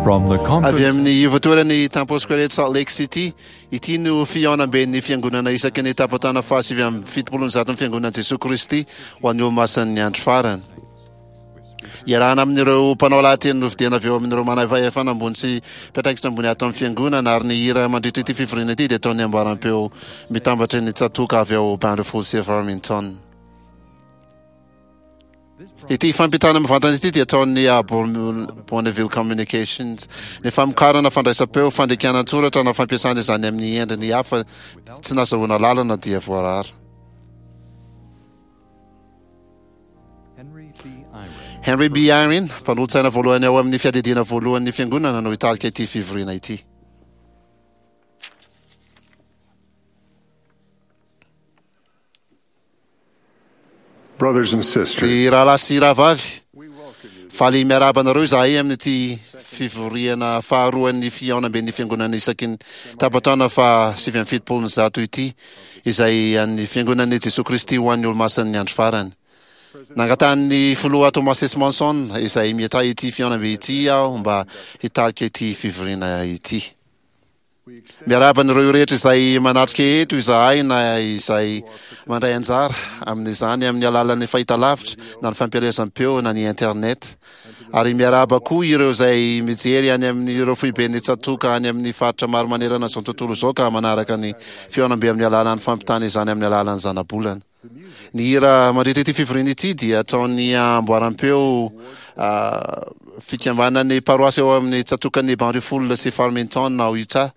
From the Avy conference amin'ny ivotoeran'ny Temple Square eto Salt Lake City, ity no fihaonamben'ny fiangonana isaky ny tapataona faha-179 ny fiangonan'i Jesoa Kristy ho an'ny Olomasin'ny Andro Farany. Iarahana amin'ireo mpanao lahateny nofidiana avy eo amin'ireo manam-pahefana ambony sy mpiandraikitra ambony ato amin'ny fiangonana ary ny hira mandritra ity fivoriana ity dia ataon'ny amboaram-peo mitambatry ny tsatoka avy ao Bountiful sy Farmington. Ity fampitana mivantana ity dia ataon'ny Bonneville Communications. Ny famokarana fandraisam-peo, fandikana an-tsoratra na fampiasana izany amin'ny endriny hafa tsy nazahoana lalana dia voarara. Henry B. Eyring, mpanolotsaina voalohany ao amin'ny fiadidiana voalohan'ny Fiangonana no hitarika ity fivoriana ity. Brothers and sisters, Ry rahalahy sy rahavavy, faly miarahaba anareo izahay amin'ity fivoriana faharoan'ny fihaonamben'ny Fiangonana isaky ny tapataona faha 179 ity, izay an'ny Fiangonan'i Jesoa Kristy ho an'ny Olomasin'ny Andro Farany. Nangatahan'ny Filoha Thomas S. Monson, izay miatrahy ity fihaonambe ity aho mba hitarika ity fivoriana ity. Miarahaba an'ireo rehetra izay manatrika eto izahay na izay mandray anjara amin'izany amin'ny alalan'ny fahitalavitra na ny fampielezam-peo na ny internet. Ary miarahaba koa ireo izay mijery any amin'ireo foiben'ny tsatoka any amin'ny faritra maro manerana izao tontolo izao ka manaraka ny fihaonambe amin'ny alalan'ny fampitana izany amin'ny alalan'ny zanabolana. Ny hira mandritra ity fivoriana ity dia ataon'ny amboaram-peo fikambanan'ny paroasy ao amin'ny tsatokan'ny Banrifull sy Farmington ao Utah,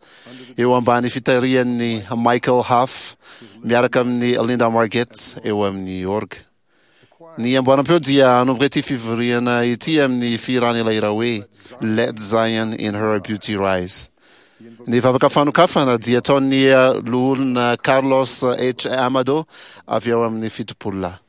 eo ambany fitarihan'ny Michael Huff miaraka amin'ny Linda Margett eo amin'ny orga. Ny amboaram-peo dia hanomboka ity fivoriana ity amin'ny fihirana ilay hira hoe Let Zion in Her Beauty Rise. Ny vavaka fanokafana dia ataon'ny Loholona Carlos H. Amado avy ao amin'ny Fitopololahy.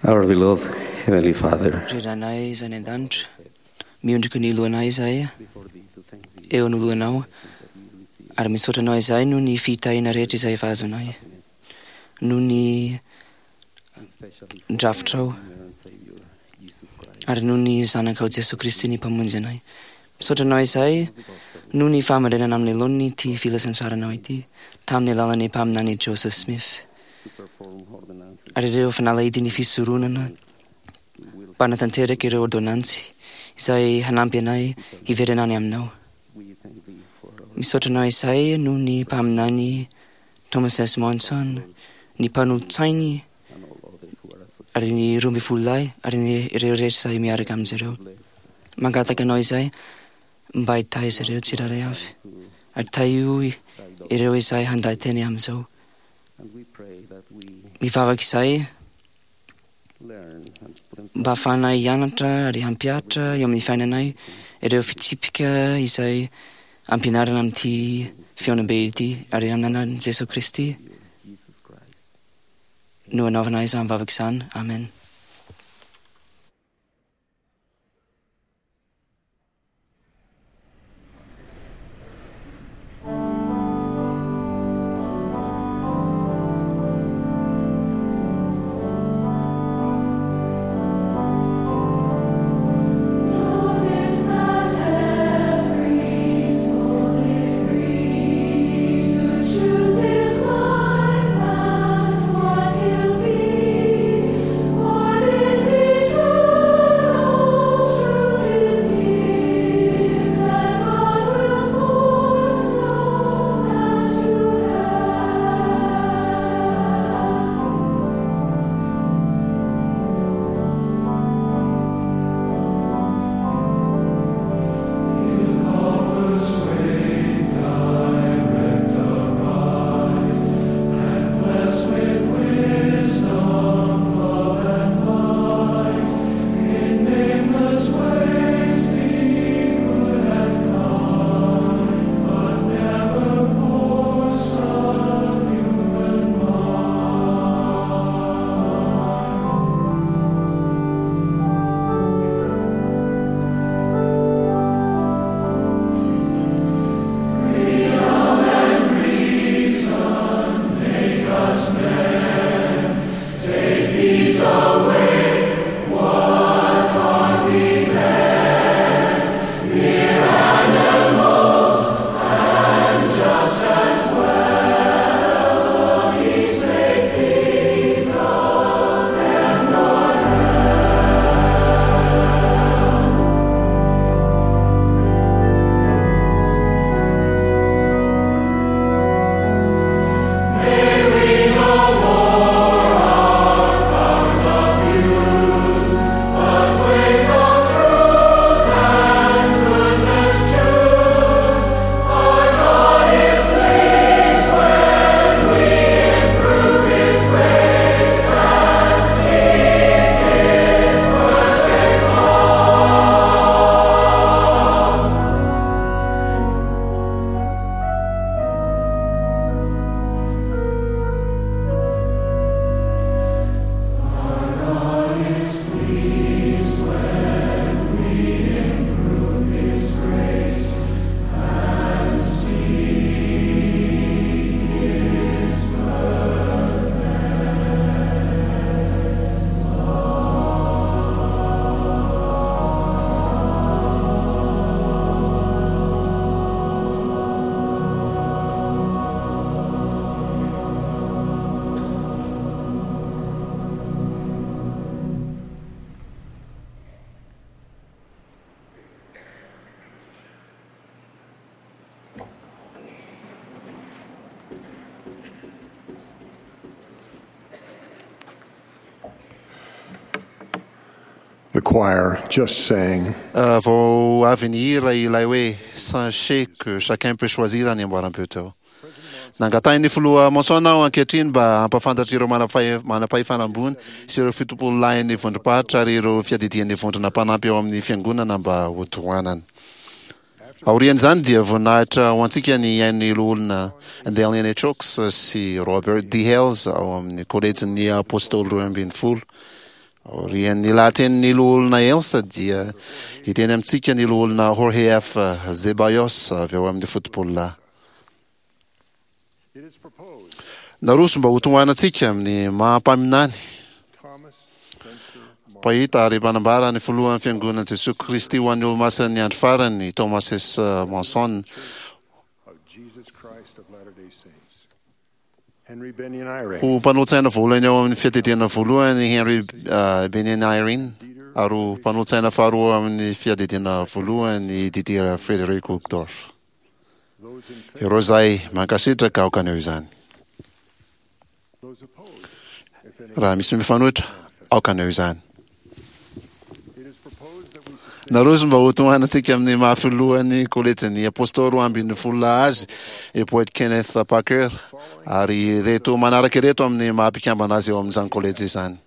Our beloved Heavenly Father, Ry Rainay izay any an-danitra, miondrika ny lohanay izahay eo anoloanao, ary misaotra anao izahay noho ny fitahiana rehetra izay efa azonay, noho ny drafitrao, ary noho ny Zanakao Jesoa Kristy ny Mpamonjy anay. Misaotra anao izahay Noho ny fahamarinana amin'ny laoniny ity filazantsaranao ity, tamin'ny alalan'ny mpaminany Joseph Smith, ary ireo fanalahidin'ny fisoronana mpanatanteraka ireo ôrdônansy izay hanampy anay hiverina any Aminao. Misaotra Anao izahay noho ny mpaminany Thomas S. Monson, ny mpanolotsainy, ary ny 12 lahy, ary ny ireo rehetra izay miaraka amin'izy ireo. Mangataka Anao izahay mba hitahy izy ireo tsirairay avy, ary tahio ireo izay handay teny amin'izao. Mivavaka izahay mba hahafahanay hianatra ary hampihatra eo amin'ny fiainanay ireo fitsipika izay ampianarina amin'ity fihaonambe ity, ary amin'ny anaran'i Jesoa Kristy no anaovana izany vavaka izany. Amen. The choir just sang. Vao avy nihira ilay hoe Sachez que chacun peut choisir ny amboaram-peo teo. Nangatahin'ny filoha Monson aho ankehitriny mba hampahafantatra ireo manam-pahefana ambony sy ireo fitopololahin'ny vondrom-paritra ary ireo fiadidian'ny vondrona mpanampy ao amin'ny fiangonana mba hotohanana. Aorian'izany dia voninahitra ho antsika ny hihaino ny Loholona Dallin H. Oaks sy Robert D. Hales ao amin'ny Kolejin'ny Apôstôly 12. Aorian'ny lahatenin'ny Loholona Hales dia hiteny amintsika ny Loholona Jorge F. Zeballos avy ao amin'ny Fotopololahy. Naroso mba hotohanantsika amin'ny maha mpaminany. Mpahita ary mpanambara ny Filohan'ny Fiangonan'i Jesoa Kristy ho an'ny Olomasin'ny Andro Farany, Thomas S. Monson. Ho mpanolotsaina voalohany ao amin'ny Fiadidiana Voalohany i Henry Bennion Eyring, ary ho mpanolotsaina faharoa ao amin'ny Fiadidiana Voalohany i Didier Frederick Uchtdorf. Ireo izay mankasitraka aoka haneho izany. Raha misy mifanohitra, aoka haneho izany. Naroso mba hotohanantsika amin'ny maha filohan'ny Kolejin'ny Apôstôly 12 azy i Boyd Kenneth Packer, ary ireto manaraka ireto amin'ny maha mpikambana azy eo amin'izany kolejy izany.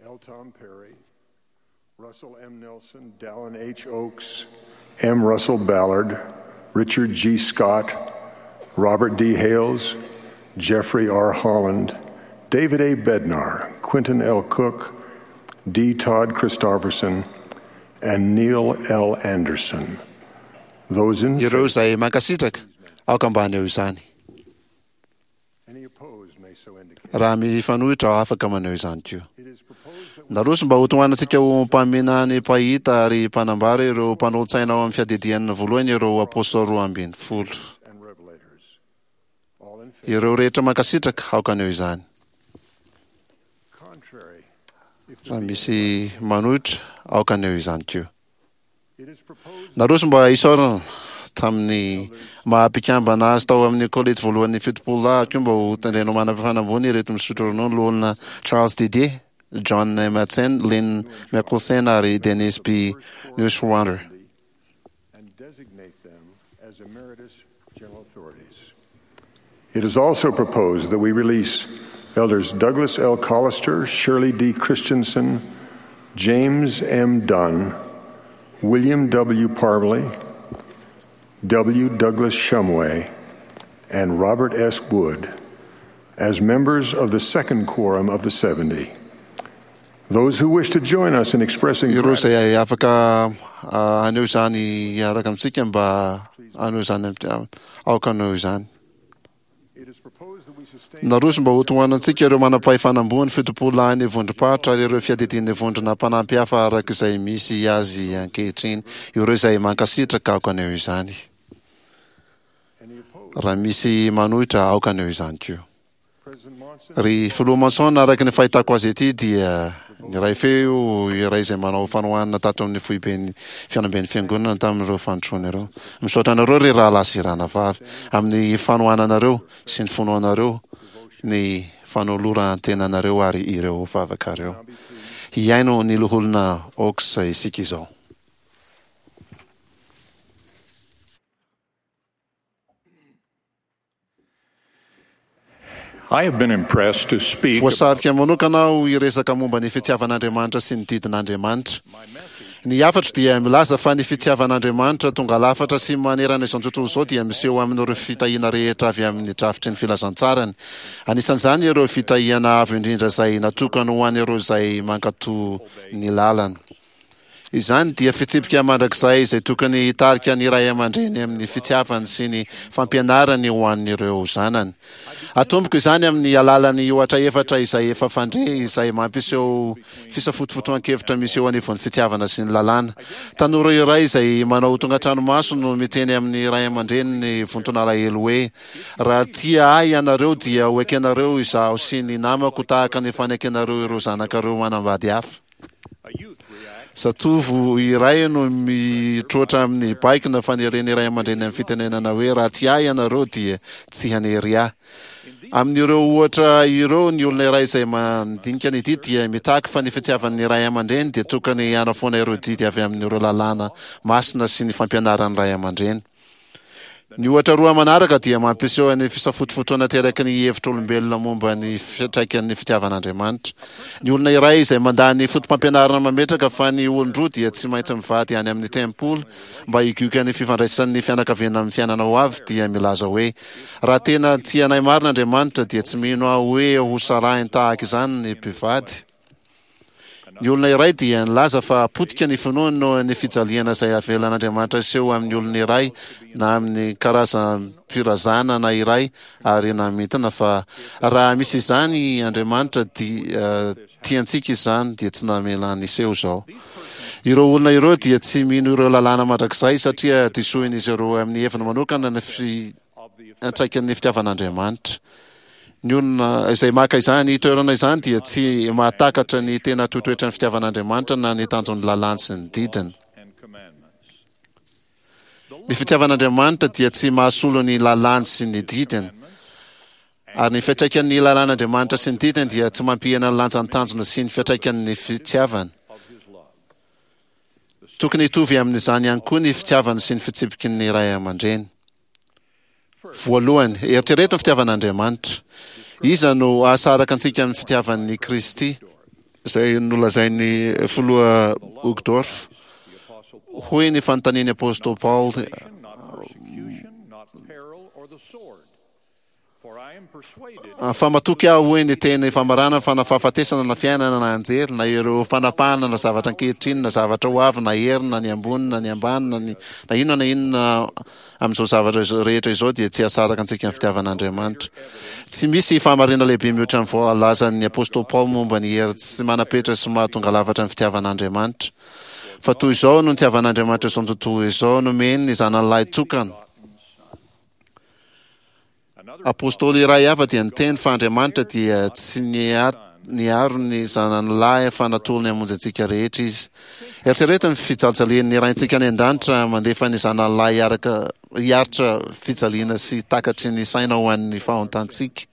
L. Tom Perry, Russell M. Nelson, Dallin H. Oaks, M. Russell Ballard, Richard G. Scott, Robert D. Hales, Jeffrey R. Holland, David A. Bednar, Quentin L. Cook, D. Todd Christofferson, and Neil L. Anderson. Those in Ireo izay mankasitraka, aoka mba haneho izany. Raha mifanohitra, afaka maneho izany koa. Naroso mba hotohanantsika ho mpaminany, mpahita ary mpanambara ireo mpanolotsaina ao amin'ny fiadidian'ny voalohany ireo apôstôly 12. Ireo rehetra mankasitraka, aoka haneho izany. Raha misy manohitra, aoka haneho izany koa. Naroso mba hisaorana tamin'ny maha mpikambana azy tao amin'ny Kolejy voalohan'ny 70 lahy ary koa mba ho tendrena ho manam-pahefana ambony ireto misotro ronono loholona Charles Didier, John Madsen, Lynn Mickelson ary Dennis B. Neuschwander. It is also proposed that we release Elders Douglas L. Collister, Shirley D. Christensen, James M. Dunn, William W. Parbley, W. Douglas Shumway, and Robert S. Wood as members of the second quorum of the 70. Those who wish to join us in expressing Ireo izay afaka haneho izany hiaraka amintsika mba haneho izany aoka haneho izany. Naroso mba hotohanantsika ireo manam-pahefana ambony, 70 lahin'ny vondrom-paritra ary ireo fiadidian'ny vondrona mpanampy hafa araka izay misy azy ankehitriny. Ireo izay mankasitraka aoka haneho izany. Raha misy manohitra aoka haneho izany koa. Ry Filoha Monson, araka ny fahitako azy ity dia niray feo iray izay manao fanohanana tato amin'ny foiben'ny fihaonamben'ny Fiangonana tamin'ireo fandrosoana ireo. Misaotra anareo ry rahalahy sy ranavavy amin'ny fanohananareo sy ny finoanareo, ny fanoloran-tenanareo ary ireo vavakareo. Hihaino ny Loholona Oaks isika izao. Voasarika manokana aho hiresaka momba ny fitiavan'Andriamanitra sy ny didin'Andriamanitra. Ny hafatro dia milaza fa ny fitiavan'Andriamanitra tonga lafatra sy manerana izao tontolo izao dia miseho amin'ireo fitahiana rehetra avy amin'ny drafitry ny filazantsarany. Anisan'izany ireo fitahiana avo indrindra izay natokany ho an'ireo izay mankatò ny lalany. Izany dia fitsipika mandrakizay izay tokony hitarika ny ray aman-dreny amin'ny fitiavany sy ny fampianarany ho an'ireo zanany. Atomboko izany amin'ny alalan'ny ohatra efatra izay efa fandre izay mampiseho fisafotofotoan-kevitra misy eo anivon'ny fitiavana sy ny lalàna. Tanora iray izay manao tonga an-tranomaso no miteny amin'ny ray aman-dreniny vonton'alahelo hoe, Raha tia ahy ianareo dia ho ekenareo izaho sy ny namako tahaka ny fanekenareo ireo zanakareo manambady hafa. Zatovo iray no mitroatra amin'ny baiko na faneren'ny ray aman-dreny amin'ny fitenenana hoe raha tia ahy ianareo dia tsy hanery ahy. Amin'ireo ohatra ireo, ny olona iray izay mandinika ny didy dia mitaky fa ny fitiavan'ny ray aman-dreny dia tokony hanafoana ireo didy avy amin'ireo lalàna masina sy ny fampianaran'ny ray aman-dreny. Ny ohatra roa manaraka dia mampiseho ny fisafotofotoana ateraky ny hevitr'olombelona momba ny fiantraikan'ny fitiavan'Andriamanitra. Ny olona iray izay mandà ny fotopampianarana mametraka fa ny olon-droa dia tsy maintsy mivady any amin'ny tempoly mba higioka ny fifandraisan'ny fianakaviana amin'ny fiainana ho avy dia milaza hoe, Raha tena tia anay marina Andriamanitra dia tsy mino aho hoe hosarahiny tahaka izany ny mpivady. Ny olona iray dia nilaza fa potika ny finoany noho ny fijaliana izay avelan'Andriamanitra hiseho amin'ny olona iray na amin'ny karazam-pirazanana iray ary namintina fa raha misy izany Andriamanitra dia tiantsika izany dia tsy namela niseho izao. Ireo olona ireo dia tsy mino ireo lalàna mandrakizay satria disoin'izy ireo amin'ny heviny manokana ny fiantraikan'ny fitiavan'Andriamanitra. Ny olona izay maka izany toerana izany dia tsy mahatakatra ny tena toetoetran'ny fitiavan'Andriamanitra na ny tanjon'ny lalàny sy ny didiny. Ny fitiavan'Andriamanitra dia tsy mahasolo ny lalàny sy ny didiny. Ary ny fiantraikan'ny lalàn'Andriamanitra sy ny didiny dia tsy mampihena ny lanjan'ny tanjona sy ny fiantraikan'ny fitiavany. Tokony hitovy amin'izany ihany koa ny fitiavany sy ny fitsipiky ny ray aman-dreny. Voalohany, eritrereto ny fitiavan'Andriamanitra. Iza no hahasaraka antsika amin'ny fitiavan'i Kristy? Izay nolazain'ny Filoha Uchtdorf. Hoy ny fanontanian'ny Apostoly Paoly, Fa matoky aho, hoy ny teny famarana, fa na fahafatesana na fiainana na anjely na ireo fanapahana na zavatra ankehitriny na zavatra ho avy na hery na ny ambony na ny ambany na ny na inona na inona amin'izao zavatra izao rehetra izao dia tsy hahasaraka antsika ny fitiavan'Andriamanitra. Tsy misy fahamarinana lehibe mihoatra ny voalazan'ny apostoly Paoly momba ny hery tsy manam-petra sy mahatonga lafatra ny fitiavan'Andriamanitra. Fa toy izao no nitiavan'Andriamanitra izao tontolo izao, nomeny ny Zanany lahy tokana. Apostoly iray hafa dia niteny fa Andriamanitra dia tsy niaro ny Zanany lahy fa natolony hamonjy antsika rehetra Izy. Eritrereto ny fijalijalian'ny Raintsika any An-danitra mandefa ny Zanany lahy hiaraka hiaritra fijaliana sy takatry ny saina ho an'ny fahontantsika.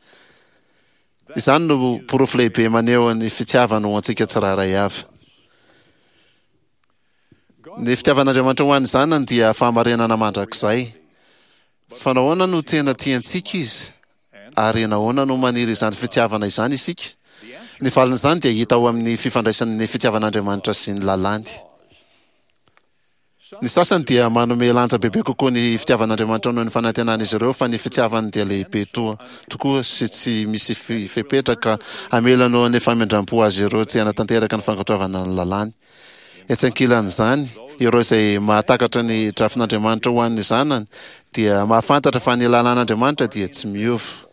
Izany no porofo lehibe maneho ny fitiavany ho antsika tsirairay avy. Ny fitiavan'Andriamanitra ho an'ny zanany dia fahamarinana mandrakizay. Fa nahoana no tena tiantsika Izy? Ary nahoana no maniry izany fitiavana izany isika? Ny valin'izany dia hita ao amin'ny fifandraisan'ny fitiavan'Andriamanitra sy ny lalàny. Ny sasany dia manome lanja bebe kokoa ny fitiavan'Andriamanitra noho ny fanantenan'izy ireo fa ny fitiavany dia lehibe toa tokoa sy tsy misy fepetra ka hamela noho ny famindram-po azy ireo tsy hanatanteraka ny fankatoavana ny lalàny. Etsy ankilan'izany, ireo izay mahatakatra ny drafin'Andriamanitra ho an'ny zanany dia mahafantatra fa ny lalàn'Andriamanitra dia tsy miova.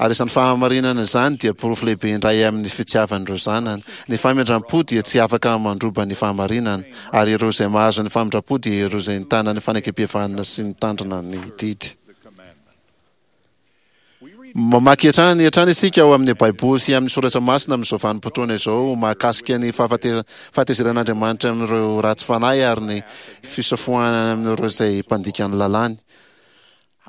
Ary izany fahamarinana izany dia porofo lehibe indray amin'ny fitiavan'ireo zanany. Ny famindram-po dia tsy afaka mandroba ny fahamarinana, ary ireo izay mahazo ny famindram-po dia ireo izay nitana ny fanekempihavanana sy nitandrina ny didy. Mamaky hatrany hatrany isika ao amin'ny Baiboly sy amin'ny Soratra Masina amin'izao vanim-potoana izao mahakasika ny fahatezeran'Andriamanitra amin'ireo ratsy fanahy ary ny fisafoahana amin'ireo izay mpandika ny lalàny.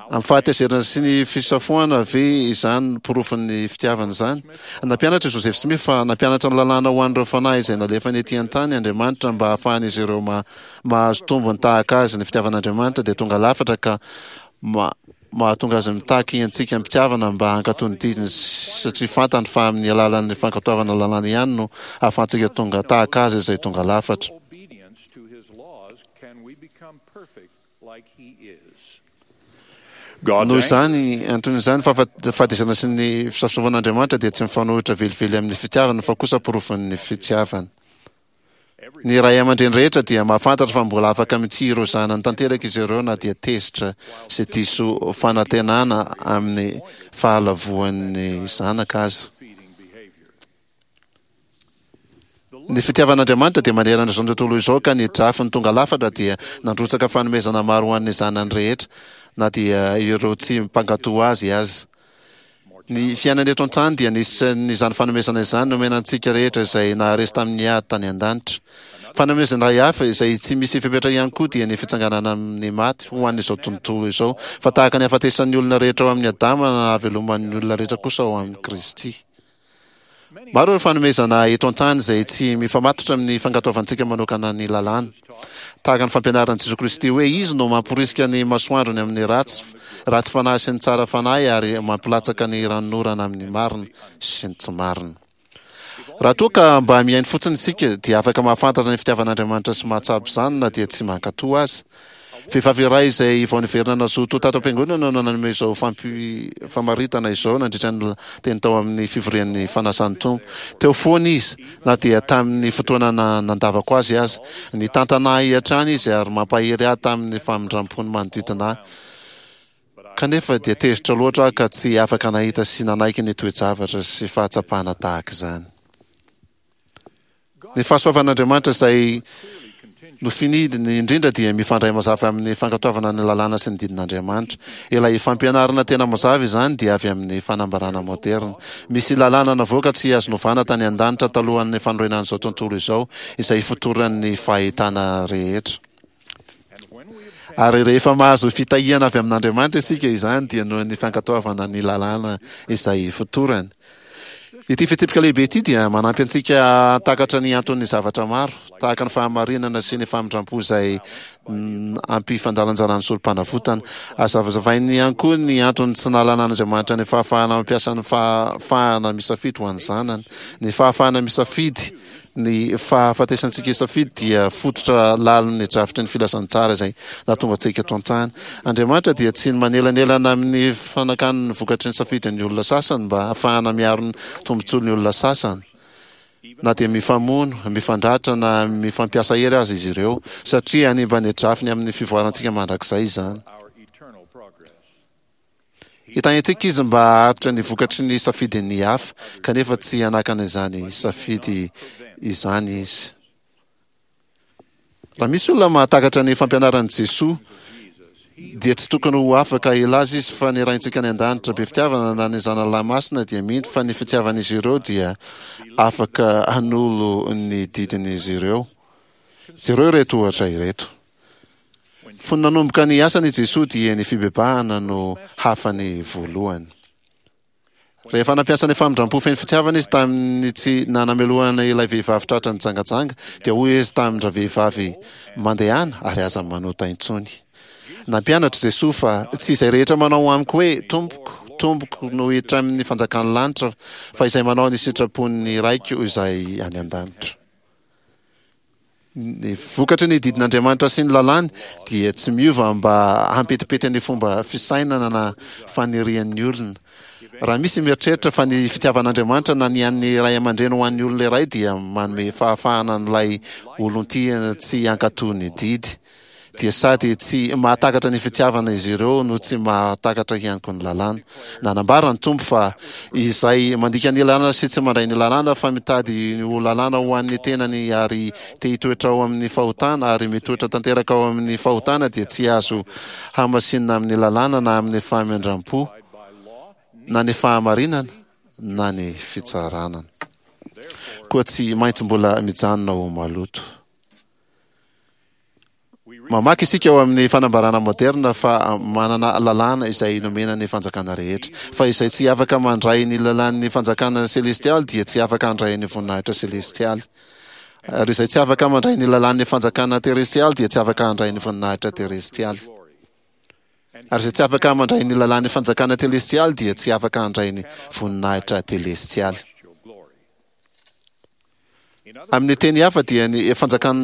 Amin'ny fahatezerana sy ny fisafoahana ve izany porofon'ny fitiavana izany? Nampianatra i Joseph Smith fa nampianatra ny lalàna ho an'ireo fanahy izay nalefany ety an-tany Andriamanitra mba hahafahan'izy ireo mahazo tombony tahaka azy. Ny fitiavan'Andriamanitra dia tonga lafatra ka Mahatonga azy mitaky antsika am-pitiavana mba hankatò ny didiny satria fantany fa amin'ny alalan'ny fankatoavana lalàna ihany no ahafahantsika tonga tahaka azy izay tonga lafatra. Noho izany antony izany, fahafatesana sy ny fisafosafoan'Andriamanitra dia tsy mifanohitra velively amin'ny fitiavana fa kosa porofon'ny fitiavana. Ny ray aman-dreny rehetra dia mahafantatra fa mbola afaka mitia ireo zanany tanteraka izy ireo na dia tezitra sy diso fanantenana amin'ny fahalavoan'ny zanaka aza. Ny fitiavan'Andriamanitra dia manerana izao tontolo izao ka ny drafiny tonga lafatra dia nandrotsaka fanomezana maro ho an'ny zanany rehetra na dia ireo tsy mpankato azy aza. Ny fiainana eto an-tany dia anisan'izany fanomezana izany nomena antsika rehetra izay naharesy tamin'ny ady tany an-danitra. Fanomezana iray hafa izay tsy misy fepetra ihany koa dia ny fitsanganana amin'ny maty ho an'izao tontolo izao, fa tahaka ny hahafatesan'ny olona rehetra ao amin'i Adama na hahaveloman'ny olona rehetra kosa ao amin'i Kristy. Maro ireo fanomezana eto an-tany izay tsy mifamatotra amin'ny fankatoavantsika manokana ny lalàna. Tahaka ny fampianaran'i Jesoa Kristy hoe Izy no mamporisika ny masoandrony amin'ny ratsy ratsy fanahy sy ny tsara fanahy ary mampilatsaka ny ranonorana amin'ny marina sy ny tsy marina. Raha toa ka mba mihaino fotsiny isika dia afaka mahafantatra ny fitiavan'Andriamanitra sy mahatsapa izany na dia tsy mankatò aza. Vehivavy iray izay vao niverina nazoto tato am-piangonana no nanome izao famaritana izao nandritra ny teny tao amin'ny fivorian'ny Fanasan'ny Tompo. Teo foana izy, na dia tamin'ny fotoana nandavako azy aza. Nitantana ahy hatrany izy ary mampahery ahy tamin'ny famindrampony manodidina ahy. Kanefa dia tezitra loatra aho ka tsy afaka nahita sy nanaiky ny toe-javatra sy fahatsapana tahaka izany. Ny fahasoavan'Andriamanitra izay nofinidiny indrindra dia mifandray mazava amin'ny fankatoavana ny lalàna sy ny didin'Andriamanitra. Ilay fampianarana tena mazava izany dia avy amin'ny fanambarana moderina. Misy lalàna navoaka tsy azo novana tany an-danitra talohan'ny fanorenan'izao tontolo izao, izay ifotoran'ny fahitana rehetra. Ary rehefa mahazo fitahiana avy amin'Andriamanitra isika, izany dia noho ny fankatoavana ny lalàna izay ifotorany. Ity fitsipika lehibe ity dia manampy antsika hahatakatra ny anton'ny zavatra maro, tahaka ny fahamarinana sy ny famindram-po izay ampifandalanjalan'ny sorom-panavotana. Azavazavainy ihany koa ny antony tsy nahalanan'Andriamanitra ny fahafahana mampiasa ny fahafahana misafidy ho an'ny zanany. Ny fahafahana misafidy Ny fahafatesantsika hisafidy dia fototra lalin'ny drafitry ny filazantsara izay nahatonga antsika eto an-tany. Andriamanitra dia tsy manelanelana amin'ny fanakany ny vokatry ny safidin'ny olona sasany mba hahafahana miaro ny tombontsoan'ny olona sasany, na dia mifamono, mifandratra na mifampiasa hery aza izy ireo, satria hanimba ny drafiny amin'ny fivoarantsika mandrakizay izany. Hitahiantsika izy mba haharitra ny vokatry ny safidin'ny hafa, kanefa tsy hanakana izany safidy izany izy. Raha misy olona mahatakatra ny fampianaran'i Jesoa, dia tsy tokony ho afaka hilaza izy fa ny Raintsika any An-danitra be fitiavana na ny Zanany Lahy Masina dia mino fa ny fitiavan'izy ireo dia afaka hanolo ny didin'izy ireo. Jereo ireto ohatra ireto. Fony nanomboka ny asany i Jesoa dia ny fibebahana no hafany voalohany. Rehefa nampiasa ny famindram-po feno fitiavana izy tamin'ny tsy nanamelohana ilay vehivavy tratra nijangajanga, dia hoy izy tamin-dravehivavy, Mandehana ary aza manota intsony. Nampianatra Jesoa fa tsy izay rehetra manao amiko hoe, Tompoko, Tompoko no hiditra amin'ny fanjakan'ny lanitra, fa izay manao ny sitrapon'ny Raiko izay any an-danitra. Ny vokatry ny didin'Andriamanitra sy ny lalàny dia tsy miova mba hampetipety ny fomba fisainana na fanirian'ny olona. Raha misy mieritreritra fa ny fitiavan'Andriamanitra na ny an'ny ray aman-dreny ho an'ny olona iray dia manome fahafahana an'ilay olon-tiana tsy hankatò ny didy, dia sady tsy mahatakatra ny fitiavana izy ireo no tsy mahatakatra ihany koa ny lalàna. Nanambara ny Tompo fa izay mandika ny lalàna sy tsy mandray ny lalàna fa mitady ny ho lalàna ho an'ny tenany ary te hitoetra ao amin'ny fahotana ary mitoetra tanteraka ao amin'ny fahotana dia tsy azo hamasinina amin'ny lalàna na amin'ny famindram-po na ny fahamarinana na ny fitsarana. Koa tsy maintsy mbola mijanona ho maloto. Mamaky isika ao amin'ny fanambarana moderna fa manana lalàna izay nomena ny fanjakana rehetra. Fa izay tsy afaka mandray ny lalàn'ny fanjakana selestialy dia tsy afaka handray ny voninahitra selestialy. Ary izay tsy afaka mandray ny lalàn'ny fanjakana terestialy dia tsy afaka handray ny voninahitra terestialy. Ary izay tsy afaka mandray ny lalàn'ny fanjakana telestialy dia tsy afaka handray ny voninahitra telestialy. Amin'ny teny hafa dia ny fanjakan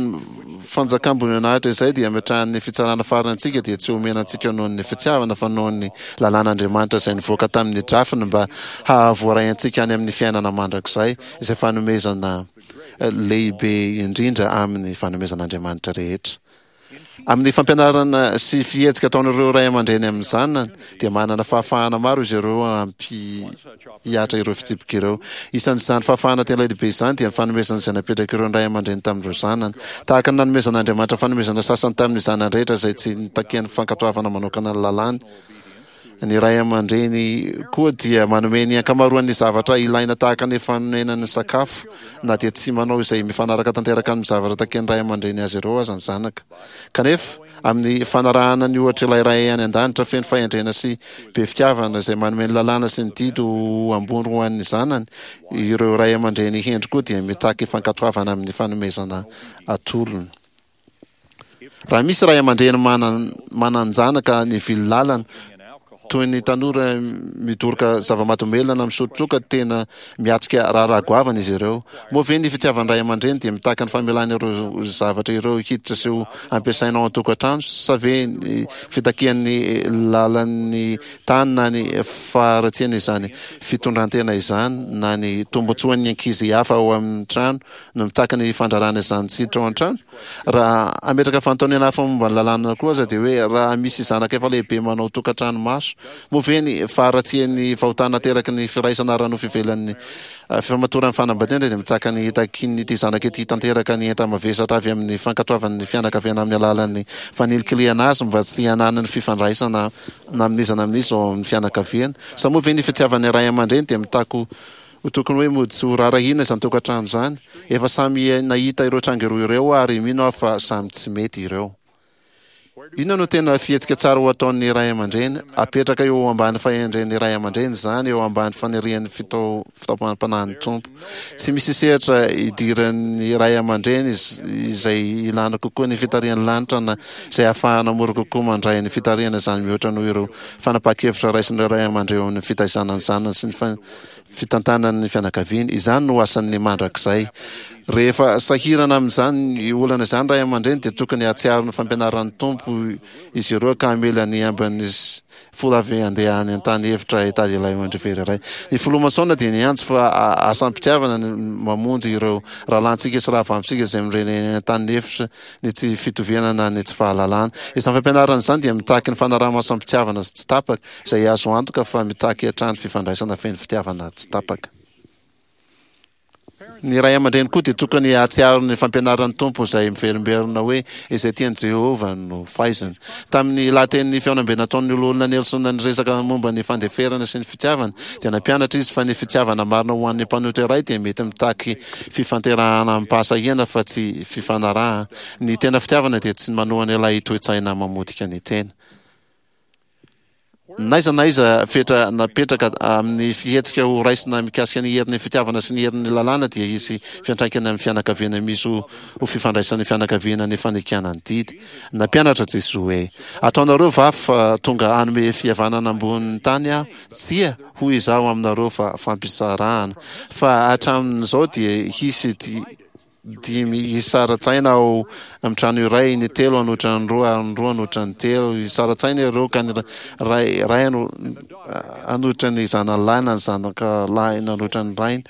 fanjakam-boninahitra izay dia ametrahan'ny fitsarana farany antsika dia tsy omena antsika noho ny fitiavana fa noho ny lalàn'Andriamanitra izay nivoaka tamin'ny drafiny mba hahavoaray antsika any amin'ny fiainana mandrakizay izay fanomezana lehibe indrindra amin'ny fanomezan'Andriamanitra rehetra. Amin'ny fampianarana sy fihetsika ataon'ireo ray aman-dreny amin'ny zanany, dia manana fahafahana maro izy ireo hampihatra ireo fitsipika ireo. Isan'izany fahafahana tena lehibe izany dia ny fanomezana izay napetrak'ireo ray aman-dreny tamin'ireo zanany. Tahaka ny nanomezan'Andriamanitra fanomezana sasany tamin'ny zanany rehetra izay tsy nitakiany fankatoavana manokana ny lalàny, Ny ray aman-dreny koa dia manome ny ankamaroan'ny zavatra ilaina tahaka ny fanonenany sakafo, na dia tsy manao izay mifanaraka tanteraka amin'ny zavatra takian'ny ray aman-dreny azy ireo aza ny zanaka. Kanefa, amin'ny fanarahana ny ohatr'ilay Ray any an-danitra feno fahendrena sy be fitiavana izay manome ny lalàna sy ny didy ho ambony ho an'ny zanany, ireo ray aman-dreny hendry koa dia mitaky fankatoavana amin'ny fanomezana atolony. Raha misy ray aman-dreny manan-janaka nivily lalana, toy ny tanora midoroka zava-mahadomelina na misotro toaka, tena miatrika raharaha goavana izy ireo. Moa ve ny fitiavan'ny ray aman-dreny dia mitaky ny famelana ireo zavatra ireo hiditra sy ho ampiasaina ao an-tokantrano sa ve ny fitakian'ny lalan'ny tany na ny faharatsiana izany fitondran-tena izany na ny tombontsoan'ny ankizy hafa ao amin'ny trano no mitaky ny fandrarana izany tsy hiditra ao an-trano? Raha hametraka fanontaniana hafa momba ny lalàna koa aza dia hoe raha misy zanaka efa lehibe manao tokantrano maso, moa ve ny faharatsian'ny fahotana ateraky ny firaisana ara-nofo ivelan'ny fifamatoran'ny fanambadiana dia mitsaka ny hitakian'ity zanaka ity tanteraka ny enta-mavesatra avy amin'ny fankatoavan'ny fianakaviana amin'ny alalan'ny fanilikilihana azy mba tsy hananany fifandraisana na amin'iza na amin'iza ao amin'ny fianakaviana? Sa moa ve ny fitiavan'ny ray aman-dreny dia mitaky ho tokony hoe mody tsy ho rarahina izany tokantrano izany? Efa samy nahita ireo tranga roa ireo aho ary mino aho fa samy tsy mety ireo. Inona no tena fihetsika tsara ho ataon'ny ray aman-dreny? Apetraka eo ambany fahendren'ny ray aman-dreny izany, eo ambany fanirian'ny fitaomam-panahin'ny Tompo. Tsy misy sehatra idiran'ny ray aman-dreny izay ilana kokoa ny fitarihan'ny lanitra na izay ahafahana mora kokoa mandray ny fitarihana izany mihoatra noho ireo fanapahan-kevitra raisin'ireo ray aman-dreny eo amin'ny fitaizana ny zanany sy ny fitantanany ny fianakaviany. Izany no asan'ny mandrakizay. Rehefa sahirana amin'izany olana izany ray aman-dreny dia tokony hahatsiaro ny fampianaran'ny Tompo izy ireo ka hamela ny ambin'ny folo avy handeha any an-tany efitra hitady ilay ondry very iray. Ny filoha Mason dia niantso fa asam-pitiavana ny mamonjy ireo rahalahintsika sy rahavavintsika izay mirenireny any an-tany efitra ny tsy fitoviana na ny tsy fahalalana. Izany fampianarana izany dia mitaky ny fanaraha-maso am-pitiavana sy tsy tapaka, izay azo antoka fa mitaky hatrany fifandraisana feno fitiavana tsy tapaka. Ny ray aman-dreny koa dia tokony hahatsiaro ny fampianaran'ny Tompo izay miverimberina hoe izay tian'i Jehovah no faiziny. Tamin'ny lahatenin'ny fihaonambe nataon'ny Loholona Nelson niresaka momba ny fandeferana sy ny fitiavana, dia nampianatra izy fa ny fitiavana marina ho an'ny mpanota iray dia mety mitaky fifanterahana amim-pahasahiana fa tsy fifanarahana. Ny tena fitiavana dia tsy manohana ilay toe-tsaina mamotika ny tena. N'aiza n'aiza fetra napetraka amin'ny fihetsika ho raisina mikasika ny herin'ny fitiavana sy ny herin'ny lalàna dia hisy fiantraikany amin'ny fianakaviana misy ho fifandraisan'ny fianakaviana ny fanekena ny didy. Nampianatra Jesoa hoe, Ataonareo va fa tonga hanome fihavanana ambonin'ny tany Aho? Tsia, hoy Izaho aminareo fa fampisarahana. Fa hatramin'izao dia hisy dimy hisara-tsaina ao amin'ny trano iray, ny telo hanohitra ny roa ary ny roa hanohitra ny telo. Hisara-tsaina ireo ka ny ray ray hanohitra ny zanany lahy na ny zanaka lahy nanohitra ny rainy.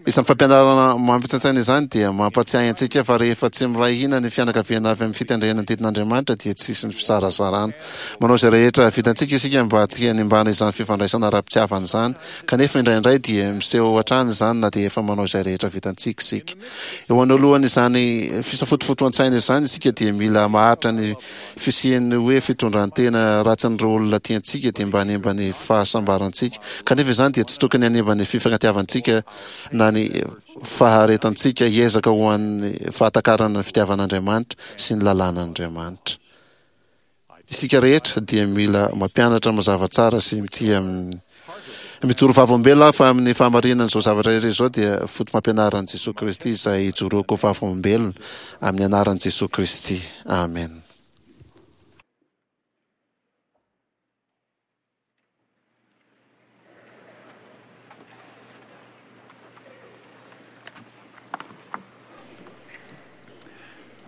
Izany fampianarana mampitsaintsaina izany dia mampatsiahy antsika fa rehefa tsy miray hina ny fianakaviana avy amin'ny fitendrena ny didin'Andriamanitra dia tsy hisy ny fizarazarana. Manao izay rehetra vitantsika isika mba tsy hanimbana izany fifandraisana ara-pitiavana izany, kanefa indraindray dia miseho hatrany izany na dia efa manao izay rehetra vitantsika isika. Eo anoloan'izany fisafotofotoan-tsaina izany isika dia mila maharitra ny fisian'ny hoe fitondran-tena ratsin'ireo olona tiantsika dia mba hanimba ny fahasambarantsika. Kanefa izany dia tsy tokony hanimba ny fifankatiavantsika na ny faharetantsika hiezaka ho an'ny fahatakarana ny fitiavan'Andriamanitra sy ny lalàn'Andriamanitra. Isika rehetra dia mila mampianatra mazava tsara sy mitia amin'ny Mijoro vavolombelona aho fa amin'ny fahamarinan'izao zavatra rehetra izao dia foto-pampianaran'i Jesoa Kristy izay ijoroako ho vavolombelona amin'ny anaran'i Jesoa Kristy. Amena.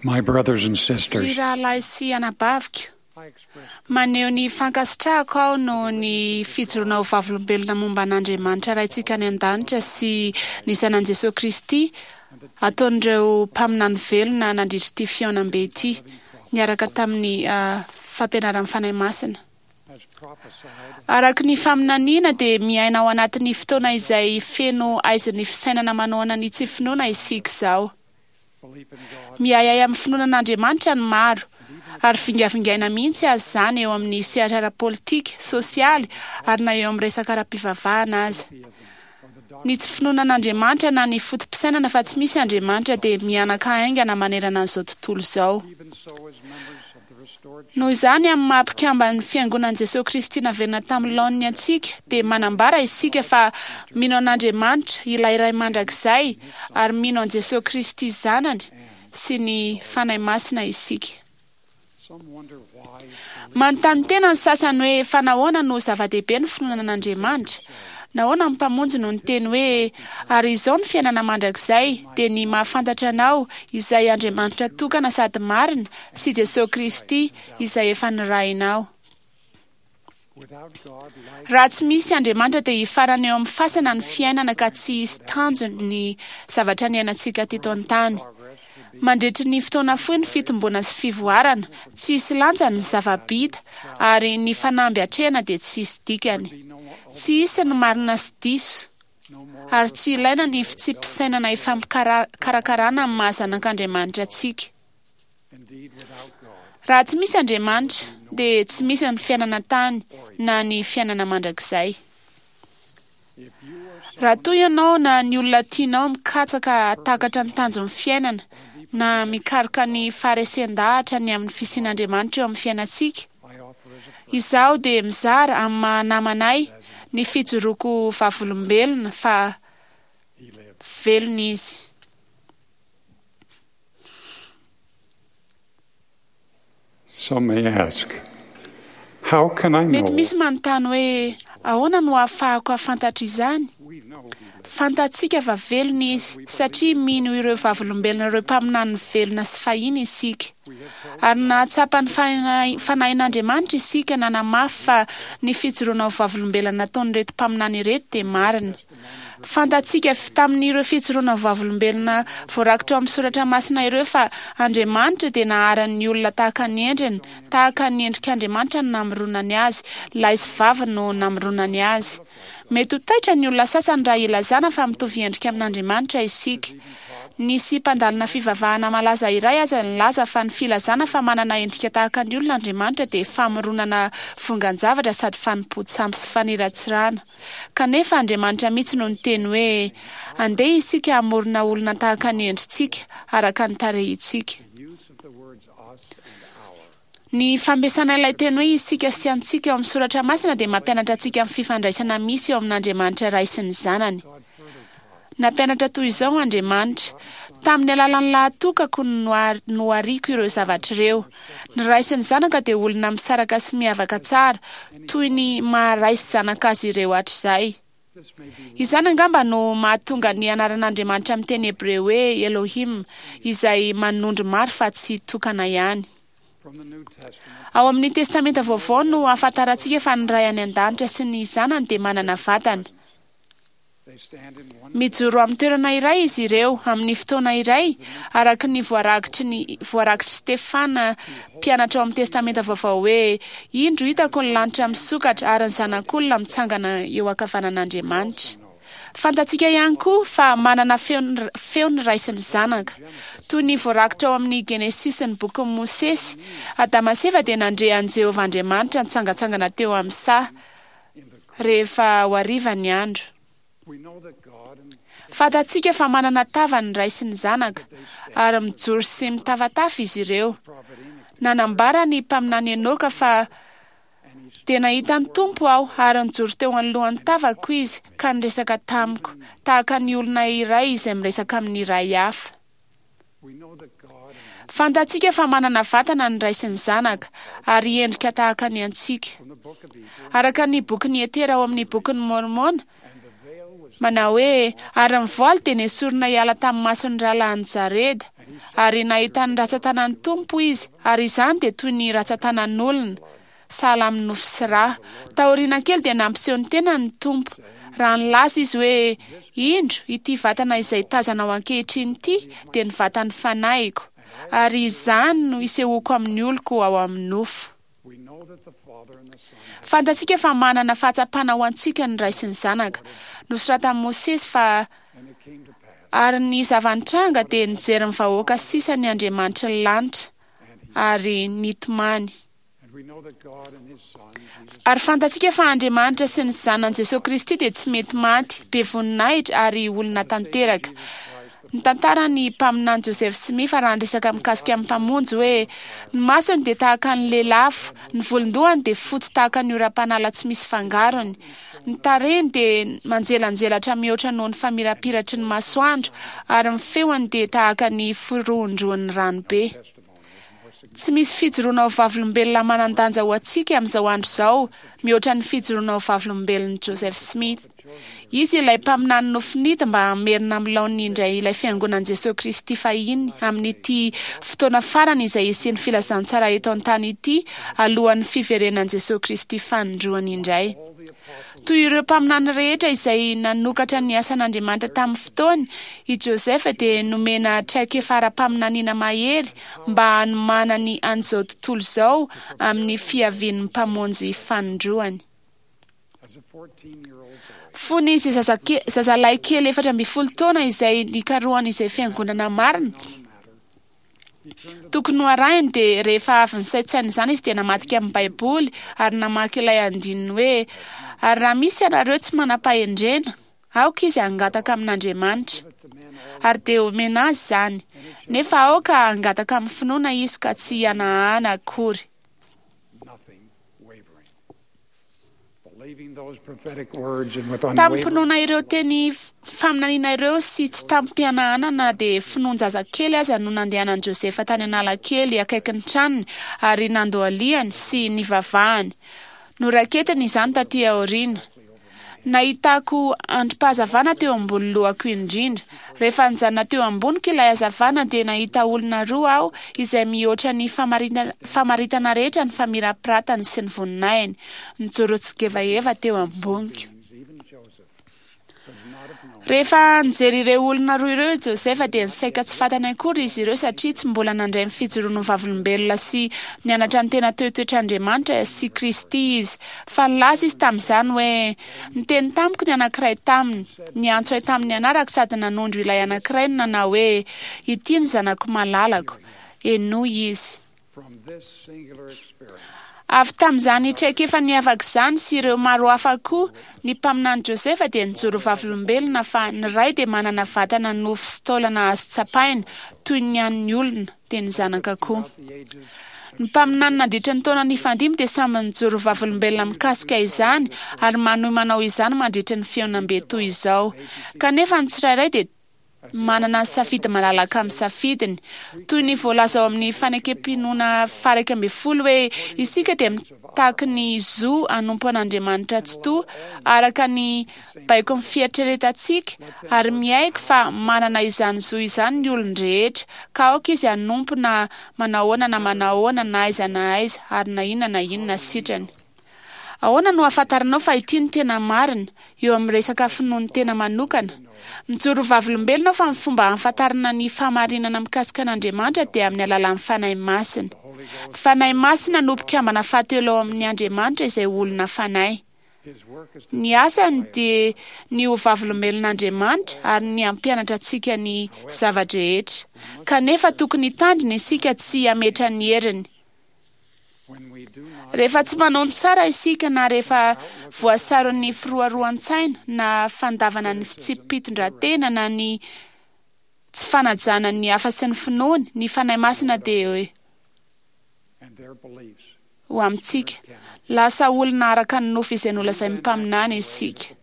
My brothers and sisters. Ry rahalahy sy anabaviko, maneho ny fankasitrahako aho noho ny fijoroana ho vavolombelona momba an'Andriamanitra Raintsika any An-danitra sy ny Zanany Jesoa Kristy ataon'ireo mpaminany velona nandritra ity fihaonambe ity niaraka tamin'ny fampianaran'ny Fanahy Masina. Araka ny faminaniana dia miaina ao anatin'ny fotoana izay feno aizin'ny fisainana manohana ny tsy finoana isika izao. Miahiahy amin'ny finoana an'Andriamanitra ny maro, ary vingavingaina mihitsy aza izany eo amin'ny sehatra ara-politika, sosialy, ary na eo amin'ny resaka ara-pivavahana aza. Ny tsy finoana an'Andriamanitra na ny foto-pisainana fa tsy misy Andriamanitra dia mihanaka haingana manerana an'izao tontolo izao. Noho izany, amin'ny maha mpikamban'ny Fiangonan'i Jesoa Kristy naverina tamin'ny laoniny antsika, dia manambara isika fa mino an'Andriamanitra, ilay Ray Mandrakizay, ary mino an'i Jesoa Kristy Zanany sy ny Fanahy Masina isika. Manontany tena ny sasany hoe fa nahoana no zava-dehibe ny finoana an'Andriamanitra? Nahoana ny Mpamonjy no niteny hoe, Ary izao ny fiainana mandrakizay, dia ny mahafantatra Anao, izay Andriamanitra tokana sady marina, sy Jesoa Kristy, izay efa nirahinao. Raha tsy misy Andriamanitra dia hifarana eo amin'ny fasana ny fiainana ka tsy hisy tanjony ny zavatra niainantsika teto an-tany. Mandritry ny fotoana fohy ny fitomboana sy fivoarana, tsy hisy lanjany ny zava-bita ary ny fanamby atrehina dia tsy hisy dikany. Tsy hisy ny marina sy diso, ary tsy ilaina ny fitsipi-pisainana ifampikarakarana amin'ny maha zanak'Andriamanitra antsika. Raha tsy misy Andriamanitra, dia tsy misy ny fiainana an-tany na ny fiainana mandrakizay. Raha toa ianao na ny olona tianao mikatsaka hahatakatra ny tanjon'ny fiainana na mikaroka ny faharesen-dahatra ny amin'ny fisian'Andriamanitra eo amin'ny fiainantsika, izaho dia mizara amin'ny maha namanay ny fijoroako ho vavolombelona fa velona Izy. Some may ask, How can I Mety know? misy manontany hoe, Ahoana no ahafahako hahafantatra izany? Fantatsika fa velona izy, satria mino ireo vavolombelona ireo mpaminany velona sy fahiny isika. Ary nahatsapa ny Fanahin'Andriamanitra isika nanamafy fa ny fijoroana ho vavolombelona nataon'ireto mpaminany ireto dia marina. Fantatsika avy tamin'ireo fijoroana vavolombelona voarakitra ao amin'ny soratra masina ireo fa Andriamanitra dia nahary ny olona tahaka ny endriny, tahaka ny endrik'Andriamanitra no namoronany azy, lahy sy vavy no namoronany azy. Mety ho taitra ny olona sasany raha ilazana fa mitovy endrika amin'Andriamanitra isika. Nisy mpandalina fivavahana malaza iray aza nilaza fa ny filazana fa manana endrika tahaka ny olona Andriamanitra dia famoronana vongan-javatra sady fanompoan-tsampy sy faniratsirana. Kanefa Andriamanitra mihitsy no niteny hoe, Andeha isika hamorona olona tahaka ny endritsika, araka ny tarehintsika. Ny fampiasana ilay teny hoe isika sy antsika ao amin'ny soratra masina dia mampianatra antsika ny fifandraisana misy eo amin'Andriamanitra Ray sy ny Zanany. Nampianatra toy izao Andriamanitra, Tamin'ny alalan'ny lahatokako no nohariako ireo zavatra ireo. Ny Ray sy ny Zanaka dia olona misaraka sy miavaka tsara, toy ny maha Ray sy Zanaka azy ireo hatrizay. Izany angamba no mahatonga ny anaran'Andriamanitra amin'ny teny hebreo hoe Elohim, izay manondro maro fa tsy tokana ihany. Ao amin'ny Testamenta Vaovao no ahafantarantsika fa ny Ray any An-danitra sy ny Zanany dia manana vatana. Mijoro amin'ny toerana iray izy ireo amin'ny fotoana iray, araka ny voarakitry ny voarakitr'i Stefana, mpianatra ao amin'ny Testamenta Vaovao hoe, Indro hitako ny lanitra misokatra ary ny Zanak'olona mitsangana eo ankavanan'Andriamanitra. Fantatsika ihany koa fa manana feo feo ny Ray sy ny Zanaka. Toy ny voarakitra ao amin'ny Genesisy sy ny bokin'i Mosesy, Adama sy Eva dia nandre an'i Jehovah Andriamanitra nitsangantsangana teo amin'ny saha. rehefa ho hariva ny andro. Fantatsika fa manana tava ny ray sy ny zanaka, ary mijoro sy mitafatafa izy ireo. Nanambara ny mpaminany Enoka fa Dia nahita ny Tompo aho, ary nijoro teo anoloan'ny tavako Izy ka niresaka tamiko, tahaka ny olona iray izay miresaka amin'ny iray hafa. Fantatsika fa manana vatana ny Ray sy ny Zanaka, ary endrika tahaka ny antsika. Araka ny bokin'i Etera ao amin'ny Bokin'i Môrmôna, manao hoe, Ary ny voaly dia nesorina hiala tamin'ny mason'ny rahalahin'i Jareda, ary nahita ny ratsan-tanan'ny Tompo izy, ary izany dia toy ny ratsan-tanan'olona, sahala amin'ny nofo sy rà. Taoriana kely dia nampiseho ny tenany ny Tompo, raha nilaza Izy hoe, Indro, ity vatana izay tazanao ankehitriny ity dia ny vatan'ny fanahiko, ary izany no hisehoako amin'ny oloko ao amin'ny nofo. Fantatsika fa manana fahatsapana ho antsika ny Ray sy ny Zanaka. Nosoratan'i Mosesy fa, Ary ny zava-nitranga dia nijery ny vahoaka sisa ny Andriamanitry ny lanitra, ary nitomany. Ary fantatsika fa Andriamanitra sy ny Zanany Jesoa Kristy dia tsy mety maty, be voninahitra ary olona tanteraka. Nitantara ny mpaminany Joseph Smith raha niresaka mikasika ny Mpamonjy hoe, Ny masony dia tahaka ny lelafo, ny volon-dohany dia fotsy tahaka ny oram-panala tsy misy fangarony, ny tarehiny dia manjelanjelatra mihoatra noho ny famirapiratry ny masoandro, ary ny feony dia tahaka ny firohondrohon'ny ranobe. Tsy misy fijoroana ho vavolombelona manan-danja ho antsika amin'izao andro izao mihoatra ny fijoroana ho vavolombelon'i Joseph Smith. Izy ilay mpaminany nofinidy mba hamerina amin'ny laoniny indray ilay Fiangonan'i Jesoa Kristy fahiny amin'ity fotoana farany izay hisian'ny filazantsara eto an-tany ity alohan'ny fiverenan'i Jesoa Kristy fanindroany indray. Toy ireo mpaminany rehetra izay nanokatra ny asan'Andriamanitra tamin'ny fotoany, i Joseph dia nomena traikefa ara-paminaniana mahery mba hanomanany an'izao tontolo izao amin'ny fiavian'ny Mpamonjy fanindroany. Fony izy zazalahy kely 14 taona izay nikarohany izay fiangonana marina tokony ho arahiny, dia rehefa avy nisaintsaina izany izy dia namadika amin'ny Baiboly ary namaky ilay andininy hoe: "Ary raha misy ianareo tsy manam-pahendrena, aoka izy hangataka amin'Andriamanitra, ary dia homena azy izany, nefa aoka hangataka amin'ny finoana izy ka tsy hihanahana akory." Tamim-pinoana ireo teny faminaniana ireo sy tsy tamim-pihanahana na dia finoan-jazakely aza no nandehanan'i Josefa tany Analakely akaikin'ny tranony ary nandohalihany sy nivavahany. Noraiketiny izany taty aoriana. Nahitako andrim-pahazavana teo ambony lohako indrindra. Rehefa nijanona teo amboniko ilay hazavana dia nahita olona roa aho izay mihoatra ny famaritana rehetra ny famirapiratany sy ny voninahiny, nijoro tsigevaheva teo amboniko. Rehefa nijery ireo olona roa ireo i Josefa dia nisaika tsy fantany akory izy ireo satria tsy mbola nandray ny fijoroany ho vavolombelona sy nianatra ny tena toetoetr'Andriamanitra sy Kristy izy. Fa nilaza izy tamin'izany hoe, Niteny tamiko ny anankiray taminy, niantso ahy tamin'ny anarako sady nanondro ilay anankiray no nanao hoe, Ity no zanako malalako, henoy izy. Avy tamin'izany traikefa niavaka izany sy ireo maro hafa koa, ny mpaminany Josefa dia nijoro vavolombelona fa ny Ray dia manana vatana nofo sy taolana azo tsapaina, toy ny an'ny olona, dia ny zanaka koa. Ny mpaminany nandritra ny taona nifandimby dia samy nijoro vavolombelona mikasika izany ary manohy manao izany mandritra ny fihaonambe toy izao. Kanefa ny tsirairay dia manana ny safidy malalaka amin'ny safidiny. Toy ny voalaza ao amin'ny Fanekem-pinoana faha-11 hoe isika dia mitaky ny zo hanompo an'Andriamanitra Tsitoha araka ny baikon'ny fieritreretantsika ary miaiky fa manana izany zo izany ny olon-drehetra, ka aoka izy hanompo na manahoana na manahoana na aiza na aiza ary na inona na inona sitrany. Ahoana no ahafantaranao fa ity no tena marina, eo amin'ny resaka finoan'ny tena manokana? Mijoro ho vavolombelona aho fa ny fomba ahafantarana ny fahamarinana mikasika an'Andriamanitra dia amin'ny alalan'ny Fanahy Masina. Ny Fanahy Masina no mpikambana fahatelo ao amin'ny Andriamanitra izay olona fanahy. Ny asany dia ny ho vavolombelon'Andriamanitra ary ny hampianatra antsika ny zava-drehetra. Kanefa tokony hitandrina isika tsy hametra ny heriny. Rehefa tsy manao ny tsara isika na rehefa voasaron'ny firoaroan-tsaina na fandavana ny fitsipi-pitondran-tena na ny tsy fanajana ny hafa sy ny finoany, ny Fanahy Masina dia ho amintsika. Lasa olona araka ny nofo izay nolazain'ny mpaminany isika.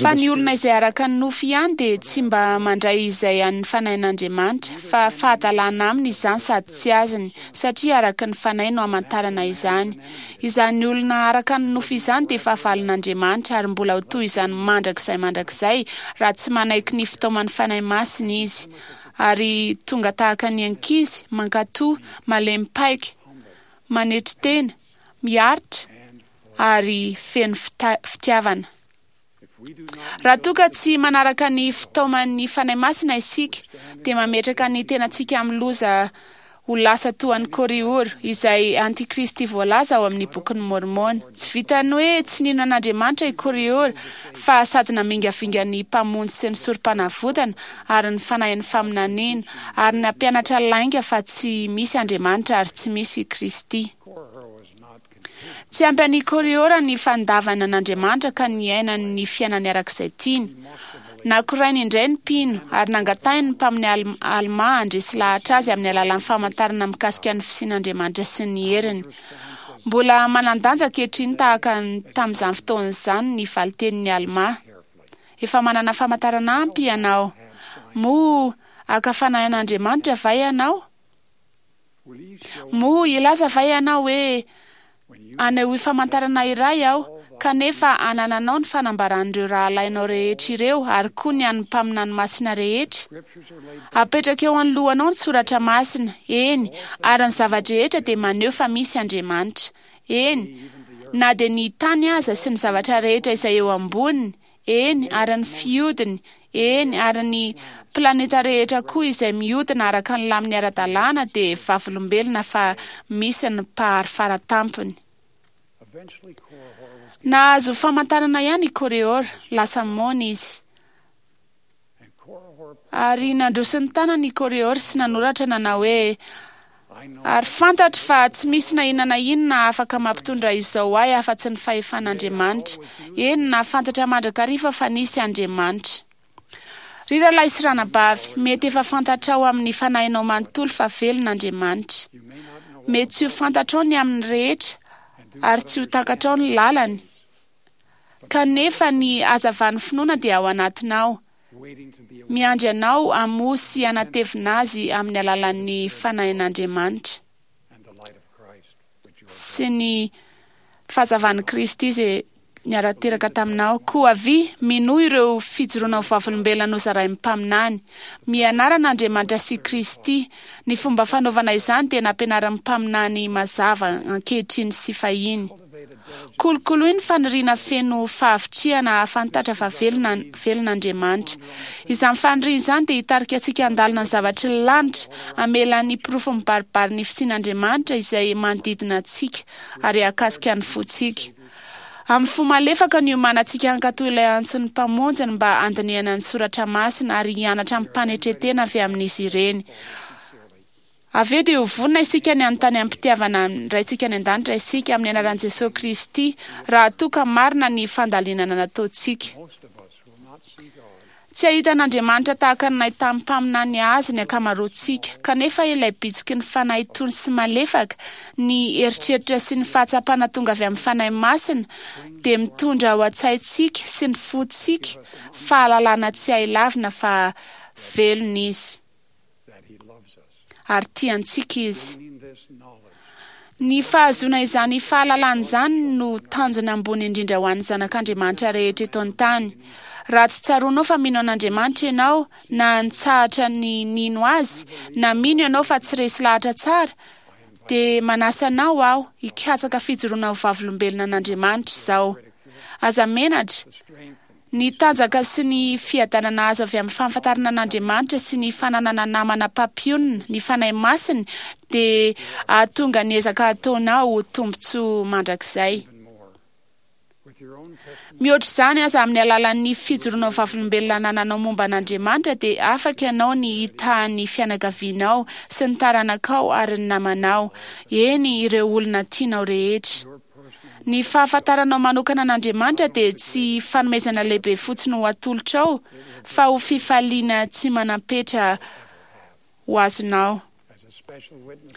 Fa ny olona izay araka ny nofo ihany dia tsy mba mandray izay an'ny Fanahin'Andriamanitra, fa fahadalana aminy izany sady tsy azony, satria araka ny Fanahy no amantarana izany. Izany olona araka ny nofo izany dia fahavalon'Andriamanitra, ary mbola ho toy izany mandrakizay mandrakizay, raha tsy manaiky ny fitaoman'ny Fanahy Masina izy, ary tonga tahaka ny ankizy, mankatò, malemy paika, manetry tena, miaritra, ary feno fitiavana. Raha toa ka tsy manaraka ny fitaoman'ny Fanahy Masina isika, dia mametraka ny tenantsika amin'ny loza ho lasa toa an'i Kôrihôra, izay antikristy voalaza ao amin'ny Bokin'i Môrmôna. Tsy vitan'ny hoe tsy nino an'Andriamanitra i Kôrihôra, fa sady namingavinga ny Mpamonjy sy ny Sorompanavotana ary ny fanahin'ny faminaniana, ary nampianatra lainga fa tsy misy Andriamanitra ary tsy misy i Kristy. Tsy ampy an'i Kôrihôra ny fandavana an'Andriamanitra ka niainany ny fiainany araka izay tiany. Nakorainy indray ny mpino ary nangatahiny ny mpamin'ny Almà handresy lahatra azy amin'ny alalan'ny famantarana mikasika ny fisian'Andriamanitra sy ny heriny. Mbola manan-danja ankehitriny tahaka ny tamin'izany fotoana izany ny valin-tenin'i Almà. Efa manana famantarana ampy ianao. Moa haka fanahy an'Andriamanitra va ianao? Moa hilaza va ianao hoe, Anehoy famantarana iray aho, kanefa anananao ny fanambaran'ireo rahalahinao rehetra ireo ary koa ny an'ny mpaminany masina rehetra? Apetraka eo anoloanao ny soratra masina, eny, ary ny zava-drehetra dia maneho fa misy Andriamanitra. Eny, na dia ny tany aza sy ny zavatra rehetra izay eo amboniny, eny, ary ny fihodiny, eny, ary ny planeta rehetra koa izay mihodina araka ny laminy ara-dalàna dia vavolombelona fa misy ny Mpahary Faratampony. Nahazo famantarana ihany i Korihor, lasa moana izy. Ary nandroso ny tanany i Korihor sy nanoratra nanao hoe, Ary fantatro fa tsy misy na inona na inona afaka mampitondra izao ahy afa-tsy ny fahefan'Andriamanitra. Eny, nahafantatra mandrakariva fa nisy Andriamanitra. Ry rahalahy sy ranabavy, mety efa fantatrao amin'ny fanahinao manontolo fa velona Andriamanitra. Mety tsy ho fantatrao ny aminy rehetra ary tsy ho takatrao ny lalany, kanefa ny hazavan'ny finoana dia ao anatinao, miandry anao hamoha sy hanatevina azy amin'ny alalan'ny Fanahin'Andriamanitra sy ny fahazavan'i Kristy izay niara-teraka taminao. Koa avia, minoa ireo fijoroana ho vavolombelona nozarain'ny mpaminany. Mianara an'Andriamanitra sy Kristy. Ny fomba fanaovana izany dia nampianarin'ny mpaminany mazava ankehitriny sy fahiny. Kolokoloy ny faniriana feno fahavitrihana hahafantatra fa velona velona Andriamanitra. Izany faniriana izany dia hitarika antsika handalina ny zavatry ny lanitra, hamela ny porofo mibaribary ny fisian'Andriamanitra izay manodidina antsika ary hahakasika ny fontsika. Amin'ny fo malefaka no iomanantsika hankatò ilay antson'ny Mpamonjiny mba handinihana ny soratra masina ary hianatra amim-panetren-tena avy amin'izy ireny. Avy eo dia ho vonona isika ny hanontany amim-pitiavana ny Raintsika any An-danitra isika, amin'ny anaran'i Jesoa Kristy, raha toa ka marina ny fandalinana nataontsika. Tsy hahita an'Andriamanitra tahaka ny nahitan'ny mpaminany Azy ny ankamaroantsika, kanefa ilay bitsiky ny Fanahy tony sy malefaka, ny eritreritra sy ny fahatsapana tonga avy amin'ny Fanahy Masina, dia mitondra ao an-tsaintsika sy ny fontsika fahalalana tsy hay lavina fa velona Izy. ary tia antsika Izy. Ny fahazoana izany fahalalana izany no tanjona ambony indrindra ho an'ny zanak'Andriamanitra rehetra eto an-tany. Raha tsy tsaroanao fa mino an'Andriamanitra ianao, na nitsahatra ny nino Azy, na mino ianao fa tsy resy lahatra tsara, dia manasa anao aho hikatsaka fijoroana ho vavolombelona an'Andriamanitra izao. Aza menatra. Ny tanjaka sy ny fiadanana azo avy amin'ny fahafantarana an'Andriamanitra sy ny fananana namana mpampionona, ny Fanahy Masiny, dia hahatonga ny ezaka ataonao ho tombontsoa mandrakizay. Mihoatra izany aza, amin'ny alalan'ny fijoroana ho vavolombelona anananao momba an'Andriamanitra, dia afaka ianao ny hitaha ny fianakavianao sy ny taranakao ary ny namanao, eny, ireo olona tianao rehetra. Ny fahafantaranao manokana an'Andriamanitra dia tsy fanomezana lehibe fotsiny ho atolotrao, fa ho fifaliana tsy manam-petra ho azonao.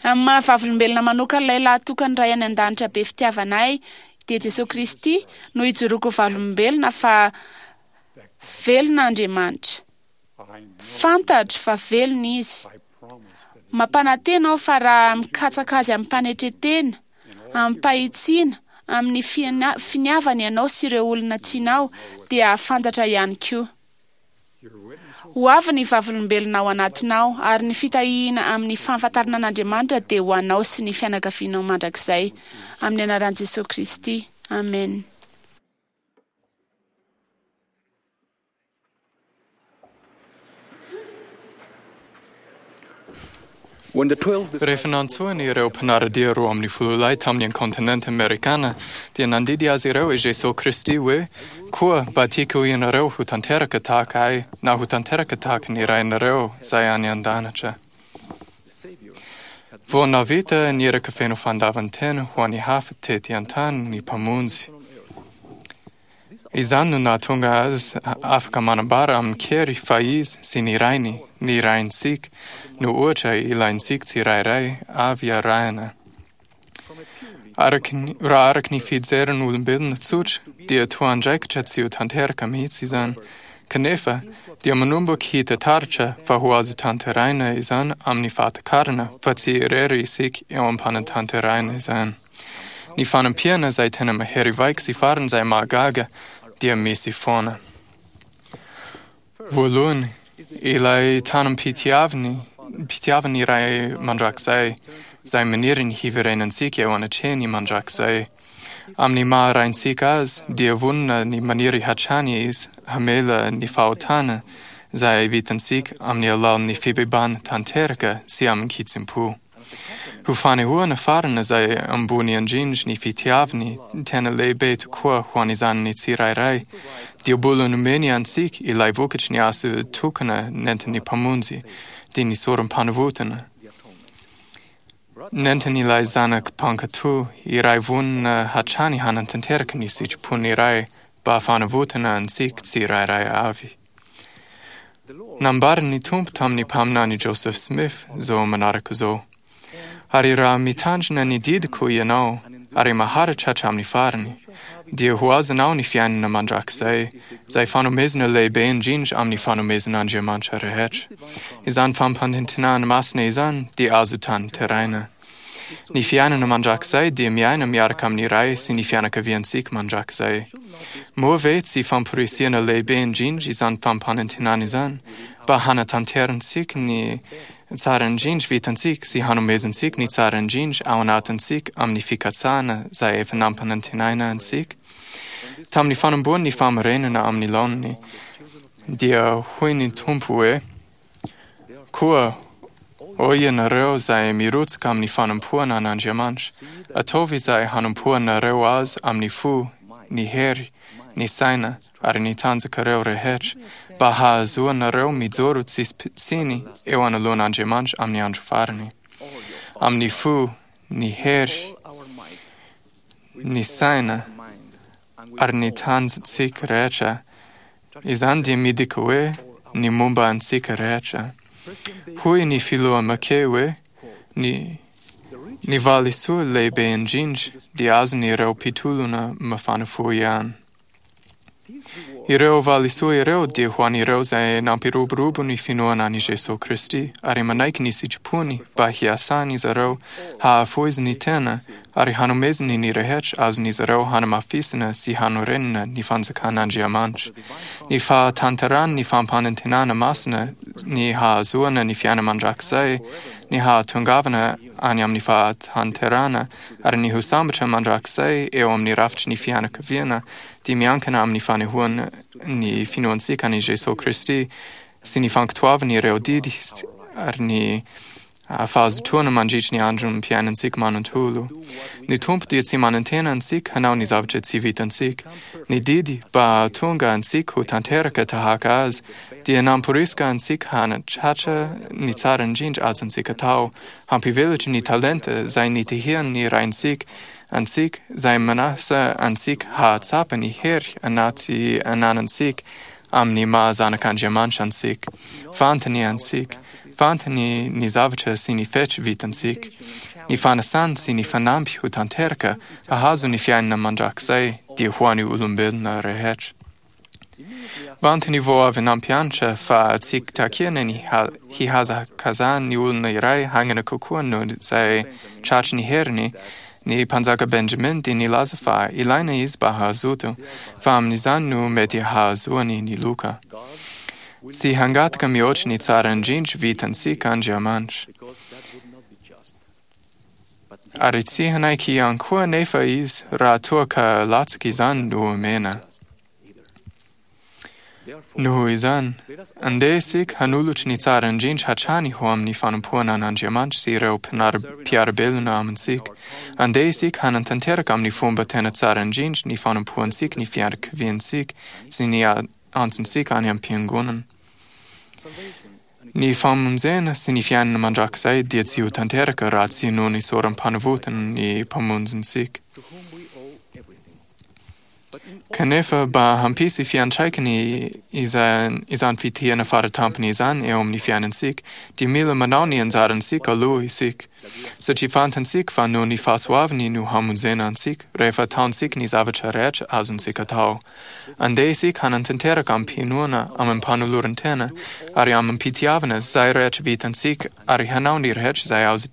Amin'ny maha vavolombelona manokana ilay lahatokan'ny Ray any An-danitra be fitiavana ahy, dia Jesoa Kristy, no ijoroako ho vavolombelona fa velona Andriamanitra. Fantatro fa velona Izy. Mampanantena aho fa raha mikatsaka Azy amim-panetren-tena, amim-pahitsiana, amin'ny finiavana ianao sy ireo olona tianao, dia hahafantatra ihany koa. Ho avy ny vavolombelona ao anatinao, ary ny fitahiana amin'ny fahafantarana an'Andriamanitra dia ho anao sy ny fianakavianao mandrakizay. Amin'ny anaran'i Jesoa Kristy, amena. Rehefa nantsoiny ireo mpanara-dia 12 lahy tamin'ny kontinenta amerikana, dia nandidy azy ireo i Jesoa Kristy hoe, Koa mba tiako ianareo ho tanteraka tahaka Ahy, na ho tanteraka tahaka ny Rainareo izay any an-danitra. Vao nahavita ny iraka feno fandavan-tena ho an'ny hafa tety an-tany ny Mpamonjy. Izany no nahatonga azy afaka manambara amin-kery fa izy sy ny Rainy, ny Raintsika, no ohatra ilaintsika tsirairay avy arahina. Araka ny, raha araka ny fijerin'olombelona tsotra, dia toa andraikitra tsy ho tanteraka mihitsy izany. Kanefa dia manomboka hita taratra fa ho azo tanterahina izany amin'ny fahatakarana fa tsy irery isika eo am-panatanterahina izany. Ny fanampiana izay tena mahery vaika sy farany izay mahagaga dia misy foana. Voalohany, ilay tanam-pitiavany pitiavan'ny Ray mandrakizay, izay maniry ny hiverenantsika eo anatrehany mandrakizay. Amin'ny maha Raintsika azy, dia vonona ny maniry hatrany izy hamela ny fahotana izay vitantsika amin'ny alalan'ny fibebahana tanteraka sy amin-kitsim-po. Ho fanehoana farany izay ambony indrindra ny fitiavany tena lehibe tokoa ho an'izany tsirairay, dia mbola nomeny antsika ilay vokatry ny asa tokana nentin'ny Mpamonjy, dia ny sorom-panavotana. Nentin'ilay zanaka mpankatò iray vonona hatrany hanatanteraka ny sitrapon'ny Ray mba fanavotana antsika tsirairay avy. Nambaran'ny Tompo tamin'ny mpaminany Joseph Smith izao manaraka izao: Ary raha mitandrina ny didiko ianao ary maharitra hatramin'ny farany, dia ho azonao ny fiainana mandrakizay, izay fanomezana lehibe indrindra amin'ny fanomezan'Andriamanitra rehetra. Izany fampanantenana masina izany dia azo tanterahina. Ny fiainana mandrakizay dia miaina miaraka amin'ny Ray sy ny fianakaviantsika mandrakizay. Moa ve tsy famporisihana lehibe indrindra izany fampanantenana izany mba hanatanterantsika ny tsara indrindra vitantsika sy hanomezantsika ny tsara indrindra ao anatintsika amin'ny fikatsahana izay efa nampanantenaina antsika? Tamin'ny fanombohan'ny famarinana amin'ny laoniny, dia hoy ny Tompo hoe: Koa hoy ianareo izay mirotsaka amin'ny fanompoana an'Andriamanitra, ataovy izay hanompoanareo azy amin'ny fo, ny hery, ny saina ary ny tanjakareo rehetra, mba hahazoanareo mijoro tsisy tsiny eo anoloan'Andriamanitra amin'ny andro farany. Amin'ny fo, ny hery, ny saina ary ny tanjatsika rehetra, izany dia midika hoe ny momba antsika rehetra. Hoy ny filoha McKay hoe ny ny valisoa lehibe indrindra dia azon'ireo mpitolona mafana fo ihany. Ireo valisoa ireo dia ho an'ireo izay nampiroborobo ny finoana an'i Jesoa Kristy ary manaiky ny sitrapony mba hiasan'izy ireo hahafoiziny tena ary hanomezany ny rehetra azon'izy ireo hanamafisana sy hanorenana ny fanjakan'Andriamanitra. Ny fahatanterahany ny fampanantenana masina, ny hahazoana ny fiainana mandrakizay, ny hahatongavana any amin'ny fahatanterahana ary ny ho sambatra mandrakizay eo amin'ny rafitry ny fianakaviana dia miankina amin'ny fanehoana ny finoantsika an'i Jesoa Kristy sy ny fankatoavany ireo didy ary ny fahazotoana mandritry ny androm-piainantsika manontolo. Ny Tompo dia tsy manantena antsika hanao ny zavatra tsy vitantsika. Ny didy mba hahatonga antsika ho tanteraka tahaka Azy dia namporisika antsika hanatratra ny tsara indrindra azontsika atao, hampivelatra ny talenta izay nitahian'ny Raintsika antsika, izay manasa antsika hahatsapa ny hery anaty ananantsika amin'ny maha zanak'Andriamanitra antsika. Fantany antsika. Fantany ny zavatra sy ny fetra vitantsika. Ny fanasany sy ny fanamby ho tanteraka hahazo ny fiainana mandrakizay dia ho an'ny olombelona rehetra. Vantany vao avy nampianatra fa tsy takiana ny hihazakazahan'ny olona iray haingana kokoa noho izay tratry ny heriny, ny mpanjaka Benjamin dia nilaza fa ilaina izy mba hazoto, fa amin'izany no mety hahazoany ny loka. Tsy hangataka mihoatra ny tsara indrindra vitantsika Andriamanitra. Ary tsy hanaiky ihany koa anefa izy raha toa ka latsaka izany no omena. Noho izany, andeha isika hanolotra ny tsara indrindra hatrany ho amin'ny fanompoana an'Andriamanitra sy ireo mpiara-belona amintsika. Andeha isika hanatanteraka amin'ny fomba tena tsara indrindra ny fanompoantsika ny fianakaviantsika sy ny antsontsika any am-piangonana. Ny famonjena sy ny fiainana mandrakizay dia tsy ho tanteraka raha tsy noho ny sorom-panavotana ny Mpamonjintsika. Kanefa mba hampisy fiantraikany izany fitahiana faratampony izany eo amin'ny fiainantsika, dia mila manao ny anjarantsika aloha isika. Satria fantatsika fa noho ny fahasoavany no hamonjena antsika rehefa ataontsika ny zavatra rehetra azontsika atao. Andeha isika hanatanteraka amim-pinoana, amim-panoloran-tena ary amim-pitiavana izay rehetra vitantsika ary hanao ny rehetra izay azo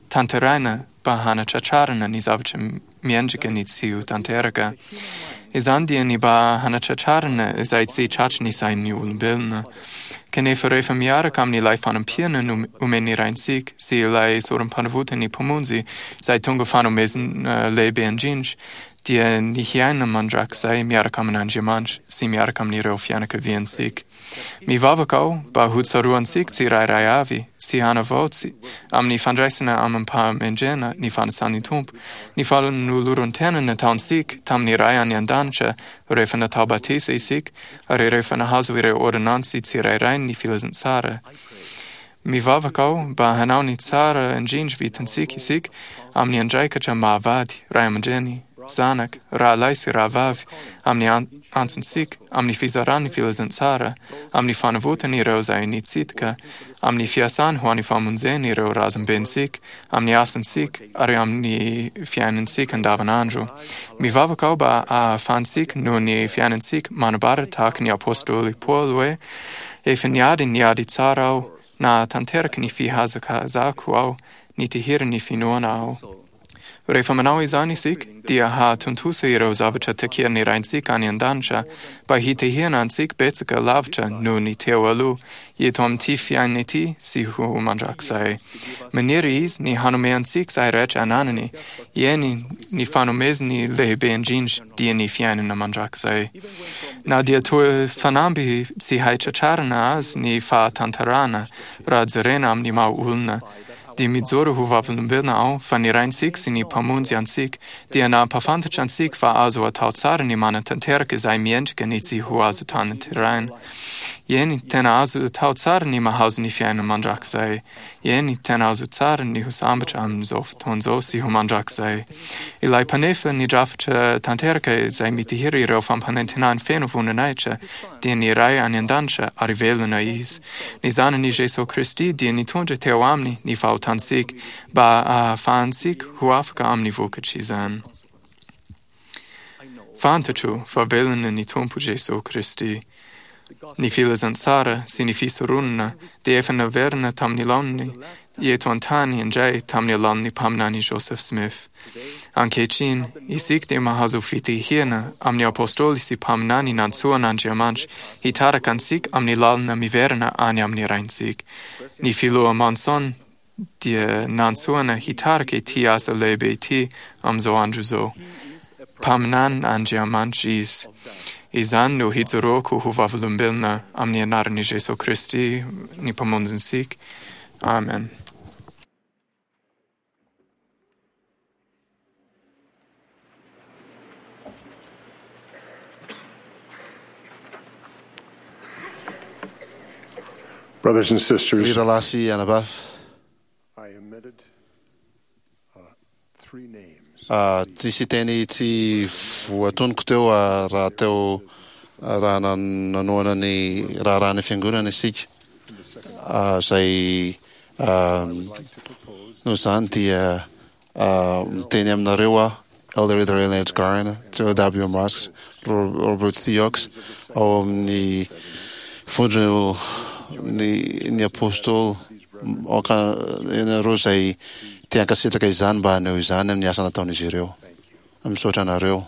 tanterahina mba hanatratrarana ny zavatra miendrika ny tsy ho tanteraka. Izany dia ny mba hanatratrarana izay tsy tratry ny sain'ny olombelona. Kanefa rehefa miaraka amin'ilay fanampiana no omen'ny Raintsika sy ilay sorom-panavotan'ny Mpamonjy izay tonga fanomezana lehibe indrindra, dia ny hiaina mandrakizay miaraka amin'Andriamanitra sy miaraka amin'ireo fianakaviantsika. Mivavaka aho mba hotsaroantsika tsirairay avy sy hanavao amin'ny fandraisana amim-pahamendrehana ny fanasan'ny Tompo, ny fanoloran-tena nataontsika tamin'ny Ray any An-danitra rehefa natao batisa isika ary rehefa nahazo ireo ôrdônansy tsirairay ny filazantsara. Mivavaka aho mba hanao ny tsara indrindra vitantsika isika amin'ny andraikitra maha-vady, ray aman-dreny, zanaka, rahalahy sy rahavavy, amin'ny antsontsika, amin'ny fizarana ny filazantsara, amin'ny fanavotana ireo izay nitsidika, amin'ny fiasana ho an'ny famonjena ireo razambentsika, amin'ny asantsika ary amin'ny fiainantsika andavanandro. Mivavaka aho mba hahafahantsika noho ny fiainantsika manambara tahaka ny apostoly Paoly hoe, Efa niady ny ady tsara aho, nahatanteraka ny fihazakazahako aho, nitahiry ny finoana aho. Rehefa manao izany isika, dia hahatontosa ireo zavatra takian'ny Raintsika any an-danitra mba hitahiana antsika betsaka lavitra noho ny teo aloha, eto amin'ity fiainana ity sy ho mandrakizay. Maniry Izy ny hanome antsika izay rehetra ananany, eny, ny fanomezany lehibe indrindra dia ny fiainana mandrakizay. Na dia toa fanamby tsy hay tratrarina azy ny fahatanterahana raha jerena amin'ny maha olona, dia mijoro ho vavolombelona aho fa ny Raintsika sy ny Mpamonjy antsika dia nampahafantatra antsika fa azo atao tsara ny manatanteraka izay miendrika ny tsy ho azo tanterahina. Eny, tena azo atao tsara ny mahazo ny fiainana mandrakizay. Eny, tena azo tsara ny ho sambatra amin'izao fotoana izao sy ho mandrakizay. Ilay mpanefa ny drafitra tanteraka izay mitahiry ireo fampanantenany feno voninahitra dia ny Ray any An-danitra ary velona Izy. Ny Zanany Jesoa Kristy dia nitondra teo Aminy ny fahotantsika mba hahafahantsika ho afaka amin'ny vokatr'izany. Fantatro fa velona ny Tompo Jesoa Kristy. Ny filazantsara sy ny fisoronana dia efa naverina tamin'ny laoniny eto an-tany indray tamin'ny alalan'ny mpaminany Joseph Smith. Ankehitriny, isika dia mahazo fitahiana amin'ny apostoly sy mpaminany nantsoan'Andriamanitra hitarika antsika amin'ny lalana miverina any amin'ny Raintsika. Ny Filoha Monson dia nantsoina hitarika ity asa lehibe ity amin'izao andro izao. Mpaminanin'Andriamanitra izy. Izany no hijoroako ho vavolombelona amin'ny anaran'i Jesoa Kristy, ny Mpamonjintsika. Amen. Brothers and Ry sisters, rahalahy sy anabavy, I omitted three names. Tsisy teny tsy voatonoko teo raha teo raha nanohana ny raharahan'ny fiangonana isika izay noho izany dia miteny aminareo aho Elder Idril Edgarn, Joe W. Moss, Robert Siox ao amin'ny vondro ny ny apostoly aoka ianareo izay te hankasitraka izany mba haneho izany amin'ny asa nataon'izy ireo. Misaotra anareo.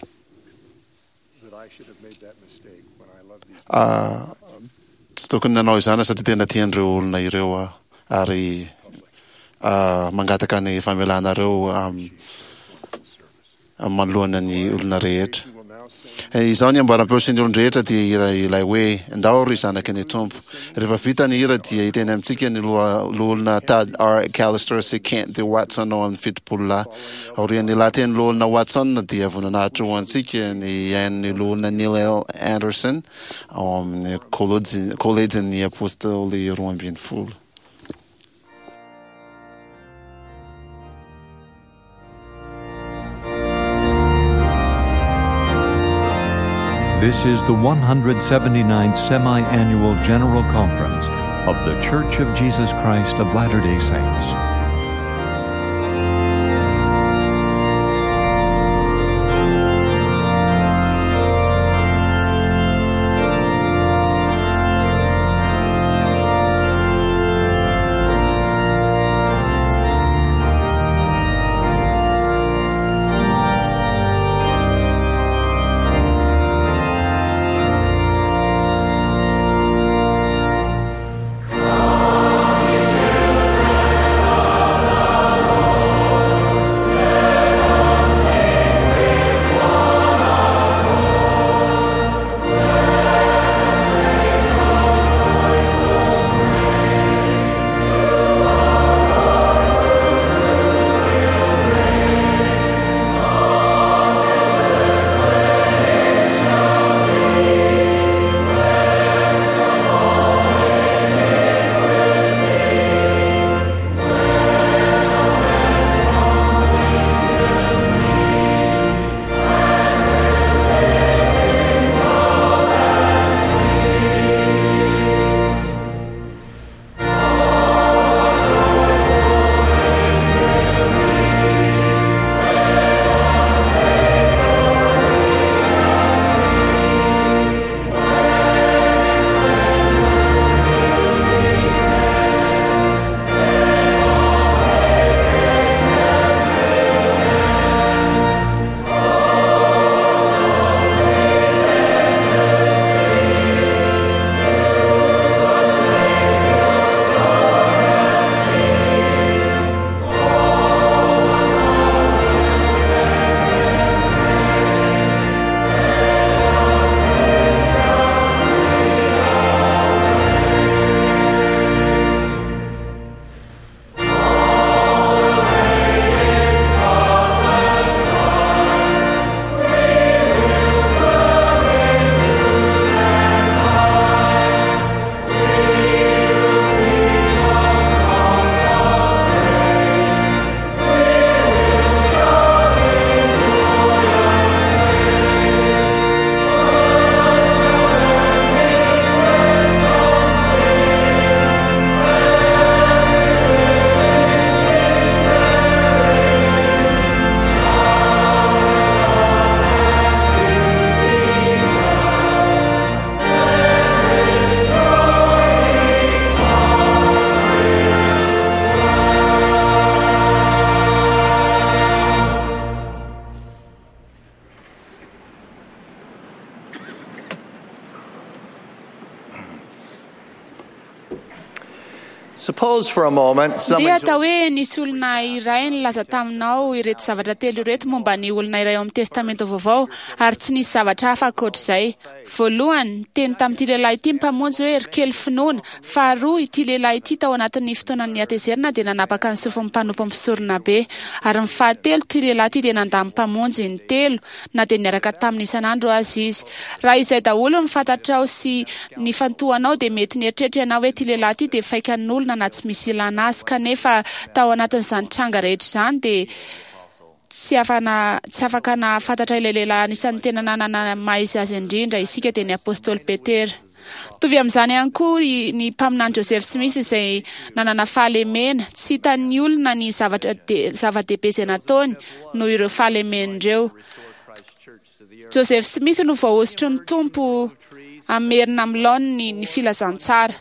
Tsy tokony nanao izany satria tena tian'ireo olona ireo aho ary mangataka ny famelanareo manoloana ny olona rehetra. Izao ny amboaram-peo sy ny olon-drehetra dia hira ilay hoe Ndao ry zanaky ny Tompo. Rehefa vita ny hira dia hiteny amintsika ny loholona Tad R. Callister sy Kent D. Watson ao amin'ny 70 lahy. Aorian'ny lahatenin'ny loholona Watson dia voninahitra ho antsika ny hihaino ny loholona Neil L. Andersen ao amin'ny Kolejin'ny Apostoly 12. This is the 179th Semi Annual General Conference of The Church of Jesus Christ of Latter day Saints. Suppose for a moment Dia someone atao hoe nisy olona iray nilaza taminao ireto zavatra telo ireto momba ny olona iray ao amin'ny Testamenta Vaovao ary tsy nisy zavatra hafa ankoatr'izay. Voalohany, niteny tamin'ity lehilahy ity ny Mpamonjy hoe ry kely finoana. Faharoa, ity lehilahy ity tao anatin'ny fotoanan'ny hatezerana dia nanapaka ny sofin'ny mpanompo mpisorona be. Ary ny fahatelo, ity lehilahy ity dia nandà ny Mpamonjy intelo na dia niaraka taminy isan'andro aza izy. Raha izay daholo no fantatrao sy nifantohanao dia mety nieritreritra ianao hoe ity lehilahy ity dia faikan'olona na tsy misy ilana azy kanefa tao anatin'izany tranga rehetra izany dia tsy afana tsy afaka nahafantatra ilay lehilahy anisan'ny tena nanana maha izy azy indrindra isika dia ny apostoly Petera. Mitovy amin'izany ihany koa ny mpaminany Joseph Smith izay nanana fahalemena. Tsy hitan'ny olona ny zavatra zava-dehibe izay nataony noho ireo fahalemeny ireo. Joseph Smith no voahosotry ny Tompo hamerina amin'ny laoniny ny filazantsara.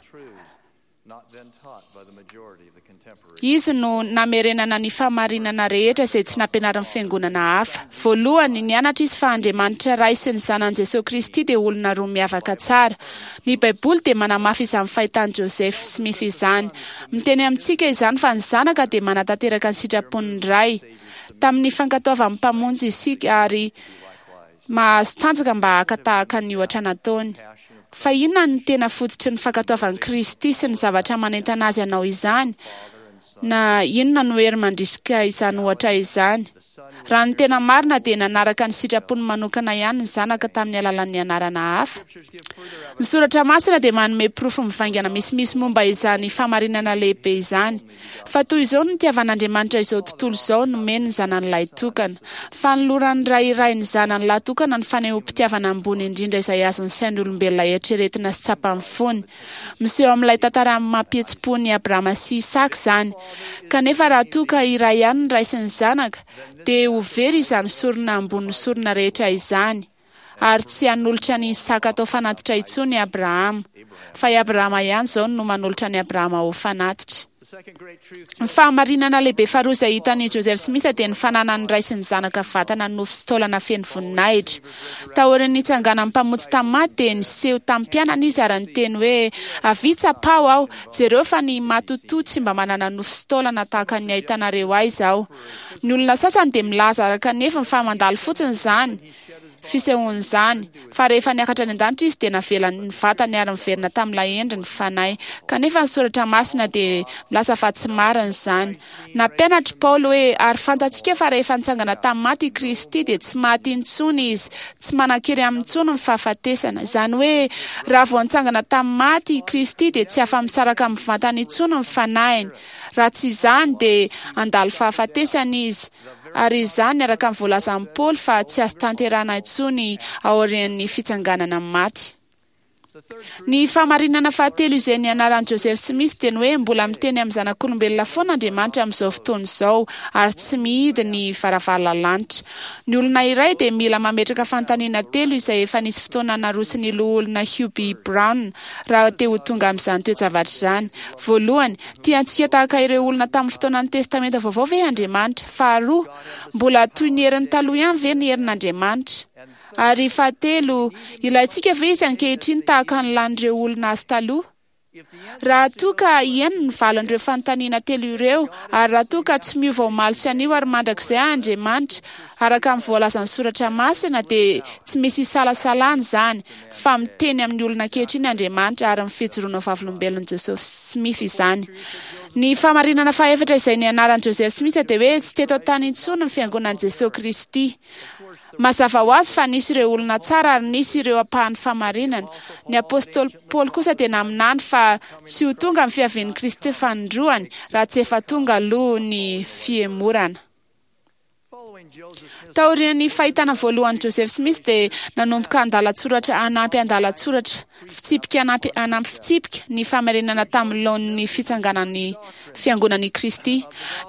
Izy no namerenana ny fahamarinana rehetra izay tsy nampianarin'ny fiangonana hafa. Voalohany, nianatra izy fa Andriamanitra Ray sy ny Zanany Jesoa Kristy dia olona roa miavaka tsara. Ny Baiboly dia manamafy izany fahitan'i Joseph Smith izany. Miteny amintsika izany fa ny Zanaka dia manatanteraka ny sitrapon'ny Ray. Tamin'ny fankatoavan'ny Mpamonjy isika ary mahazo tanjaka mba haka tahaka ny ohatra nataony. Fa inona no tena fototry ny fankatoavan'i Kristy sy ny zavatra manentana Azy hanao izany? Na inona no hery mandrisika izany ohatra izany? Raha ny tena marina dia nanaraka ny sitrapony manokana ihany ny Zanaka tamin'ny alalan'ny anarana hafa. Ny Soratra Masina dia manome porofo mivaingana misimisy momba izany fahamarinana lehibe izany. Fa toy izao no nitiavan'Andriamanitra izao tontolo izao, nomeny ny Zanany lahitokana. Fanoloran'ny ray iray ny zanany lahy tokana ny fanehoam-pitiavana ambony indrindra izay azon'ny sain'olombelona eritreretina sy tsapan'ny fony. Miseho amin'ilay tantara mampihetsi-po an'i Abrahama sy Isaka izany. Kanefa raha toa ka iray ihany ny ray sy ny zanaka, dia ho very izany sorona ambonin'ny sorona rehetra izany, ary tsy hanolotra an'i Isaka atao fanatitra intsony i Abrahama. Fa i Abrahama ihany izao no manolotra an'i Abrahama ho fanatitra. Ny fahamarinana lehibe faharoa izay hitan'i Joseph Smith dia ny fananan'ny ray sy ny zanaka vatana nofo sy taolana feno voninahitra. Taorian'ny nitsanganan'ny Mpamonjy tamin'ny maty dia niseho tamin'ny mpianany izy ary niteny hoe, Avia tsapaho aho, jereo fa ny matotoa tsy mba manana nofo sy taolana tahaka ny ahitanareo ahy izao. Ny olona sasany dia milaza araka ny heviny fa mandalo fotsiny izany. Fisehoan'izany, fa rehefa niakatra any an-danitra Izy dia navelany ny vatany ary niverina tamin'ilay endriny fanahy. Kanefa ny Soratra Masina dia milaza fa tsy marina izany. Nampianatra i Paoly hoe, Ary fantatsika fa rehefa nitsangana tamin'ny maty i Kristy dia tsy maty intsony Izy, tsy manan-kery aminy intsony ny fahafatesana. Izany hoe, raha vao nitsangana tamin'ny maty i Kristy dia tsy afa-misaraka amin'ny vatany intsony ny fanahiny. Raha tsy izany dia handalo fahafatesana Izy. Ary izany araka ny voalazan'i Paoly fa tsy azo tanterahina intsony aorian'ny fitsanganana amin'ny maty. Ny fahamarinana fahatelo izay nianaran'i Joseph Smith dia ny hoe mbola miteny amin'ny zanak'olombelona foana Andriamanitra amin'izao fotoana izao ary tsy mihidy ny varavarana lanitra. Ny olona iray dia mila mametraka fanontaniana telo izay efa nisy fotoana naroson'ny Loholona Hugh B. Brown raha te ho tonga amin'izany toe-javatra izany. Voalohany, Tia antsika tahaka ireo olona tamin'ny fotoanan'ny Testamenta Vaovao ve Andriamanitra? Faharoa, mbola toy ny heriny taloha ihany ve ny herin'Andriamanitra? Ary fahatelo, ilaintsika ve izy ankehitriny tahaka ny lan'ireo olona azy taloha? Raha toa ka eny ny valin'ireo fanontaniana telo ireo, ary raha toa ka tsy miova omaly sy anio ary mandrakizay Andriamanitra, araka ny voalazan'ny Soratra Masina, dia tsy misy isalasalana izany fa miteny amin'ny olona ankehitriny Andriamanitra ary ny fijoroana ho vavolombelon'i Joseph Smith izany. Ny fahamarinana fahefatra izay nianaran'i Joseph Smith dia hoe tsy teto an-tany intsony ny Fiangonan'i Jesoa Kristy. Mazava ho azy fa nisy ireo olona tsara ary nisy ireo ampahan'ny fahamarinana. Ny Apôstôly Paoly kosa dia naminany fa tsy ho tonga ny fiavian'i Kristy fanindroany raha tsy efa tonga aloha ny fihemorana. Taorian'ny fahitana voalohan'i Joseph Smith dia nanomboka andalan-tsoratra hanampy andalan-tsoratra, fitsipika hanampy hanampy fitsipika, ny famerenana tamin'ny laoniny ny fitsanganan'ny Fiangonan'i Kristy.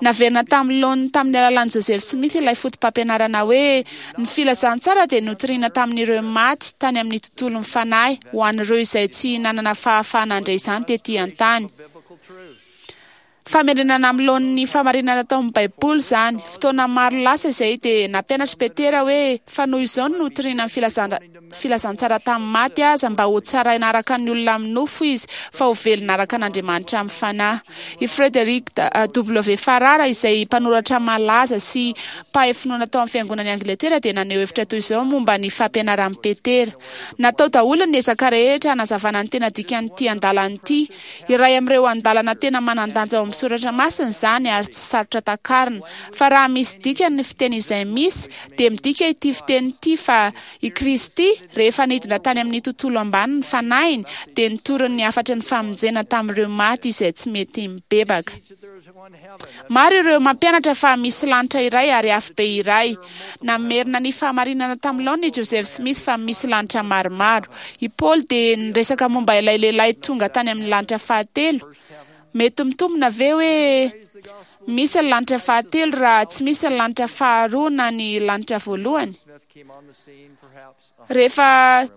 Naverina tamin'ny laoniny tamin'ny alalan'i Joseph Smith ilay fotopampianarana hoe ny filazantsara dia notorina tamin'ireo maty tany amin'ny tontolon'ny fanahy ho an'ireo izay tsy nanana fahafahana handre izany tetỳ an-tany. Famerenana amin'ny laoniny ny fahamarinana tao amin'ny Baiboly izany. Fotoana maro lasa izay dia nampianatra i Petera hoe, Fa noho izao no notorina ny filazantsara tamin'ny maty aza, mba hotsaraina araka ny olona amin'ny nofo izy, fa ho velona araka an'Andriamanitra amin'ny fanahy. I Frederick W. Farrar, izay mpanoratra malaza sy mpahay finoana tao amin'ny Fiangonan'i Angletera, dia naneho hevitra toy izao momba ny fampianaran'i Petera, Natao daholo ny ezaka rehetra hanazavana ny tena dikan'ity andalana ity. Iray amin'ireo andalana tena manan-danja ao amin'ny soratra masina izany ary tsy sarotra takarina. Fa raha misy dikany ny fiteny izay misy, dia midika ity fiteny ity fa i Kristy, rehefa nidina tany amin'ny tontolo ambany ny fanahiny, dia nitory ny hafatry ny famonjena tamin'ireo maty izay tsy mety mibebaka. Maro ireo mampianatra fa misy lanitra iray ary afobe iray. Namerina ny fahamarinana tamin'ny laoniny i Joseph Smith fa misy lanitra maromaro. I Paoly dia niresaka momba ilay lehilahy tonga tany amin'ny lanitra fahatelo. Mety mitombina ve hoe misy ny lanitra fahatelo raha tsy misy ny lanitra faharoa na ny lanitra voalohany? Rehefa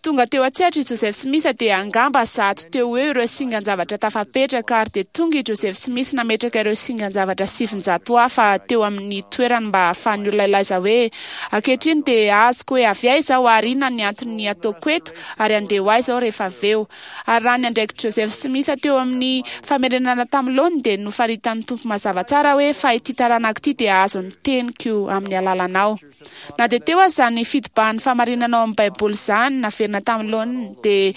Tonga teo an-tsehatra i Joseph Smith dia angamba 100 teo ho eo ireo singan-javatra tafapetraka ary dia tonga i Joseph Smith nametraka ireo singan-javatra 900 hafa teo amin'ny toerany mba hahafahan'ny olona hilaza hoe, Ankehitriny dia azoko hoe avy aiza aho ary inona ny antony ataoko eto ary handeha ho aiza aho rehefa avy eo. Ary raha ny andraikitr'i Joseph Smith teo amin'ny famerenana tamin'ny laoniny dia nofaritan'ny Tompo mazava tsara hoe fa ity taranako ity dia hahazo ny teniko amin'ny alalanao. Na dia teo aza izany fitobahan'ny fahamarinana ao amin'ny Baiboly izany naverina tamin'ny laoniny, dia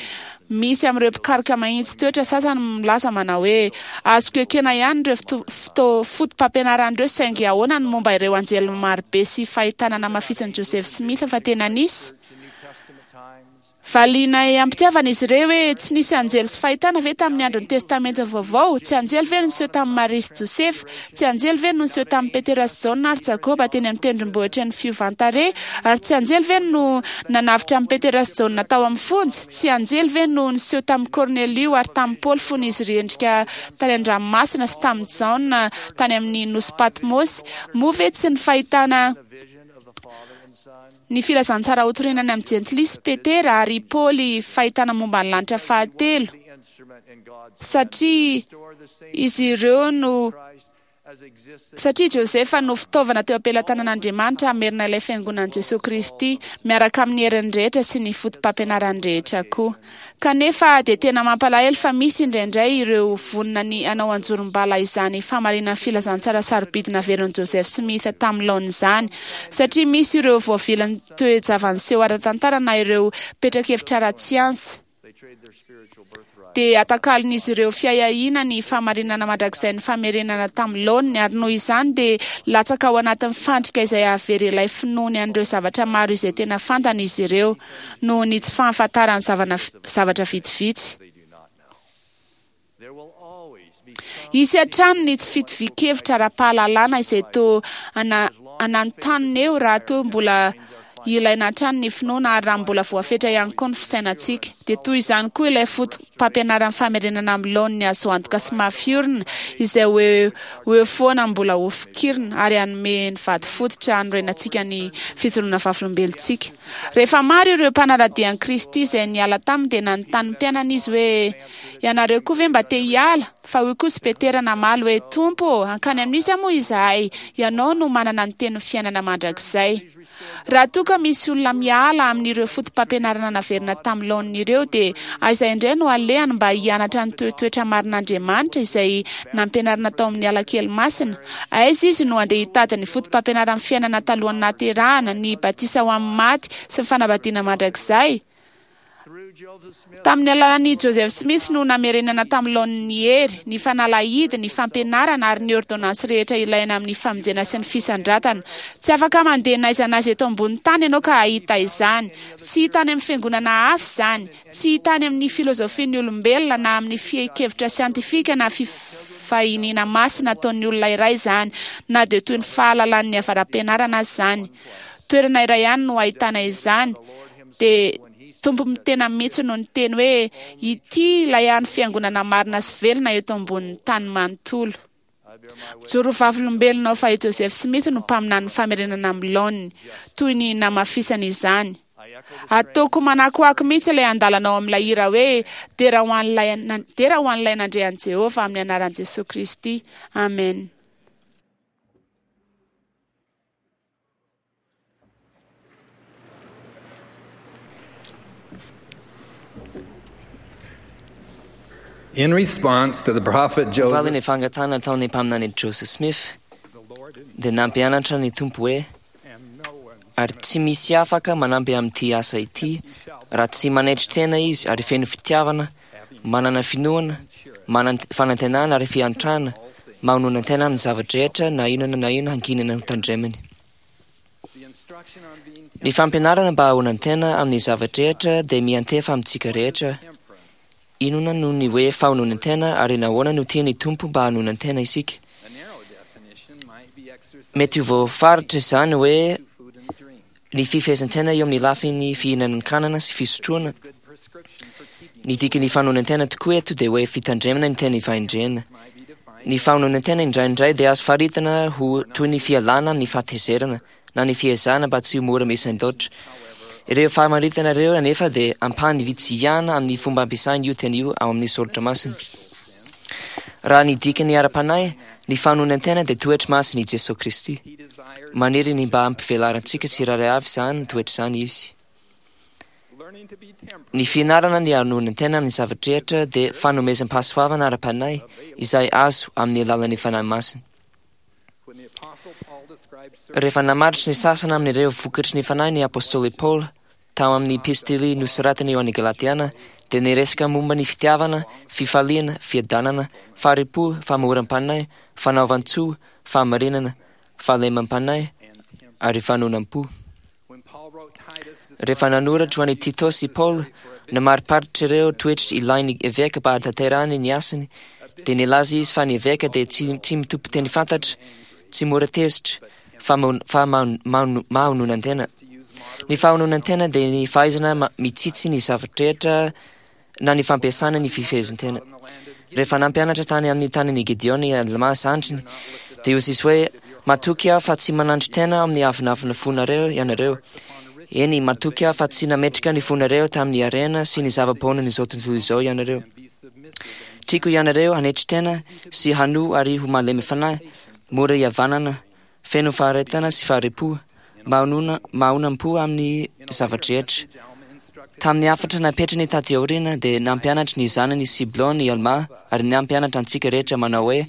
Misy amin'ireo mpikaroka mahitsy toetra sasany milaza manao hoe, Azoko ekena ihany ireo foto-pampianarana ireo, saingy ahoana ny momba ireo anjely marobe sy fahitana namafisin'i Joseph Smith fa tena nisy? Valianay am-pitiavana izy ireo hoe, Tsy nisy anjely sy fahitana ve tamin'ny andron'ny Testamenta Vaovao? Tsy anjely ve no niseho tamin'i Maria sy Josefa? Tsy anjely ve no niseho tamin'i Petera sy Jaona ary Jakoba teny amin'ny tendrombohitry ny fiovan-tarehy? Ary tsy anjely ve no nanavotra an'i Petera sy Jaona tao amin'ny fonja? Tsy anjely ve no niseho tamin'i Kornelio ary tamin'i Paoly fony izy rendrika tany an-dranomasina sy tamin'i Jaona tany amin'ny nosy Patmosy? Moa ve tsy ny fahitana ny filazantsara hotorina any amin'ny Jentilisa i Petera ary i Paoly fahitana momba ny lanitra fahatelo, satria izy ireo no Satria Josefa no fitaovana teo am-pelatanan'Andriamanitra hamerina ilay Fiangonan'i Jesoa Kristy, miaraka amin'ny heriny rehetra sy ny fotopampianarany rehetra koa. Kanefa dia tena mampalahelo fa misy indraindray ireo vonona ny hanao anjorom-bala izany fahamarinan'ny filazantsara sarobidy naverin'i Joseph Smith tamin'ny laoniny izany, satria misy ireo voavilin'ny toe-java-niseho ara-tantara na ireo petra-kevitra ara-tsiansa. Dia atakalon'izy ireo fiahiahiana ny fahamarinana mandrakizain'ny famerenana tamin'ny laoniny, ary noho izany dia latsaka ao anatin'ny fandrika izay hahavery ilay finoany an'ireo zavatra maro izay tena fantany izy ireo, noho ny tsy fahafantarany zavatra vitsivitsy. Hisy hatrany ny tsy fitovian-kevitra ara-pahalalana izay toa ananontanona eo raha toa mbola ilaina hatrany ny finoana ary raha mbola voafetra ihany koa ny fisainantsika. Dia toy izany koa ilay foto-pampianaran'ny famerenana amin'ny laoniny azo antoka sy mafy orina izay ho eo ho eo foana mbola ho fikirina ary hanome ny vato fototra hanorenantsika ny fijoroana vavolombelontsika. Rehefa maro ireo mpanara-dia an'i Kristy izay niala taminy dia nanontany ny mpianany izy hoe, Ianareo koa ve mba te hiala? Fa hoy kosa i Petera namaly hoe, Tompo ô, hankany amin'iza moa izahay? Ianao no manana ny tenin'ny fiainana mandrakizay. Raha toa ka misy olona miala amin'ireo fotopampianarana naverina tamin'ny laoniny ireo, dia aiza indray no alehany mba hianatra ny toetoetra marin'Andriamanitra izay nampianarina tao amin'ny ala kely masina? Aiza izy no handeha hitady ny fotopampianaran'ny fiainana talohan'ny nahaterahana, ny batisa ho amin'ny maty sy ny fanambadiana mandrakizay? Tamin'ny alalan'i Joseph Smith no namerenana tamin'ny laoniny ny hery, ny fanalahidy, ny fampianarana ary ny ôrdônansy rehetra ilaina amin'ny famonjena sy ny fisandratana. Tsy afaka mandeha n'aiza n'aiza eto ambonin'ny tany ianao ka hahita izany. Tsy hita any amin'ny fiangonana hafa izany. Tsy hita any amin'ny filôzôfian'ny olombelona na amin'ny fehin-kevitra siantifika na fivahiniana masina ataon'ny olona iray izany, na dia toy ny fahalalan'ny avara-pianarana aza izany. Toerana iray ihany no ahitana izany, dia Tompo tena mihitsy no niteny hoe, Ity ilay hany fiangonana marina sy velona eto ambonin'ny tany manontolo. Mijoro ho vavolombelona aho fa i Joseph Smith no mpaminanin'ny famerenana amin'ny laoniny, toy ny namafisany izany. Ataoko manakoako mihitsy ilay andalana ao amin'ilay hira hoe Dera ho an'ilay Dera ho an'ilay nandre an'i Jehovah amin'ny anaran'i Jesoa Kristy. Amen. In response to the prophet Joseph, Valin'ny fangatahana nataon'ny mpaminany Joseph Smith dia nampianatra ny Tompo hoe, Ary tsy misy afaka manampy amin'ity asa ity raha tsy manetry tena izy ary feno fitiavana, manana finoana, manana fanantenana ary fiantrana, mahonona-tena amin'ny zava-drehetra na inona na inona hankinina ho tandremany. Ny fampianarana mba hahonan-tena amin'ny zava-drehetra dia miantefa amintsika rehetra. Inona no ny hoe fahononan-tena ary nahoana no tian'ny Tompo mba hanonan-tena isika? Mety ho voafaritra izany hoe ny fifehezan-tena eo amin'ny lafiny fihinanan-kanana sy fisotroana. Ny dikan'ny fanonan-tena tokoa eto dia hoe fitandremana ny teny fahendrena. Ny fahononan-tena indraindray dia azo faritana ho toy ny fialana amin'ny fahatezerana na ny fiezahana mba tsy ho mora misendoatra. Ireo famaritana ireo anefa dia ampahany vitsy ihany amin'ny fomba ampiasaina io teny io ao amin'ny soratra masina. Raha ny dikany ara-panahy, ny fanonan-tena dia toetra masin' i Jesoa Kristy. Maniry ny mba hampivelarantsika tsirairay avy izany toetra izany Izy. Ny fianarana ny hanonan-tena amin'ny zava-drehetra dia fanomezam-pahasoavana ara-panahy izay azo amin'ny alalan'ny Fanahy Masina. Rehefa namaritra ny sasany amin'ireo vokatry ny Fanahy ny apostoly Paoly tao amin'ny epistily nosoratany ho an'ny Galatiana, dia niresaka momba ny fitiavana, fifaliana, fiadanana, fahari-po, famoram-panahy, fanaovan-tsoa, fahamarinana, fahalemam-panahy ary fanonam-po. Rehefa nanoratra ho an'i Titosy i Paoly, namariparitra ireo toetra ilain'ny eveka mba hahatanterahany ny asany, dia nilaza izy fa ny eveka dia tsy tsy mitompo teny fantatra, tsy mora tezitra, fa fa mahononan-tena. Ny fahononan-tena dia ny fahaizana mitsitsy ny zava-drehetra na ny fampiasana ny fifehezan-tena. Rehefa nampianatra tany amin'ny tanin'i Gideona i Almà zandriny, dia hoy izy hoe, Matoky aho fa tsy manandrin-tena amin'ny avonavona fonareo ianareo. Eny, matoky aho fa tsy nametraka ny fonareo tamin'ny harena sy ny zava-poanan'izao tontolo izao ianareo. Tiako ianareo hanetry tena sy hanoa ary ho malemy fanahy, mora ihavanana, feno faharetana sy fahari-po, mahonona, mahonam-po amin'ny zava-drehetra. Tamin'ny hafatra napetrany taty aoriana dia nampianatra ny zanany Siblon i Almà ary nampianatra antsika rehetra manao hoe,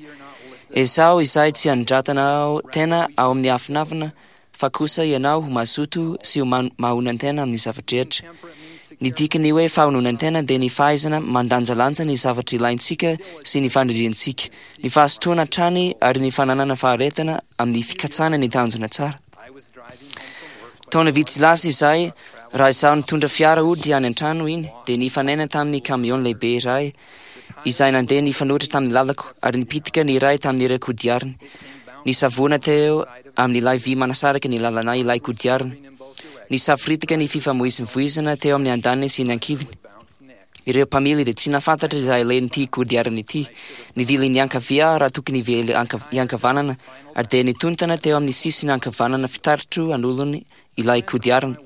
Ezaho izay tsy hanondratana tena ao amin'ny afinafina fa kosa ianao ho mazoto sy ho mahonan-tena amin'ny zava-drehetra. Ny dikan'ny hoe fahononan-tena dia ny fahaizana mandanjalanja ny zavatra ilaintsika sy ny faniriantsika, ny fahazotoana hatrany ary ny fananana faharetana amin'ny fikatsahana ny tanjona tsara. Taona vitsy lasa izay, raha izaho nitondra fiara hody any an-trano iny, dia nifanena tamin'ny camion lehibe iray izay nandeha nifanohitra tamin'ny lalako ary nipitika ny iray tamin'ireo kodiarany. Nisavoana teo amin'ilay vy manasaraka ny lalanay ilay kodiarana. Nisaforitaka ny fifamoivoizana teo amin'ny andaniny sy ny ankiliny. Ireo mpamily dia tsy nahafantatra izay alehan'ity kodiarana ity. Nivily niankavia aho raha tokony hivily hiankavanana ary dia nitontana teo amin'ny sisiny ankavanana fitaritro anolony ilay kodiarana.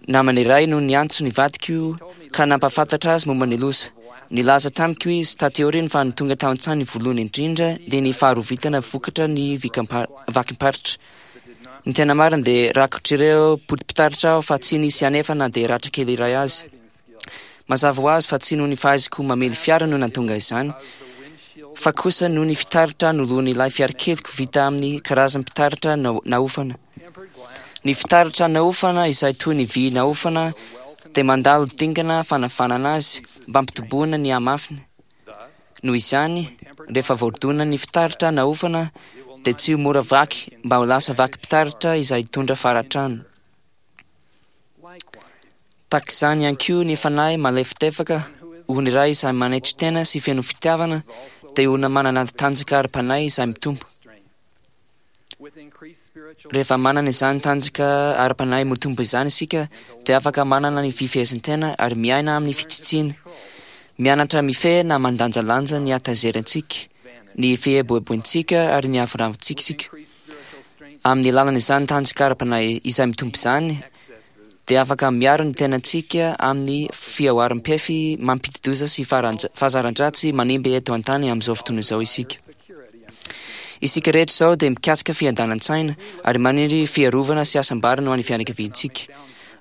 Namana iray no niantso ny vadiko ka nampahafantatra azy momba ny loza. Nilaza tamiko izy taty aoriana fa ny tonga tao an-tsainy voalohany indrindra dia ny faharovitana vokatra ny vakim-paritra. Ny tena marina dia rakotr'ireo poti-pitaratra aho fa tsy nisy anefa na dia ratra kely iray azy. Mazava ho azy fa tsy noho ny fahaizako mamily fiara no nahatonga izany, fa kosa noho ny fitaratra noloan'ilay fiarakeliko vita amin'ny karazam-pitaratra naofana. Ny fitaratra naofana izay toy ny vy naofana dia mandalo dingana fanavanana azy mba hampitoboana ny hamafiny. Noho izany, rehefa voadona ny fitaratra naofana dia tsy ho mora vaky mba ho lasa vakim-pitaratra izay hitondra faratrano. Tahaka izany ihany koa ny fanahy malefadefaka, olona iray izay manetry tena sy feno fitiavana dia olona manana tanjaka ara-panahy izay mitombo. Rehefa manana izany tanjaka ara-panahy mitombo izany isika dia afaka manana ny fifehezan-tena ary miaina amin'ny fitsitsiana. Mianatra mifehy na mandanjalanja ny hatazerantsika, ny fieboeboantsika ary ny avonavontsika isika. Amin'ny alalan'izany tanjaka ara-panahy izay mitombo izany dia afaka miaro ny tenantsika amin'ny fihaoharam-pefy mampidi-doza sy fahazaran-dratsy manimba eto an-tany amin'izao fotoana izao isika. Isika rehetra izao dia mikatsaka fiadanan-tsaina ary maniry fiarovana sy hasambarana ho an'ny fianakaviantsika.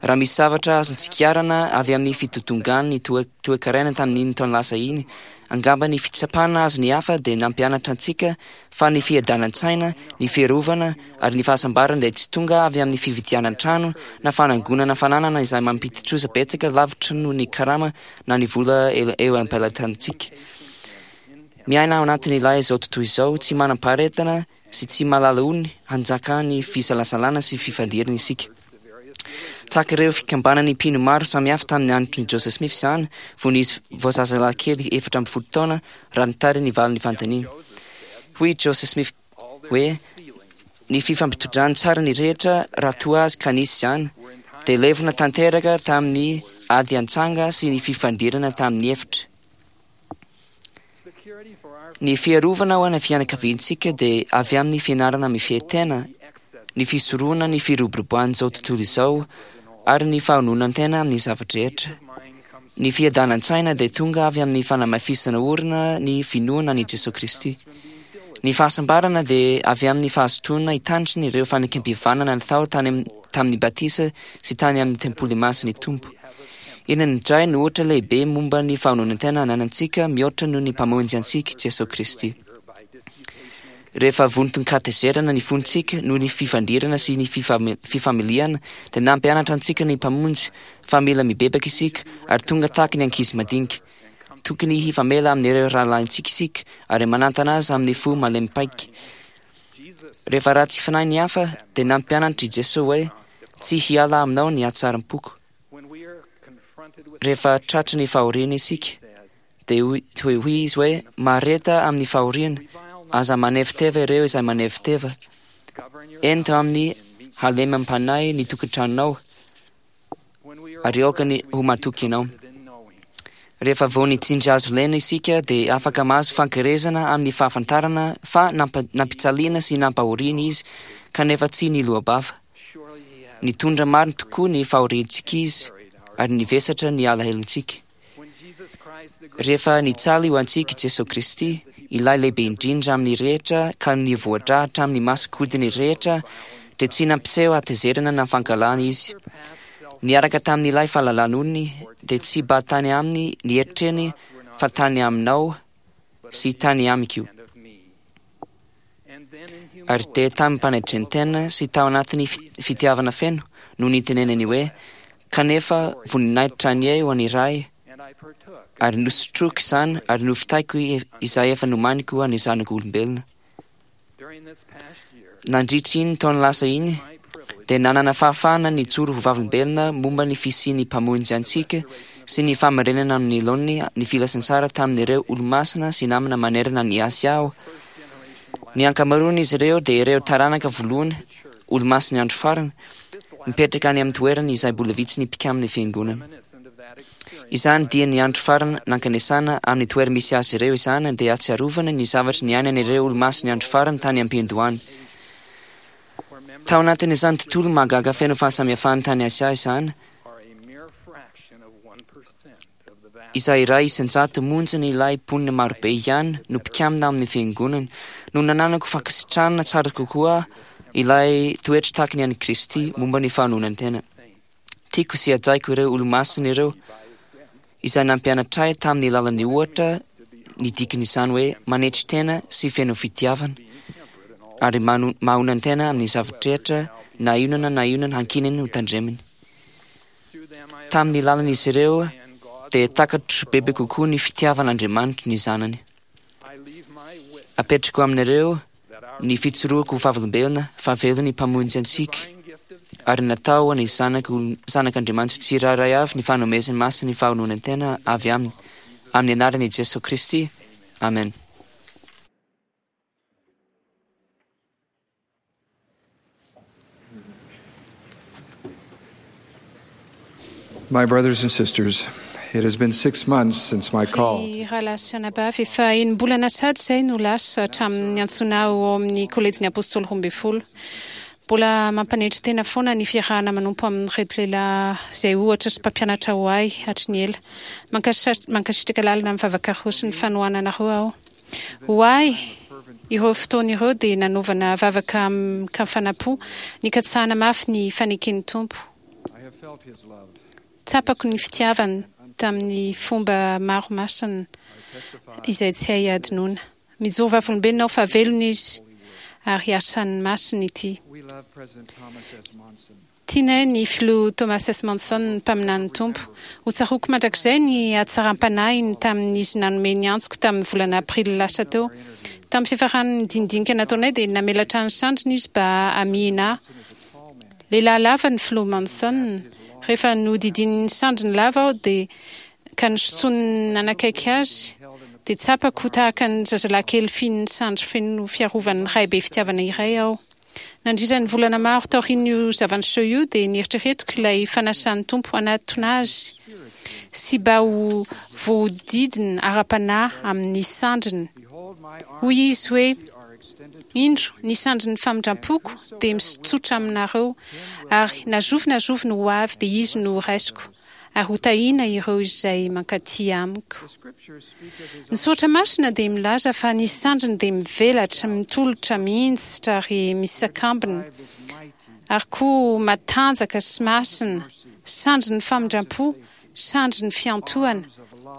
Raha misy zavatra azontsika avy amin'ny fidodongan'ny toe-karena tamin'iny taona lasa iny, angamba ny fitsapana azon'ny hafa dia nampianatra antsika fa ny fiadanan-tsaina, ny fiarovana ary ny fahasambarana dia tsy tonga avy amin'ny fividianan-trano na fanangonana fananana izay mampidi-trosa betsaka lavitra noho ny karama na ny vola eo am-pelatanantsika. Miaina ao anatin'ilay izao tontolo izao tsy manam-paharetana sy tsy mahalala ony hanjakan'ny fisalasalana sy fifandirana isika. Tahaka ireo fikambanan'ny mpino maro samihafa tamin'ny andron'i Joseph Smith izany fony izy vao zazalahy kely 14 taona raha nitary ny valin'ny fanontaniana. Hoy i Joseph Smith hoe, Ny fifampitondrany tsara ny rehetra raha toa azy ka nisy izany, dia levona tanteraka tamin'ny ady antsanga sy ny fifandirana tamin'ny efitra. Ny fiarovana ho an'ny fianakaviantsika dia avy amin'ny fianarana mifehy tena, ny fisorohana ny firoboroboan'izao tontolo izao ary ny fahononan-tena amin'ny zava-drehetra. Ny fiadanan-tsaina dia tonga avy amin'ny fanamafisana orina ny finoana an'i Jesoa Kristy. Ny fahasambarana dia avy amin'ny fahazotoana hitandrina ireo fanekempihavanana natao tany tamin'ny batisa sy tany amin'ny tempoly masin'ny Tompo. Inona indray no ohatra lehibe momba ny fahononan-tena ananantsika mihoatra noho ny Mpamonjy antsika, Jesoa Kristy? Rehefa vonton-katezerana ny fontsika noho ny fifandirana sy ny fifamiliana, dia nampianatra antsika ny Mpamonjy fa mila mibebaka isika ary tonga tahaka ny ankizy madinika. Tokony hifamela amin'ireo rahalahintsika isika ary manantana azy amin'ny fo malemy paika. Rehefa ratsy fanahy ny hafa, dia nampianatra i Jesoa hoe, Tsy hiala aminao ny hatsaram-poko. Rehefa tratry ny fahoriana isika, Dia hoy hoy izy hoe, Mahareta amin'ny fahoriana, aza maneviteva ireo izay maneviteva. Ento amin'ny halemem-panahy ny tokantranonao, ary aoka ny ho matoky ianao. Rehefa vao nitsindry hazo lena isika dia afaka mahazo fankerezana amin'ny fahafantarana fa nampijaliana sy nampahoriana izy kanefa tsy niloa-bava. Nitondra marina tokoa ny fahoriantsika izy ary nivesatra ny alahelontsika. Rehefa nijaly ho antsika i Jesoa Kristy, ilay lehibe indrindra amin'ny rehetra ka nivoa-drà hatramin'ny masonkodiny rehetra, dia tsy nampiseho hatezerana na fankahalana Izy. Niaraka tamin'ilay fahalalan'olony, dia tsy mba tany aminy ny eritreriny fa tany aminao sy tany amiko. Ary dia tamim-panetren-tena sy tao anatin'ny fitiavana feno no nitenenany hoe, Kanefa voninahitra anie ho an'ny Ray, ary nosotroiko izany ary novitaiko izay efa nomaniko ho an'ny zanak'olombelona. Nandritra iny taona lasa iny, dia nanana fahafahana nijoro ho vavolombelona momba ny fisian'ny Mpamonjy antsika sy ny fahamarinana amin'ny laoniny ny filazantsara tamin'ireo Olomasina sy namana manerana an'i Asia aho. Ny ankamaroan'izy ireo dia ireo taranaka voalohany, Olomasin'ny Andro Farany, mipetraka any amin'ny toerana izay mbola vitsy ny mpikamin'ny Fiangonana. Izany dia ny andro farany nankanesana amin'ny toera-misy azy ireo izany dia ahatsiarovana ny zavatra niainan'ireo Olomasin'ny Andro Farany tany am-piandohana. Tao anatin'izany tontolo mahagaga feno fahasamihafana tany Asia izany, izay 1% monjan'ilay mponina marobe ihany no mpikamina amin'ny Fiangonana, no nananako fankasitrahana tsara kokoa ilay toetra tahaka ny an'i Kristy momba ny fahanonan-tena. Tiako sy hajaiko ireo Olomasina ireo, izay nampianatra ahy tamin'ny alalan'ny ohatra ny dikan'izany hoe manetry tena sy feno fitiavana ary mahonan-tena amin'ny zava-drehetra na inona na inona hankininy ho tandreminy. Tamin'ny lalan'izy ireo dia takatro bebe kokoa ny fitiavan'Andriamanitra ny Zanany. Apetrako aminareo ny fijoroako ho vavolombelona fa velona ny Mpamonjy antsika ary natao ho an'ny Zanak'Andriamanitra tsirairay avy ny fanomezany masin'ny fahononan-tena avy Aminy. Amin'ny anaran'i Jesoa Kristy, amen. My brothers and sisters, it has been six months since my call. Ry rahalahy sy anabavy, efa enim-bolana sahady izay no lasa hatramin'ny niantsoana ahy ho ao amin'ny Kolejin'ny Apôstôly Roambinifolo. Mbola mampanetry tena foana ny fiarahana manompo amin'ireto lehilahy izay ohatra sy mpampianatra ho ahy hatry ny ela. Mankasitraka lalina amin'ny vavakareo sy ny fanohananareo aho. Ho ahy, ireo fotoana ireo dia nanaovana vavaka amin-kafanam-po, nikatsahana mafy ny faneken'ny Tompo. Tsapako ny fitiavany tamin'ny fomba maro masina izay tsy hay hadinoina. Mijoro vavolombelona aho fa velona Izy ary asany masina ity. Tianay ny Filoha Thomas S. Monson, mpaminanin'ny Tompo. Ho tsaroako mandrakizay ny hatsaram-panahiny tamin'izy nanome ny antsoko tamin'ny volana Aprily lasa teo. Tamin'ny fiafaran'ny dinidinika nataonay dia namelatra ny sandriny izy mba hamihina ahy. Lehilahy lava ny Filoha Monson. Rehefa nohodidininy sandriny lava aho dia ka nosintoniny nanakaiky azy dia tsapako ho tahaka ny zazalahy kely fihin'ny sandry feno fiarovan'ny ray be fitiavana iray aho. Nandritra ny volana maro taorian'io zava-niseho io dia nieritreretiko ilay fanasan'ny Tompo hanatona Azy sy mba ho voahodidina ara-panahy amin'ny sandriny. Hoy Izy hoe, Indro, ny sandrin'ny famindram-poko dia misotsotra aminareo, ary na zovy na zovy no ho avy dia izy no horaisiko. ary hotahiana ireo izay mankaty amiko. Ny soratra masina dia milaza fa ny sandriny dia mivelatra, mitolotra, mihinjitra ary misakambina, ary koa matanjaka sy masina, sandrin'ny famindram-po, sandrin'ny fiantohana,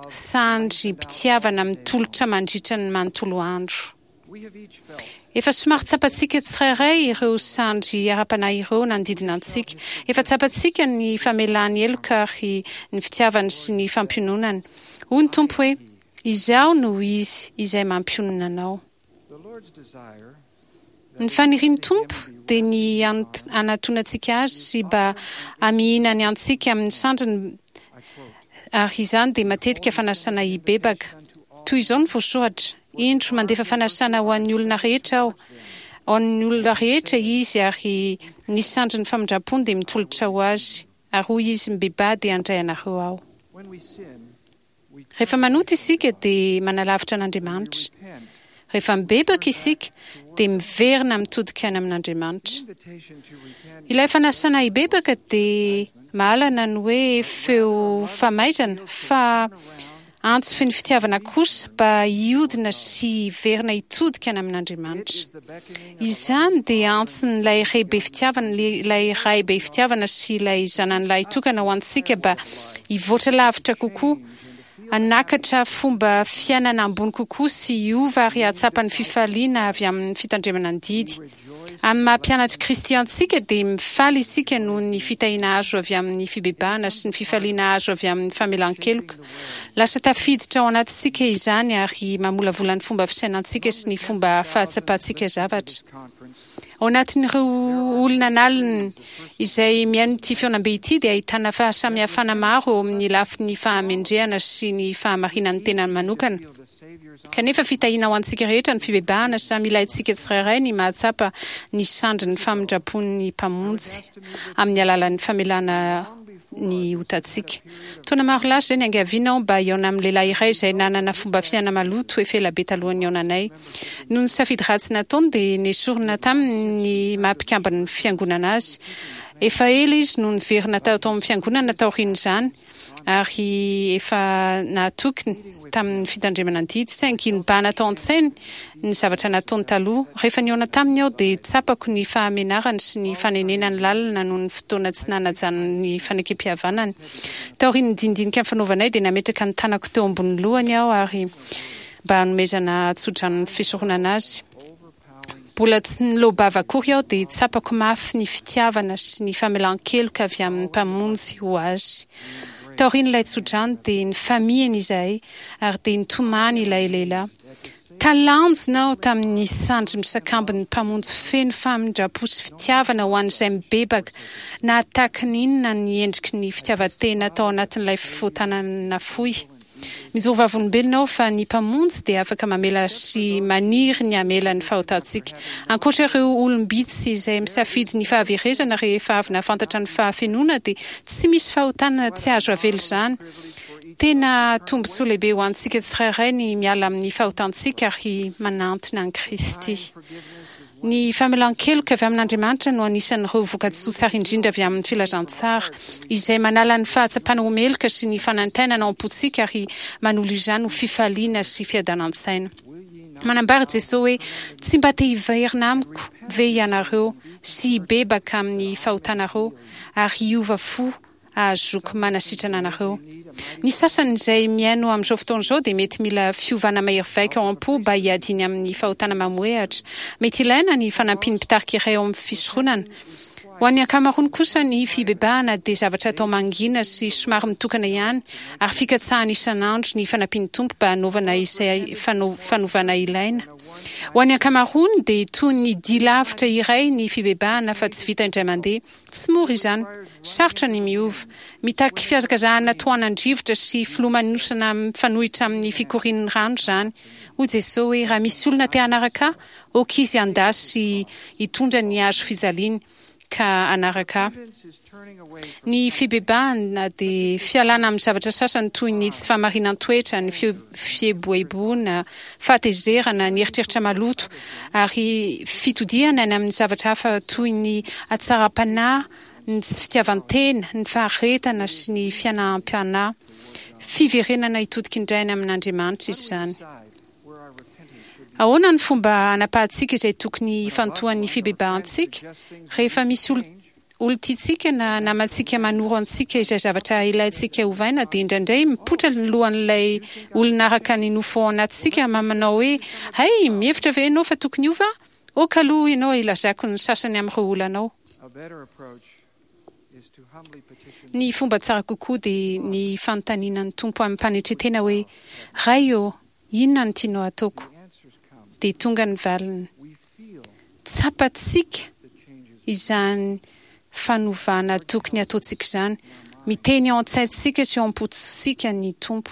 sandrim-pitiavana mitolotra mandritra ny manontolo andro. Efa somary tsapantsika tsirairay ireo sandry ara-panahy ireo nanodidina antsika. Efa tsapantsika ny famelany heloka ary ny fitiavany sy ny fampiononany. Hoy ny Tompo hoe, Izaho no Izy izay mampionona anao. Ny fanirian'ny Tompo dia ny hanatonantsika Azy sy mba hamihinany antsika amin'ny sandriny ary izany dia matetika fanasana hibebaka. Toy izao no voasoratra, Indro, mandefa fanasana ho an'ny olona rehetra Aho. Ho an'ny olona rehetra Izy ary ny sandrin'ny famindram-pony dia mitolotra ho azy. Ary hoy Izy, Mibebaha dia handray anareo Aho. Rehefa manota isika dia manalavitra an'Andriamanitra. Rehefa mibebaka isika dia miverina mitodika any amin'Andriamanitra. Ilay fanasana hibebaka dia mahalana ny hoe feo famaizana fa antso feno fitiavana kosa mba hiodina sy hiverina hitodika any amin'Andriamanitra. Izany dia antson'ilay Ray be fitiavana, ilay Ray be fitiavana sy ilay Zanany lahitokana ho antsika mba hivoatra lavitra kokoa, hanakatra fomba fiainana ambony kokoa sy hiova ary hahatsapa ny fifaliana avy amin'ny fitandremana ny didy. Amin'ny maha mpianatr'i Kristy antsika dia mifaly isika noho ny fitahiana azo avy amin'ny fibebahana sy ny fifaliana azo avy amin'ny famelan-keloka. Lasa tafiditra ao anatintsika izany ary mamolavola ny fomba fisainantsika sy ny fomba fahatsapantsika zavatra. Ao anatin'ireo olona an'aliny izay mihaino ity fihaonambe ity dia ahitana fahasamihafana maro eo amin'ny lafiny fahamendrehana sy ny fahamarinan'ny tenany manokana. Kanefa fitahiana ho antsika rehetra ny fibebahana, samy ilaintsika tsirairay ny mahatsapa ny sandrin'ny famindram-pon'ny Mpamonjy amin'ny alalan'ny famelana ny otantsika. Taona maro lasa izay niangaviana aho mba hihaona amin'ny lehilahy iray izay nanana fomba fiaina maloto efa elabe talohan'ny nihaonanay. Noho ny safidy ratsy nataony dia nesorina taminy ny maha mpikamban'ny fiangonana azy. Efa ela izy no niverina tao amin'ny fiangonana taorian'izany. ary efa nahatoky tamin'ny fitandremana ny didy, saingy nibahana tao an-tsainy ny zavatra nataony taloha. Rehefa nihaona taminy aho dia tsapako ny fahamenarany sy ny fanenenany lalina noho ny fotoana tsy nanajany ny fanekempihavanany. Taorian'ny dinidinika nifanaovanay dia nametraka ny tanako teo ambonin'ny lohany aho ary mba hanomezana tsodranon'ny fisoronana azy. Mbola tsy niloa-bava akory aho dia tsapako mafy ny fitiavana sy ny famelan-keloka avy amin'ny Mpamonjy ho azy. Taorian'ilay tsodrano dia nifamihina izahay ary dia nitomany ilay lehilahy. Talanjona aho tamin'ny sandry misakambin'ny Mpamonjy feno famindram-po sy fitiavana ho an'izay mibebaka, na tahaka ny inona ny endriky ny fitiavan-tena tao anatin'ilay fifotanana nafoy. Mijoro vavolombelona aho fa ny Mpamonjy dia afaka mamela sy maniry ny hamela ny fahotantsika. Ankoatra ireo olom-bitsy izay misafidy ny fahaverezana rehefa avy nahafantatra ny fahafenoana dia tsy misy fahotana tsy azo avela izany. Tena tombontsoa lehibe ho antsika tsirairay ny miala amin'ny fahotantsika ary manantona an'i Kristy. Ny famelan-keloka avy amin'Andriamanitra no anisan'ireo vokatsoa tsara indrindra avy amin'ny filazantsara, izay manala ny fahatsapana ho meloka sy ny fanaintainana ao am-pontsika ary manolo izany ho fifaliana sy fiadanan-tsaina. Manambara Jesoa hoe, Tsy mba te hiverina amiko ve ianareo sy hibebaka amin'ny fahotanareo ary hiova fo ahazoako manasitrana anareo. Ny sasany izay mihaino amin'izao fotoana izao dia mety mila fiovana mahery vaika ao am-po mba hiadiany amin'ny fahotana mamohehatra. Mety ilaina ny fanampian'ny mpitarika iray ao amin'ny fisoronana. Ho an'ny ankamaroany kosa ny fibebahana dia zavatra atao mangina sy somary mitokana ihany ary fikatsahana isan'andro ny fanampian'ny Tompo mba hanaovana izay fanovana ilaina. Ho an'ny ankamaroany dia toy ny dia lavitra iray ny fibebahana fa tsy vita indray mandeha. Tsy mora izany. Sarotra ny miova. Mitaky fihazakazahana tohanan-drivotra sy filomanosana mifanohitra amin'ny fikorian'ny rano izany. Hoy Jesoa hoe, Raha misy olona te hanaraka Ahy, aoka izy handà sy hitondra ny hazo fijaliany ka hanaraka Ahy. Ny fibebahana dia fialana amin'ny zavatra sasany toy ny tsy fahamarinan-toetra, ny fieboeboana, fahatezerana, ny eritreritra maloto, ary fitodihana any amin'ny zavatra hafa toy ny hatsaram-panahy, ny tsy fitiavan-tena, ny faharetana sy ny fianaham-panahy. Fiverenana hitodika indray any amin'Andriamanitra izany. Ahoana ny fomba hanapahantsika izay tokony hifantohan'ny fibebahantsika rehefa misy olon. olon-tiantsika na namantsika manoro antsika izay zavatra ilaintsika ovaina, dia indraindray mipoitra ny lohan'ilay olona araka ny nofo ao anatintsika manao hoe, Hay, mihevitra ve ianao fa tokony hiova aho? Ok aloha ianao hilazako ny sasany amin'ireo olanao. Ny fomba tsara kokoa dia ny fanontaniana ny Tompo amim-panetren-tena hoe, Ray ô, inona no tianao hataoko? Dia tonga ny valiny. Tsapantsika izany fanovana tokony hataontsika izany. Miteny ao an-tsaintsika sy ao am-pontsika ny Tompo.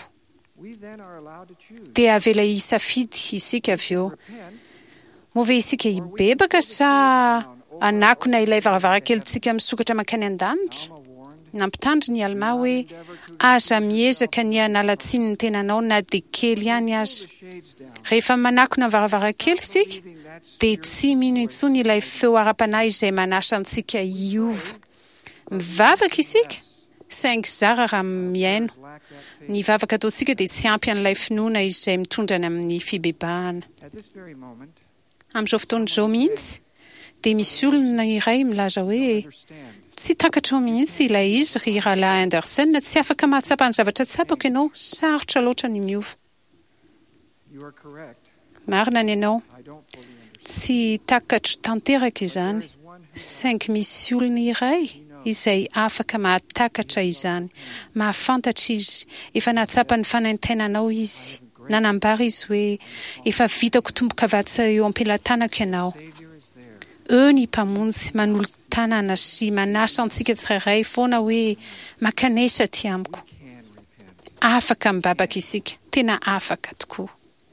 Dia avela hisafidy isika avy eo. Moa ve isika hibebaka sa hanakona ilay varavarankelintsika misokatra mankany an-danitra? Nampitandrina i Almà hoe, Aza miezaka ny hanala tsiny ny tenanao na dia kely ihany aza. Rehefa manakona ny varavarankely isika, dia tsy mino intsony ilay feo ara-panahy izay manasa antsika hiova. Mivavaka isika, saingy zara raha mihaino. Ny vavaka ataontsika dia tsy ampy an'ilay finoana izay mitondra any amin'ny fibebahana. Amin'izao fotoana izao mihitsy, dia misy olona iray milaza hoe, Tsy takatrao mihitsy ilay izy, ry Rahalahy Andersen, tsy afaka mahatsapa ny zavatra tsapako ianao, sarotra loatra ny miova. Marina ny anao. Tsy takatro tanteraka izany, saingy misy olona iray izay afaka mahatakatra izany. Mahafantatra izy. Efa nahatsapa ny fanaintainanao izy. Nanambara izy hoe, Efa vitako tombokavatsa eo am-pelatanako ianao. Eo ny Mpamonjy manolo-tanana sy manasa antsika tsirairay foana hoe, Mankanesa aty amiko. Afaka mibabaka isika, tena afaka tokoa.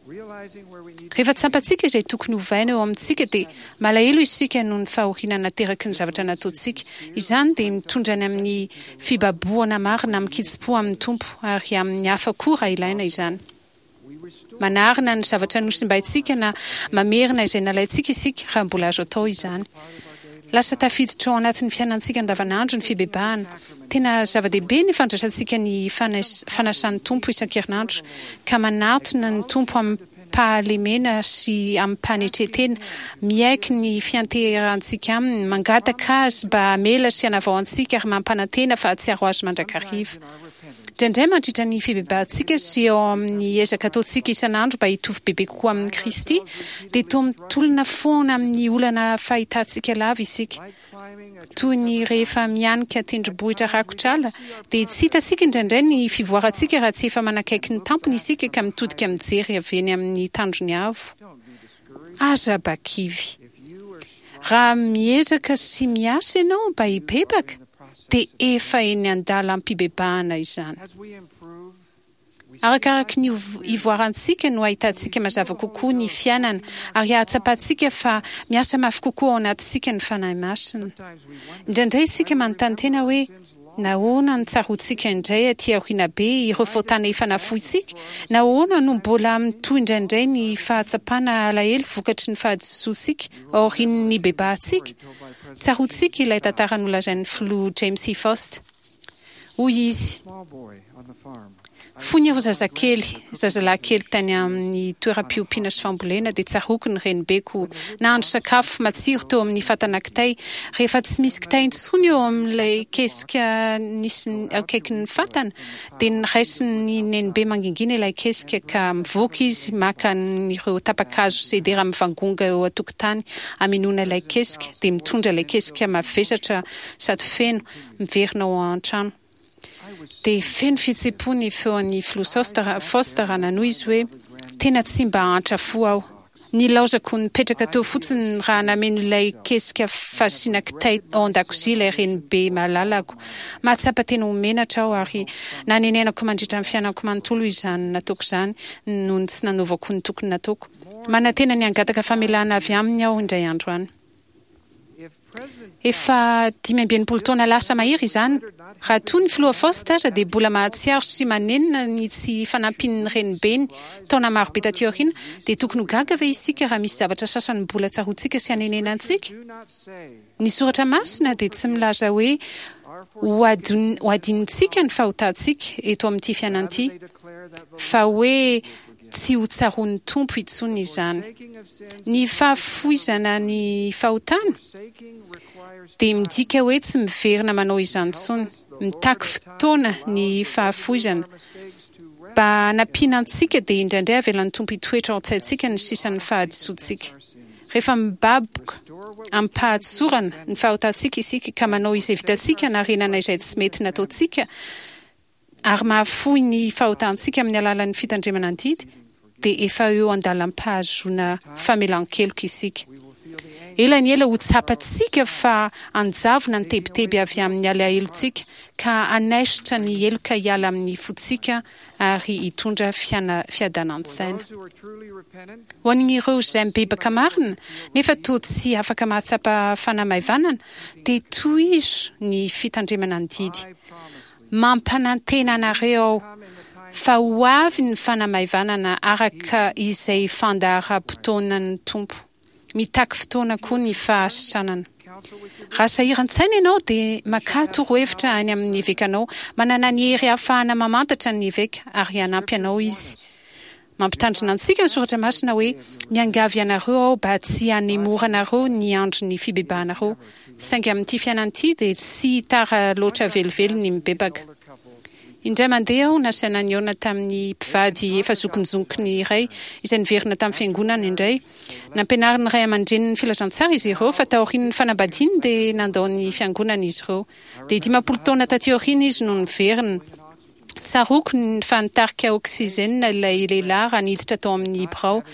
Rehefa tsampantsika izay tokony hovaina eo amintsika dia malahelo isika noho ny fahoriana nateraky ny zavatra nataontsika. Izany dia mitondra any amin'ny fibabohana marina amin-kitsim-po amin'ny Tompo ary amin'ny hafa koa raha ilaina izany. Manarina ny zavatra nosimbaintsika na mamerina izay nalaintsika isika raha mbola azo atao izany. Lasa tafiditra ao anatin'ny fiainantsika andavanandro ny fibebahana. Tena zava-dehibe ny fandraisantsika ny fanasan'ny Tompo isan-kerinandro ka manatona ny Tompo amim-pahalemena sy amim-panetren-tena, miaiky ny fianteherantsika Aminy, mangataka Azy mba hamela sy hanavao antsika ary mampanantena fa hahatsiaro Azy mandrakariva. Indraindray mandritra ny fibebahantsika sy eo amin'ny ezaka ataontsika isan'andro mba hitovy bebe kokoa amin'i Kristy, dia toa mitolona foana amin'ny olana fahitantsika lava isika. Toy ny rehefa mianika tendrombohitra rakotra ala, dia tsy hitantsika indraindray ny fivoarantsika raha tsy efa manakaiky ny tampony isika ka mitodika mijery avy eny amin'ny tandrony avo. Aza bakivy. Raha miezaka sy miasa ianao mba hibebaka, dia efa eny an-dalam-pibebahana izany. Arakaraky ny ivoarantsika no ahitantsika mazava kokoa ny fiainana ary ahatsapantsika fa miasa mafy kokoa ao anatintsika ny Fanahy Masina. Indraindray isika manontany tena hoe, Nahoana no tsaroantsika indray aty aoriana be ireo fahotana efa nafointsika? Nahoana no mbola mitohy indraindray ny fahatsapana alahelo vokatry ny fahadisoantsika aorian'ny nibebahantsika? Tsaroantsika ilay tantara nolazain'ny Filoha James E. Faust. Hoy izy, Fony aho zazakely, zazalahy kely tany amin'ny toeram-piompiana sy fambolena, dia tsaroako ny renibeko nahandro sakafo matsiro teo amin'ny fatana kitay. Rehefa tsy misy kitay intsony eo amin'ilay kesika nisy akaikin'ny fatana, dia noraisin'ny nenibe mangingina ilay kesika ka mivoaka izy maka an'ireo tapa-kazo sedera mivangongo eo an-tokotany hamenoana ilay kesika, dia mitondra ilay kesika mavesatra sady feno miverina ao an-trano. Dia feno fihetseham-po ny feon'ny Filoha Faust raha nanohy izy hoe, Tena tsy mba antra fo aho. Nilaozako nipetraka teo fotsiny raha nameno ilay kesika fasiana kitay ao an-dakozia ilay renibe malalako. Mahatsapa tena ho menatra aho ary nanenenako mandritra ny fiainako manontolo izany nataoko izany noho ny tsy nanaovako ny tokony nataoko. Manantena ny hangataka famelana avy aminy aho indray andro any. Efa 65 taona lasa mahery izany. Raha toa ny Filoha Faust aza dia mbola mahatsiaro sy manenina ny tsy fanampian'ny renibeny taona marobe taty aoriana, dia tokony ho gaga ve isika raha misy zavatra sasany mbola tsaroantsika sy anenenantsika? Ny Soratra Masina dia tsy milaza hoe ho adinontsika ny fahotantsika eto amin'ity fiainana ity, fa hoe. Tsy ho tsaroan'ny Tompo intsony izany. Ny fahafoizana ny fahotana dia midika hoe tsy miverina manao izany intsony. Mitaky fotoana ny fahafoizana. Mba hanampiana antsika dia indraindray avelan'ny Tompo hitoetra ao an-tsaintsika ny sisan'ny fahadisoantsika. Rehefa mibaboka amim-pahatsorana ny fahotantsika isika ka manao izay vitantsika hanarenana izay tsy mety nataontsika ary mahafoy ny fahotantsika amin'ny alalan'ny fitandremana ny didy, dia efa eo an-dalam-pahazoana famelan-keloka isika. Ela ny ela ho tsapantsika fa hanjavona ny tebiteby avy amin'ny alahelontsika ka hanaisotra ny heloka hiala amin'ny fontsika ary hitondra fiadanan-tsaina. Ho an'ireo izay mibebaka marina nefa toa tsy afaka mahatsapa fanamaivanana, dia tohizo ny fitandremana ny didy. Mampanantena anareo aho fa ho avy ny fanamaivanana araka izay fandaharam-potoanan'ny Tompo. Mitaky fotoana koa ny fahasitranana. Raha sahiran-tsaina ianao dia makà torohevitra any amin'ny evekanao. Manana ny hery ahafahana mamantatra ny eveka ary hanampy anao izy. Mampitandrina antsika ny Soratra Masina hoe, Miangavy anareo aho mba tsy hanemoranareo ny andron'ny fibebahanareo. Saingy amin'ity fiainana ity dia tsy tara loatra velively ny mibebaka. Indray mandeha aho nasaina nihaona tamin'ny mpivady efa zokinjonkiny iray izay niverina tamin'ny fiangonana indray. Nampianarin'ny ray aman-dreniny ny filazantsara izy ireo fa taorian'ny fanambadiany dia nandao ny fiangonana izy ireo. Dia 50 taona taty aoriana izy no niverina. Tsaroako fa nitarika oksizenina ilay lehilahy raha niditra tao amin'ny birao.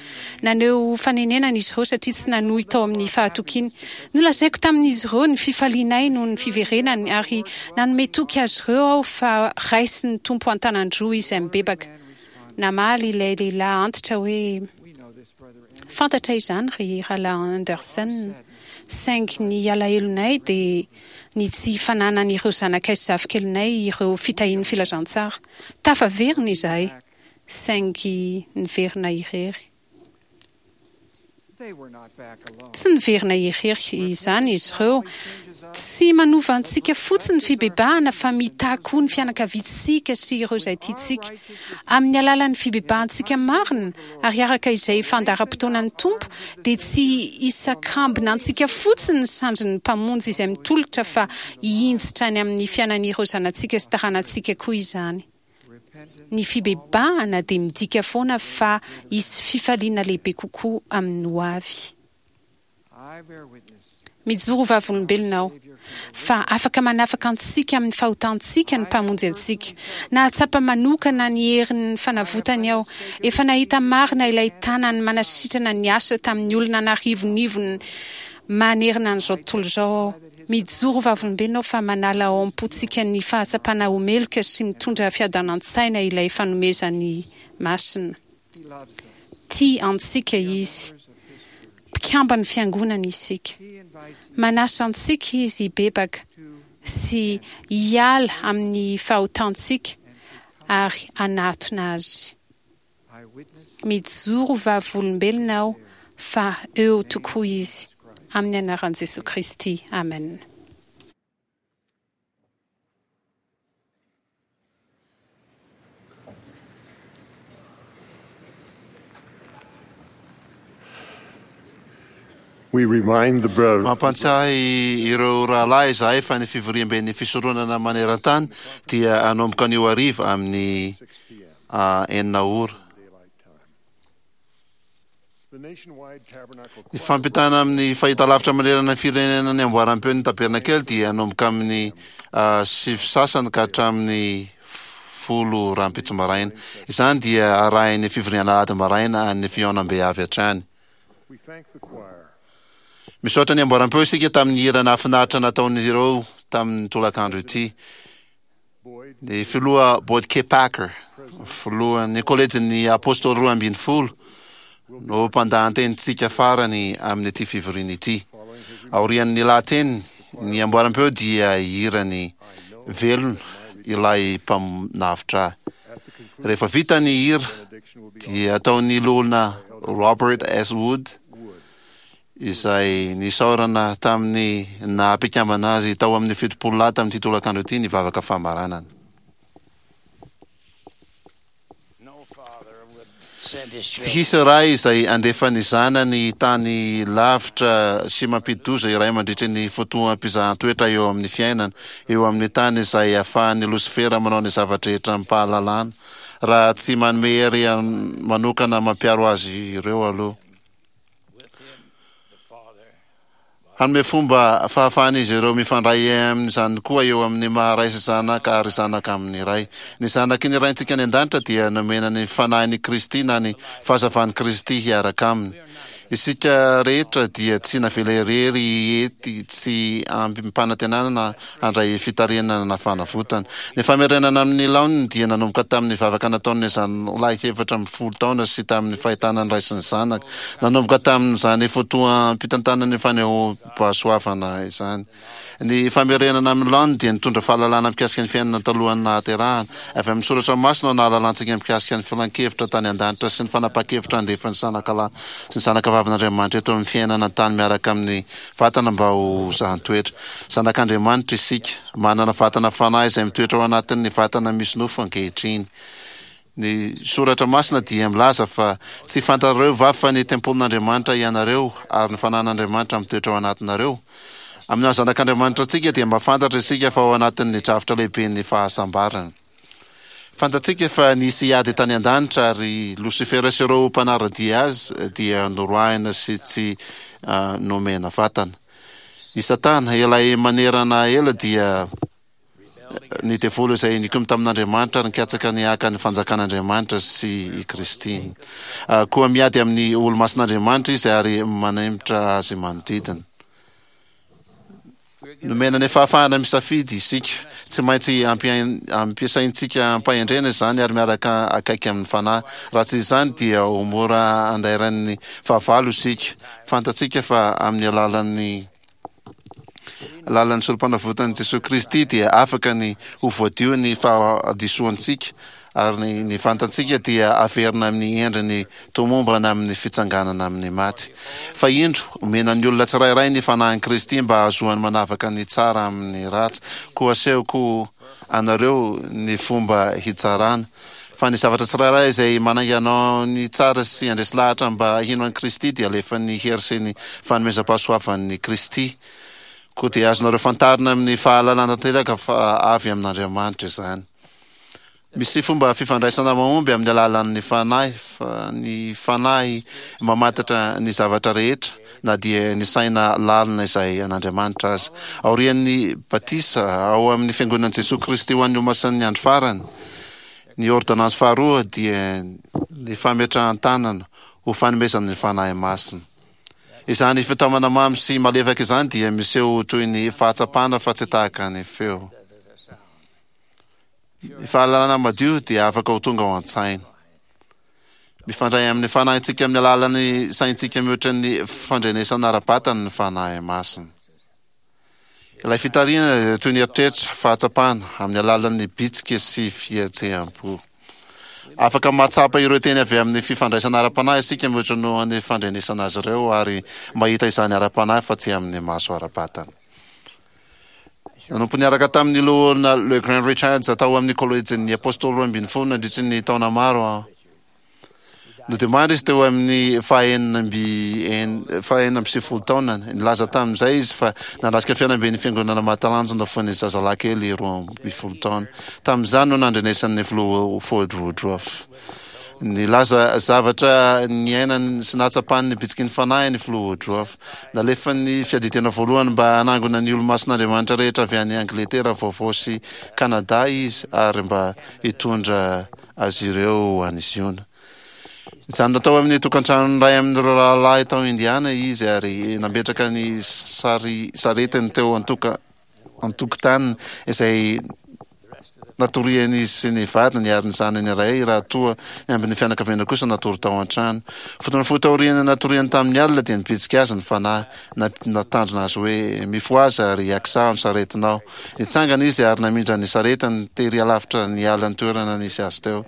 Naneho fanenenana izy ireo satria tsy nanohy tao amin'ny fahatokiany. Nolazaiko tamin'izy ireo ny fifalianay noho ny fiverenany ary nanome toky azy ireo aho fa raisin'ny Tompo an-tanan-droa izay mibebaka. Namaly ilay lehilahy antitra hoe, Fantatray izany ry Rahalahy Andersen, saingy ny alahelonay dia ny tsy fananan'ireo zanakay sy zafikelinay ireo fitahian'ny filazantsara. Tafaverina izahay, saingy niverina irery. Tsy niverina irery izany izy ireo. Tsy manova antsika fotsiny ny fibebahana fa mitahy koa ny fianakaviantsika sy ireo izay tiantsika. Amin'ny alalan'ny fibebahantsika marina ary araka izay fandaharam-potoanan'ny Tompo dia tsy hisakambina antsika fotsiny ny sandrin'ny Mpamonjy izay mitolotra fa hihinjitra any amin'ny fiainan'ireo zanatsika sy taranantsika koa izany. Ny fibebahana dia midika foana fa hisy fifaliana lehibe kokoa amin'ny hoavy. Mijoro ho vavolombelona aho fa afaka manafaka antsika amin'ny fahotantsika ny Mpamonjy antsika. Nahatsapa manokana ny herin'ny fanavotany aho. Efa nahita marina ilay tanany manasitrana niasa tamin'ny olona an'arivonivony manerana an'izao tontolo izao aho. Mijoro ho vavolombelona aho fa manala ao am-pontsika ny fahatsapana ho meloka sy mitondra fiadanan-tsaina ilay fanomezany masina. Tia antsika Izy. Mpikamban'ny Fiangonany isika. Manasa antsika Izy hibebaka sy hiala amin'ny fahotantsika ary hanatona Azy. Mijoro vavolombelona aho fa eo tokoa Izy. Amin'ny anaran'i Jesoa Kristy, amena. We remind the brethren. Mampantsiahy ireo rahalahy izahay fa ny fivoriamben'ny fisoronana maneran-tany dia hanomboka anio hariva amin'ny 6 ora. Ny fampitana amin'ny fahitalavitra manerana ny firenena ny amboaram-peon'ny Tabernakely dia hanomboka amin'ny sivy sasany ka hatramin'ny 10 rahampitso maraina. Izany dia arahin'ny fivoriana alahady maraina an'ny fihaonambe avy hatrany. Misaotra ny amboaram-peo isika tamin'ny hira nahafinaritra nataon'izy ireo tamin'ny tolakandro ity. Ny filoha Boyd K. Packer, filohan'ny Kolejin'ny Apôstôly 12, no mpandahan-tenintsika farany amin'ity fivoriana ity. Aorian'ny lahateniny, ny amboaram-peo dia hihirany Velona ilay Mpanavotra ahy. Rehefa vita ny hira, dia ataon'ny Loholona Robert S. Wood, izay nisaorana tamin'ny naha mpikambana azy tao amin'ny 70 lahy tamin'ity tolakandro ity ny vavaka famaranana. Tsy hisy ray izay handefa ny zanany tany lavitra sy mampidi-doza iray mandritry ny fotoam-pizahan-toetra eo amin'ny fiainana, eo amin'ny tany izay ahafahan'i Losifera manao ny zava-drehetra amim-pahalalana, raha tsy manome hery manokana mampiaro azy ireo aloha. Hanome fomba fahafahan'izy ireo mifandray amin'izany koa eo amin'ny maha Ray sy Zanaka ary Zanaka amin'ny Ray. Ny zanaky ny Raintsika any An-danitra dia nomena ny Fanahin'i Kristy na ny Fahazavan'i Kristy hiaraka aminy. Isika rehetra dia tsy navela irery ety tsy amim-panantenana na handray fitarihana na fanavotana. Ny famerenana amin'ny laoniny dia nanomboka tamin'ny vavaka nataon'ny zanolahy 14 taona sy tamin'ny fahitana ny ray sy ny zanaka. Nanomboka tamin'izany fotoam-pitantanan'ny fanehoam-pahasoavana izany. Ny famerenana amin'ny laoniny dia nitondra fahalalana mikasika ny fiainana talohan'ny nahaterahana. Avy amin'ny soratra masina no nahalalantsika mikasika ny filan-kevitra tany an-danitra sy ny fanapahan-kevitra handefa ny zanakalahy sy ny zanakavavin'Andriamanitra eto amin'ny fiainana an-tany miaraka amin'ny vatana mba ho zahan-toetra. Zanak'Andriamanitra isika, manana vatana fanahy izay mitoetra ao anatin'ny vatana misy nofo ankehitriny. Ny Soratra Masina dia milaza fa tsy fantarareo va fa ny tempolin'Andriamanitra ianareo ary ny fanan'Andriamanitra mitoetra ao anatinareo? Amin'ny maha zanak'Andriamanitra antsika dia mahafantatra isika fa ao anatin'ny drafitra lehiben'ny fahasambarana. Fantatsika fa nisy ady tany an-danitra ary Losifera sy ireo mpanara-dia azy dia noroahina sy tsy nomena vatana. I Satana, ilay manerana ela dia ny devoly izay nikomy tamin'Andriamanitra ary nikatsaka ny haka ny fanjakan'Andriamanitra sy i Kristy. Koa miady amin'ny olo-masin'Andriamanitra izy ary manemitra azy manodidina. Nomena ny fahafahana misafidy isika. Tsy maintsy ampiasaintsika am-pahendrena izany ary miaraka akaiky amin'ny Fanahy. Raha tsy izany dia ho mora andairan'ny fahavalo isika. Fantatsika fa amin'ny alalan'ny alalan'ny Sorompanavotan'i Jesoa Kristy dia afaka ny ho voadio ny fahadisoantsika ary ny ny vantantsika dia averina amin'ny endriny tomombana amin'ny fitsanganana amin'ny maty. Fa indro, omena ny olona tsirairay ny Fanahin'i Kristy mba hahazoany manavaka ny tsara amin'ny ratsy, koa asehoko anareo ny fomba hitsarana. Fa ny zavatra tsirairay izay manainga anao ny tsara sy handresy lahatra mba hino an'i Kristy dia alefan'ny hery sy ny fanomezam-pahasoavan'i Kristy. Koa dia azonareo fantarina amin'ny fahalalana tanteraka fa avy amin'Andriamanitra izany. Misy fomba fifandraisana mahomby amin'ny alalan'ny fanahy, fa ny fanahy mamantatra ny zavatra rehetra, na dia ny saina lalina izay an'Andriamanitra aza. Aorian'ny batisa ao amin'ny Fiangonan'i Jesoa Kristy ho an'ny Olomasin'ny Andro Farany, ny ôrdônansy faharoa dia ny fametrahan-tanana ho fanomezana ny Fanahy Masina. Izany fitaomana mamy sy malefaka izany dia miseho ho toy ny fahatsapana fa tsy tahaka ny feo. Ny fahalalana madio dia afaka ho tonga ao an-tsaina. Mifandray amin'ny fanahintsika amin'ny alalan'ny saintsika mihoatra ny fandrenesana ara-batana ny Fanahy Masina. Ilay fitarihana dia toy ny eritreritra, fahatsapana, amin'ny alalan'ny bitsika sy fihetseham-po. Afaka mahatsapa ireo teny avy amin'ny fifandraisana ara-panahy isika mihoatra noho ny fandrenesana azy ireo ary mahita izany ara-panahy fa tsy amin'ny maso ara-batana. Nanompo niaraka tamin'ny Loholona LeGrand Richards tao amin'ny Kôlejin'ny Apôstôly Roambinifolo nandritry ny taona maro aho. Nodimandry izy teo amin'ny fahaenina amby faha-96 taonany. Nilaza tamin'izay izy fa nanatrika fihaonamben'ny Fiangonana mahatalanjona fony zazalahy kely 12 taona. Tamin'izany no nandrenesany ny Filoha Ford Woodruff. Nilaza zavatra niainany sy nahatsapany ny bitsiky ny Fanahy ny Filoha Woodruff. Nalefan'ny Fiadidiana Voalohany mba hanangona ny Olomasin'Andriamanitra rehetra avy any Angletera Vaovao sy Kanada izy ary mba hitondra azy ireo ho any Ziona. Nijanona tao amin'ny tokantranon'ny iray amin'ireo rahalahy tao Indiana izy ary nametraka ny sary saretiny teo antoka an-tokotaniny izay natorian'izy sy ny vadiny ary ny zanany iray raha toa ny ambin'ny fianakaviana kosa natory tao an-trano. Fotoana fohy taorian'ny natoriany tamin'ny alina dia nibitsika azy ny fanahy, nampitandrina azy hoe, Mifohaza ary akisaho ny saretinao. Nitsangana izy ary namindra ny saretiny tery alavitra niala ny toerana nisy azy teo.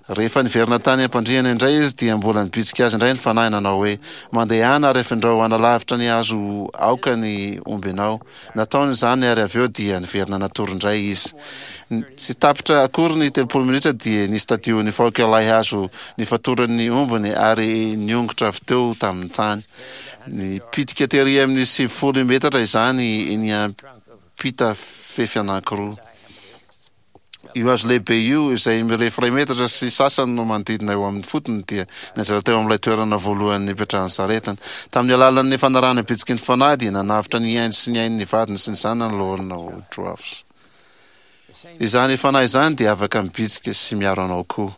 Rehefa niverina tany am-pandriana indray izy dia mbola nibitsika azy indray ny Fanahy nanao hoe, Mandehana ary afindrao hanalavitra ny hazo aoka ny ombinao. Nataony izany ary avy eo dia niverina natory indray izy. Tsy tapitra akory ny 30 minitra dia nisy tadio nifaoka ilay hazo nifatoran'ny ombiny ary niongotra avy teo tamin'ny tany. Nipitika tery amin'ny 90 metatra izany niampita fefy anankiroa. Io hazo lehibe io, izay mirefy iray metatra sy sasany no manodidina eo amin'ny fotony, dia nianjera teo amin'ilay toerana voalohany nipetrahan'ny saretiny. Tamin'ny alalan'ny fanarahana ny bitsiky ny Fanahy, dia nanavotra ny ainy sy ny ain'ny vadiny sy ny zanany Loholona Woodruff. Izany Fanahy izany dia afaka mibitsika sy miaro anao koa.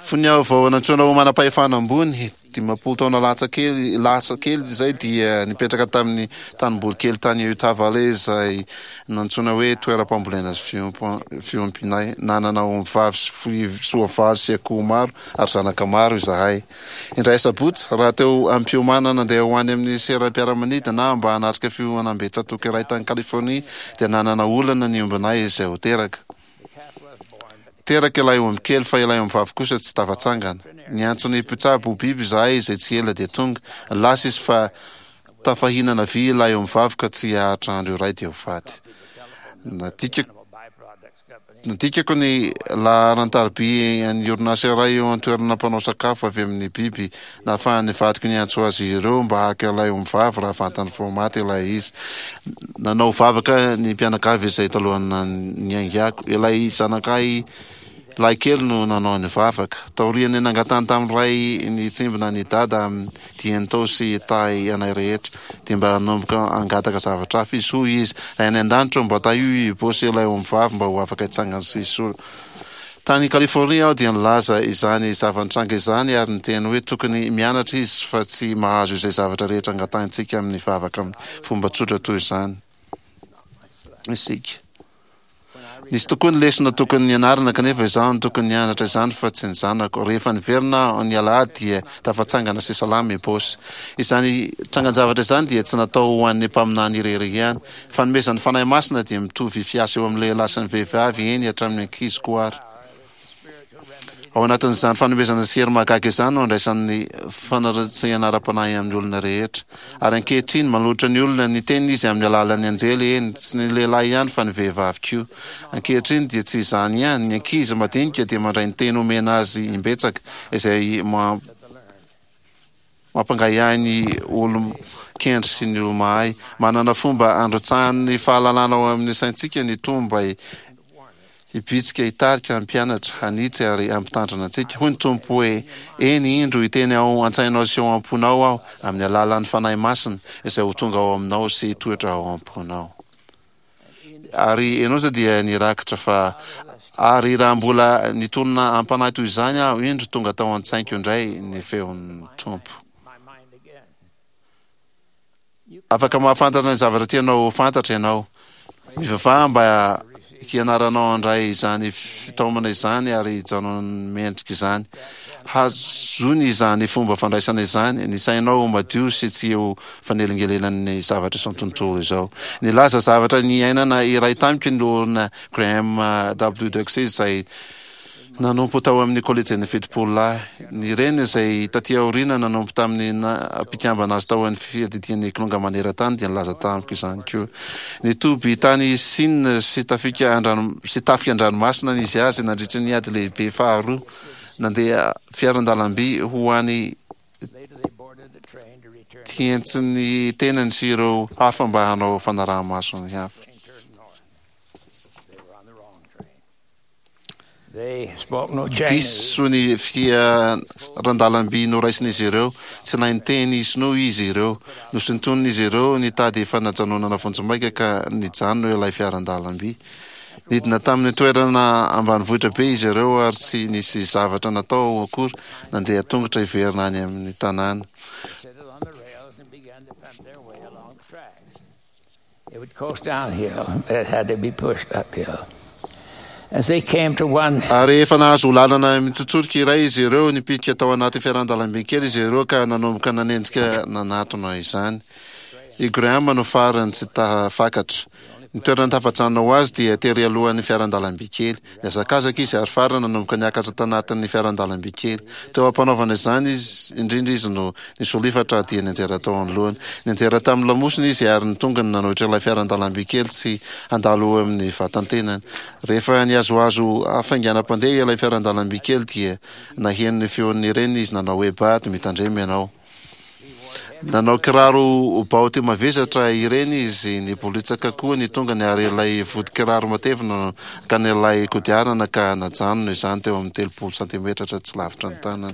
Fony aho vao nantsoina ho manam-pahefana ambony, 50 taona latsa kely lasa kely izay, dia nipetraka tamin'ny tanimboly kely tany Utah Valley izay nantsoina hoe toeram-pambolena sy fiompianay. Nanana ombivavy sy soavaly sy akoho maro ary zanaka maro izahay. Indray asabotsy, raha teo am-piomanana handeha ho any amin'ny seram-piaramanidina aho mba hanatrika fihaonambe-tsatòka iray tany Californie, dia nanana olana ny ombinay izay ho teraka. Teraka ilay omby kely fa ilay ombivavy kosa tsy tafatsangana. Niantso ny mpitsabo ho biby izahay izay tsy ela dia tonga. Lasa izy fa tafahinana vy ilay ombivavy ka tsy haharitra andro iray dia ho faty. Nadikako Nadikako ny laharan-tariby an'ny orinasa iray eo an-toerana mpanao sakafo avy amin'ny biby Nahafahan'ny vadiko niantso azy ireo mba haka ilay ombivavy raha vantany vao maty ilay izy. Nanao vavaka ny mpianakavy izay talohan'ny niaingako. Ilay zanakay lahikely no nanao ny vavaka. Taorian'ny nangatahany tamin'ny ray nitsimbina an'i Dada amin'ny dieny tao sy hitahy anay rehetra, dia mba nanomboka hangataka zavatra hafa izy. Hoy izy, Ray any an-danitra ô, mba tahio i Ibo sy ilay ombivavy mba ho afaka hitsangana sy hisolo. Tany Californie aho dia nilaza izany zava-nitranga izany ary niteny hoe tokony mianatra izy fa tsy mahazo izay zavatra rehetra angatahintsika amin'ny vavaka amin'ny fomba tsotra toy izany isika. Nisy tokoa ny lesona tokony nianarana kanefa izaho no tokony nianatra izany fa tsy ny zanako. Rehefa niverina aho ny alahady dia tafatsangana sy salama i Boss. Izany trangan-javatra izany dia tsy natao ho an'ny mpaminany irery ihany. Fanomezan'ny Fanahy Masina dia mitovy fiasa eo amin'ny lehilahy sy ny vehivavy, eny hatramin'ny ankizy koa ary. Ao anatin'izany fanomezana sy hery mahagaga izany no andraisan'ny fanaratsiana ara-panahy amin'ny olona rehetra. Ary ankehitriny, manolotra ny olona ny teniny Izy amin'ny alalan'ny anjely, eny, tsy ny lehilahy ihany fa ny vehivavy koa. Ankehitriny dia tsy izany ihany, ny ankizy madinika dia mandray ny teny omena azy imbetsaka, izay Mampangahiahy ny olon-kendry sy ny olo-mahay. Manana fomba androtsahany ny fahalalana ao amin'ny saintsika ny Tompo mba hibitsika, hitarika, hampianatra, hanitsy ary hampitandrina antsika. Hoy ny Tompo hoe, Eny, indro, hiteny ao an-tsainao sy ao am-ponao Aho, amin'ny alalan'ny Fanahy Masina, izay ho tonga ao aminao sy hitoetra ao am-ponao. Ary Enosa dia nirakitra fa, Ary raha mbola nitonona am-panahy toy izany aho, indro tonga tao an-tsaiko indray ny feon'ny Tompo. Afaka mahafantatra ny zavatra tianao ho fantatra ianao. Mivavaha mba hianaranao handray izany fitaomana izany ary hijanona mendrika izany. Hazony izany fomba fandraisana izany, ny sainao ho madio sy tsy ho fanelingelenan'ny zavatra izao tontolo izao. Nilaza zavatra niainana iray tamiko ny Loholona Graham W. Duxey izay nanompo tao amin'ny Kolejin'ny 70 Lahy. Ny reniny izay taty aoriana nanompo tamin'ny naha-mpikambana azy tao amin'ny Fiadidian'ny Kilonga Maneran-tany dia nilaza tamiko izany koa. Nitoby tany Sina sy tafika an-drano sy tafika an-dranomasina nisy azy nandritra ny Ady Lehibe Faharoa. Nandeha fiaran-dalamby ho any Tientsin'ny tenany sy ireo hafa mba hanao fanaraha-maso ny hafa. Diso ny fiaran-dalamby noraisin'izy ireo. Tsy nahay niteny sinoa izy ireo. Nosintonin'izy ireo nitady fanajanonana vonjimaika ka nijanona ilay fiaran-dalamby. Nidina tamin'ny toerana ambanivohitra be izy ireo ary tsy nisy zavatra natao akory, nandeha tongotra hiverina any amin'ny tanàna. Ary rehefa nahazo lalana mitsotsorika iray izy ireo, nipitika tao anaty fiaran-dalamby kely izy ireo ka nanomboka nanenjika nanatona izany. I Graham no farany tsy tafakatra. Ny toerana tafajanona ho azy dia tery alohan'ny fiaran-dalamby kely. Nihazakazaka izy ary farany nanomboka niakatra tanatin'ny fiaran-dalamby kely. Teo am-panaovana izany izy indrindra izy no nisolifatra dia nianjera tao anoloany. Nianjera tamin'ny lamosiny izy ary ny tongony nanohitra ilay fiaran-dalamby kely tsy handalo eo amin'ny vatan-tenany. Rehefa nihazohazo hafainganam-pandeha ilay fiaran-dalamby kely dia naheno ny feon'ny reniny izy nanao hoe, Bad, mitandrema ianao. Nanao kiraro baoty mavesatra ireny izy, nibolitsaka koa ny tongony ary ilay vodi-kiraro matevina no nakan'ilay kodiarana ka najanony izany teo amin'ny 30 santimetatra tsy lavitra ny tanany.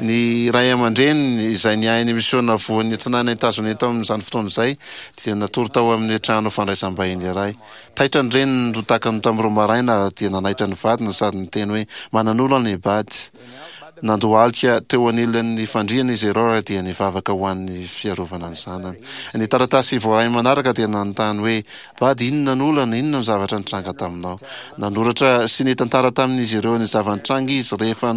Ny ray aman-dreniny, izay niahy ny misiona voan'ny atsinanan'i Etazonia tamin'izany fotoana izay, dia natory tao amin'ny trano fandraisam-bahiny iray. Taitra ny reniny rotakany tamin'ny roa maraina ary dia nanaitra ny vadiny sady niteny hoe, Manan'olana i Bud. Nandohalika teo anilan'ny fandriana izy ireo ary dia nivavaka ho an'ny fiarovana ny zanany. Ny taratasy voaray manaraka dia nanontany hoe, Bud, inona no olana? Inona no zavatra nitranga taminao? Nanoratra sy nitantara tamin'izy ireo ny zava-nitranga izy. Rehefa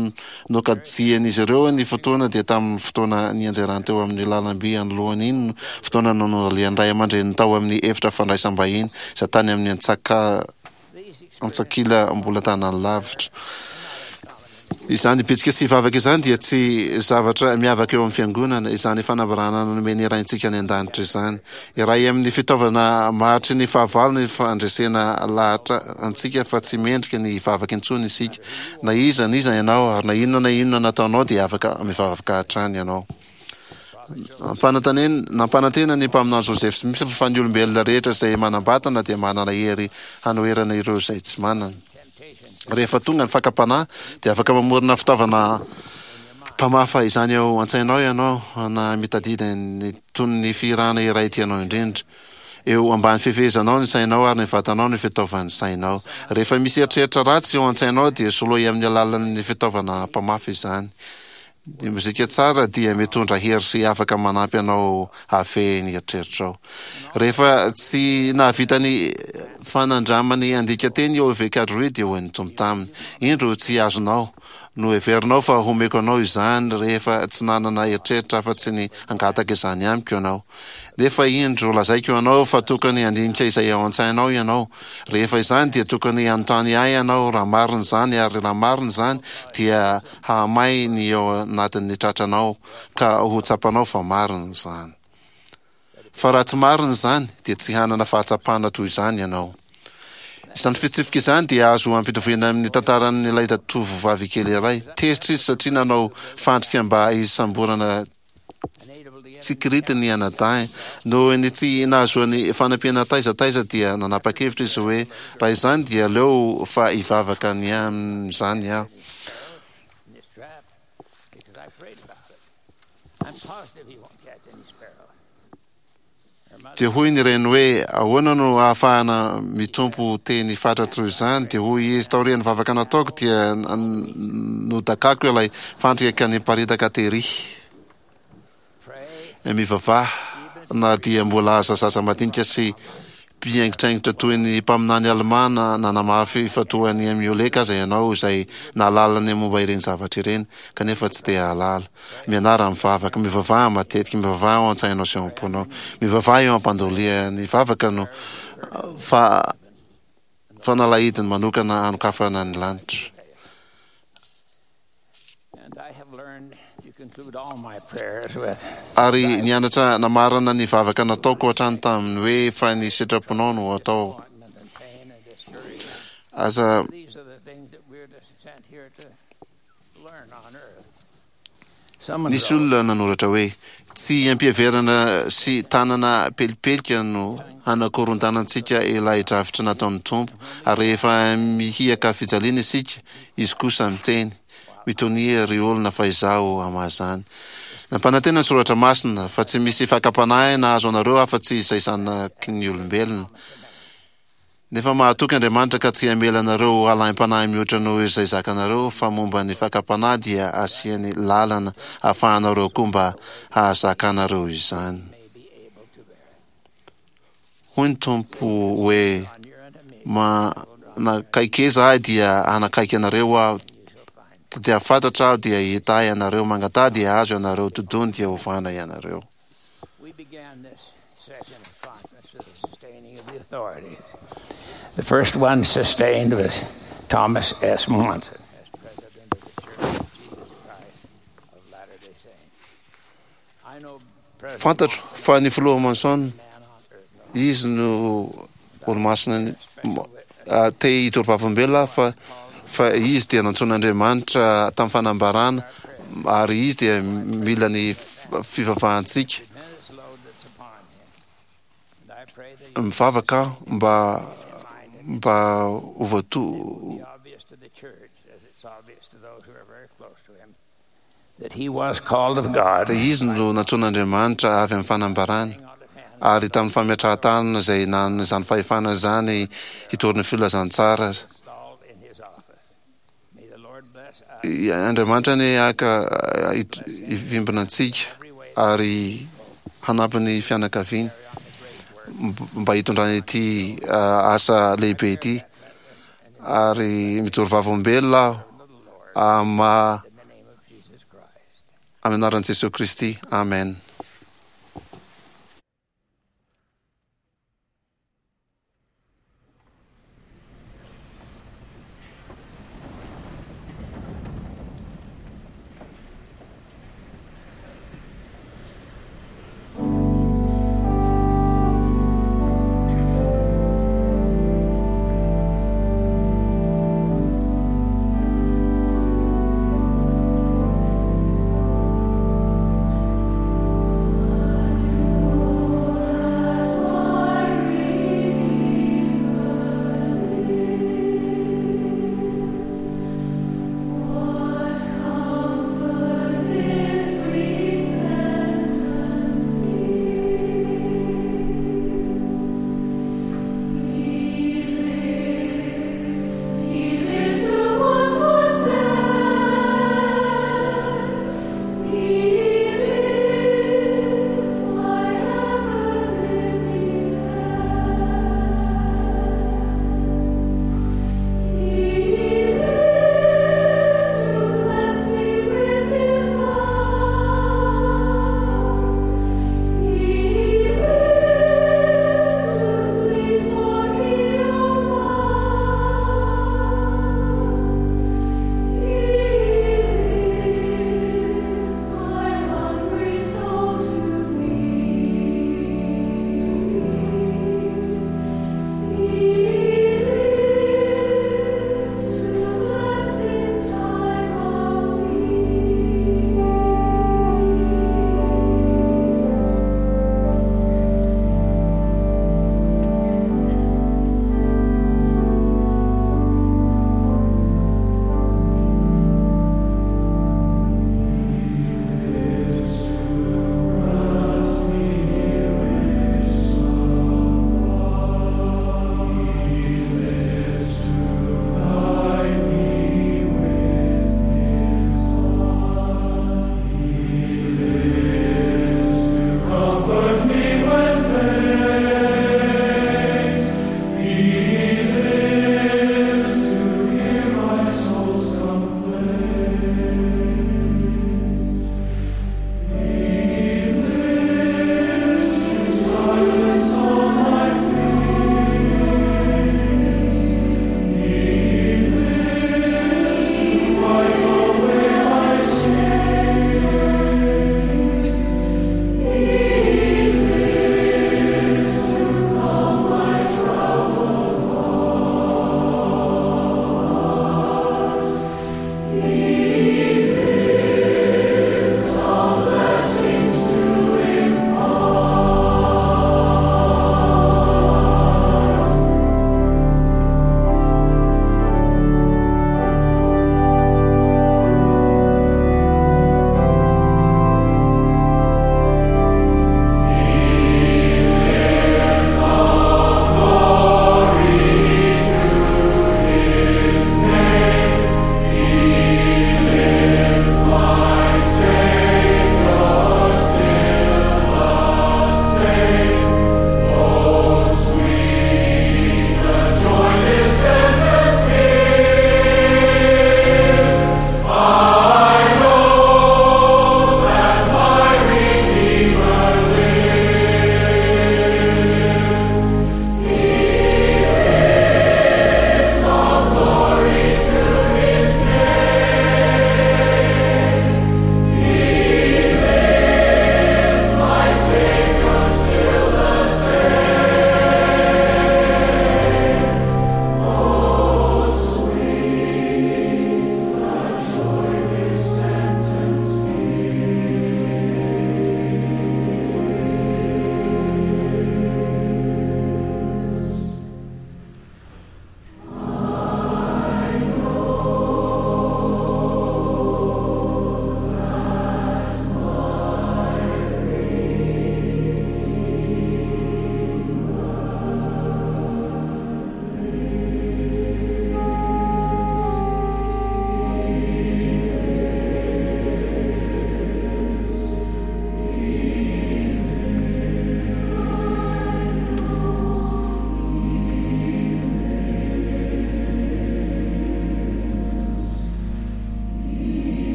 nokajian'izy ireo ny fotoana dia tamin'ny fotoana nianjerany teo amin'ny lalamby anoloany iny no fotoana nanolian'ny ray aman-dreniny tao amin'ny efitra fandraisam-bahiny izay tany amin'ny antsaka Antsakila mbola tanany lavitra. Izany bitsika sy vavaka izany dia tsy zavatra miavaka eo amin'ny fiangonana, izany fanambarana nomen'ny Raintsika any an-danitra izany. Iray amin'ny fitaovana mahatry ny fahavalo ny fandresena lahatra antsika fa tsy mendrika ny hivavaka intsony isika. Na iza na iza ianao ary na inona na inona nataonao dia afaka mivavaka hatrany ianao. Nampanantena ny mpaminany Joseph Smith fa ny olombelona rehetra izay manam-batana dia manana hery hanoherana ireo izay tsy manana. Rehefa tonga ny fakam-panahy dia afaka mamorona fitaovana mpamafa izany ao an-tsainao ianao na mitadidy ny tonon'ny fihirana iray tianao indrindra. Eo ambany fifehezanao ny sainao ary ny vatanao no fitaovan'ny sainao. Rehefa misy eritreritra ratsy eo an-tsainao dia soloy amin'ny alalan'ny fitaovana mpamafa izany. Ny mozika tsara dia mitondra hery sy afaka manampy anao hahafehy ny eritreritrao. Rehefa tsy nahavita ny fanandramany handika teny i Olivier Cardruy dia hoy ny Tompo taminy, Indro tsy azonao, noheverinao fa homeko anao izany rehefa tsy nanana eritreritra afa-tsy ny hangataka izany amiko ianao. Nefa indro lazaiko anao fa tokony handinika izay ao an-tsainao ianao. Rehefa izany dia tokony hanontany ahy ianao raha marina izany ary raha marina izany dia hahamay ny eo anatin'ny tratranao ka ho tsapanao fa marina izany. Fa raha tsy marina izany, dia tsy hanana fahatsapana toy izany ianao. Izany fitsipika izany dia azo ampitoviana amin'ny tantaran'ilay tovovavy kely iray. Tezitra izy satria nanao fandrika mba hisamborana Tsikirity ny anadahiny. Noho ny tsy nahazoany fanampiana taiza taiza dia nanapa-kevitra izy hoe raha izany dia aleo fa hivavaka ny amin'izany aho. Dia hoy ny reniny hoe, Ahoana no ahafahana mitompo teny fatratra toy izany? Dia hoy izy, Taorian'ny vavaka nataoko dia nodakako ilay fandrika ka niparitaka tery. Mivavaha na dia mbola aza zaza madinika sy mpihaingitraingitra toy ny mpaminany Almà nanamafy fa toa an'i Amioleka aza ianao izay nahalala ny momba ireny zavatra ireny kanefa tsy te hahalala. Mianara mivavaka, mivavaha matetika, mivavaha ao an-tsainao sy ao am-ponao. Mivavaha eo am-pandoliha. Ny vavaka no fa fanalahidiny manokana hanokafana ny lanitra. Ary nianatra namarana ny vavaka nataoko hatrany tamin'ny hoe fa ny sitraponao no atao. Aza Nisy olona nanoratra hoe, Tsy ampiheverana sy tanana pelipelika no hanakorontanantsika ilay drafitra nataon'ny Tompo, ary rehefa mihiaka fijaliana isika, Izy kosa miteny, Mitonia, ry olona, fa Izaho hamaha izany. Nampanantena ny Soratra Masina fa tsy misy fakam-panahy nahazo anareo afa-tsy izay zanaky ny olombelona. Nefa mahatoky Andriamanitra ka tsy hamela anareo ho halaim-panahy mihoatra noho izay zakanareo, fa momba ny fakam-panahy dia asiany lalana ahafahanareo koa mba hahazakanareo izany. Hoy ny Tompo hoe, Manakaikeza Ahy dia hanakaiky anareo Aho, tadiavo fatratra Aho dia hahita Ahy ianareo, mangataha dia hahazo ianareo, dodony dia hovana ianareo. The first one sustained was Thomas S. Monson. Fantatro fa ny filoha Monson, izy no olomasina te hijoro vavolombelona aho fa fa izy dia nantsoin'Andriamanitra tamin'ny fanambarana ary izy dia mila ny fivavahantsika. Mivavaka aho mba mba ho voato Dia izy no nantsoin'Andriamanitra avy amin'ny fanambarany, ary tamin'ny fametrahan-tanana izay nanana izany fahefana izany hitory ny filazantsara. Andriamanitra anie haka hivimbina antsika ary hanampy ny fianakaviany mba hitondrany ity asa lehibe ity. Ary mijoro vavolombelona aho ama amin'ny anaran'i Jesoa Kristy. Amen.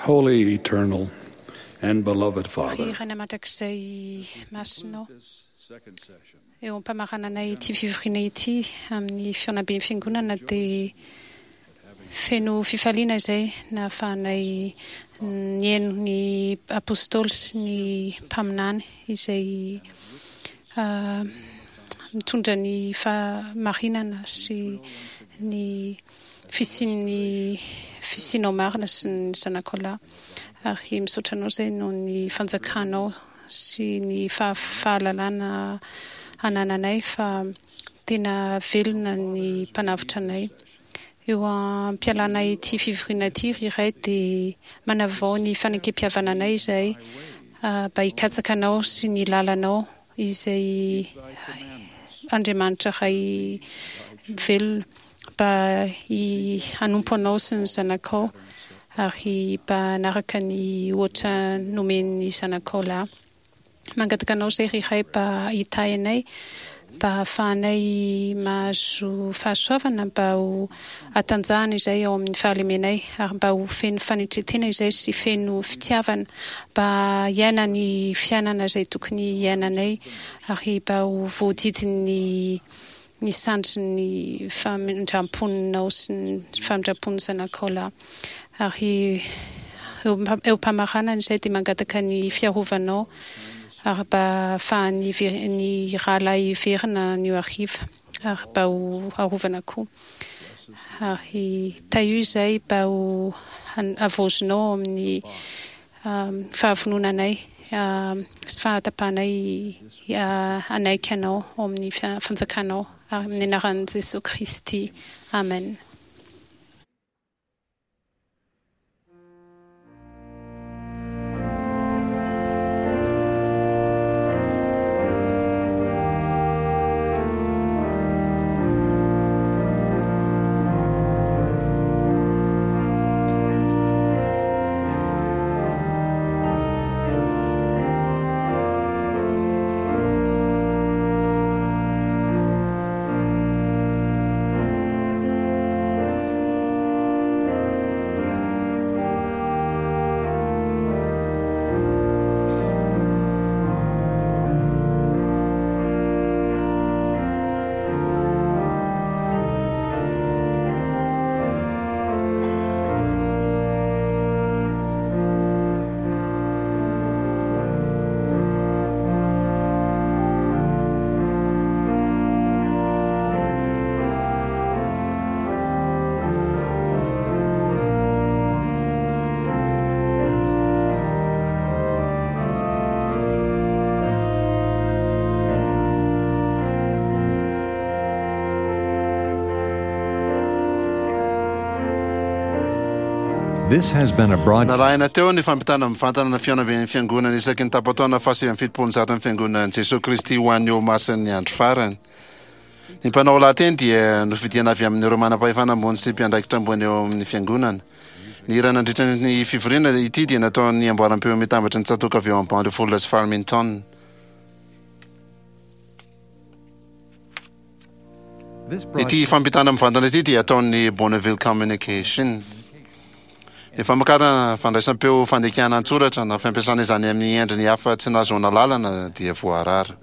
Holy, eternal, and beloved Father, Ry Rainay mandrakizay masinao, eo am-pamaranana ity fivoriana ity amin'ny fihaonamben'ny Fiangonana dia feno fifaliana izay nahafahanay nihaino ny Apostoly sy ny mpaminany izay mitondra ny fahamarinana sy ny fisian'ny fisianao marina sy ny Zanakao lahy. Ary misaotra Anao izay noho ny fanjakanao sy ny fahalalana anananay fa tena velona ny Mpanavotra anay. Eo am-pialana ity fivoriana ity ry Ray dia manavao ny fanekempihavananay izahay mba hikatsaka Anao sy ny lalanao izay Andriamanitra Ray velona mba hanompo Anao sy ny Zanakao ary mba hanaraka ny ohatra nomen'ny Zanakao lahy. Mangataka Anao izay ry Ray mba hitahy anay mba hahafahanay mahazo fahasoavana mba ho hatanjahana izay ao amin'ny fahalemenay ary mba ho feno fanetren-tena izay sy feno fitiavana mba hiaina ny fiainana izay tokony hiainanay ary mba ho voadidin'ny ny sandrin'ny famindram-ponao sy ny famindram-pon'ny Zanakao lahy. Ary eo am-pamaranana izay dia mangataka ny fiarovanao ary mba hahafahan'ny ny rahalahy hiverina anio hariva ary mba ho arovana koa. Ary tahio izay mba ho havaozinao ao amin'ny fahavononanay sy fahatapahanay hanaiky Anao ao amin'ny fanjakanao, ary amin'ny anaran'i Jesoa Kristy, amen. This has been a broad. Narahina teo ny fampitana mivantana ny fihaonamben'ny Fiangonana isaky ny tapa-taona faha-179 ny Fiangonan'i Jesoa Kristy ho an'ny Olomasin'ny Andro Farany. Ny mpanao lahateny dia nofidiana avy amin'ireo manam-pahefana ambony sy mpiandraikitra ambony eo amin'ny Fiangonana. Ny hira nandritra ny fivoriana ity dia nataon'ny amboaram-peo mitambatry ny tsatòka avy ao Bountiful sy Farmington. Ity fampitana mivantana ity dia ataon'ny Bonneville Communications. Ny famokarana fandraisam-peo fandikana an-tsoratra na fampiasana izany amin'ny endriny hafa tsy nahazoana lalana dia voarara.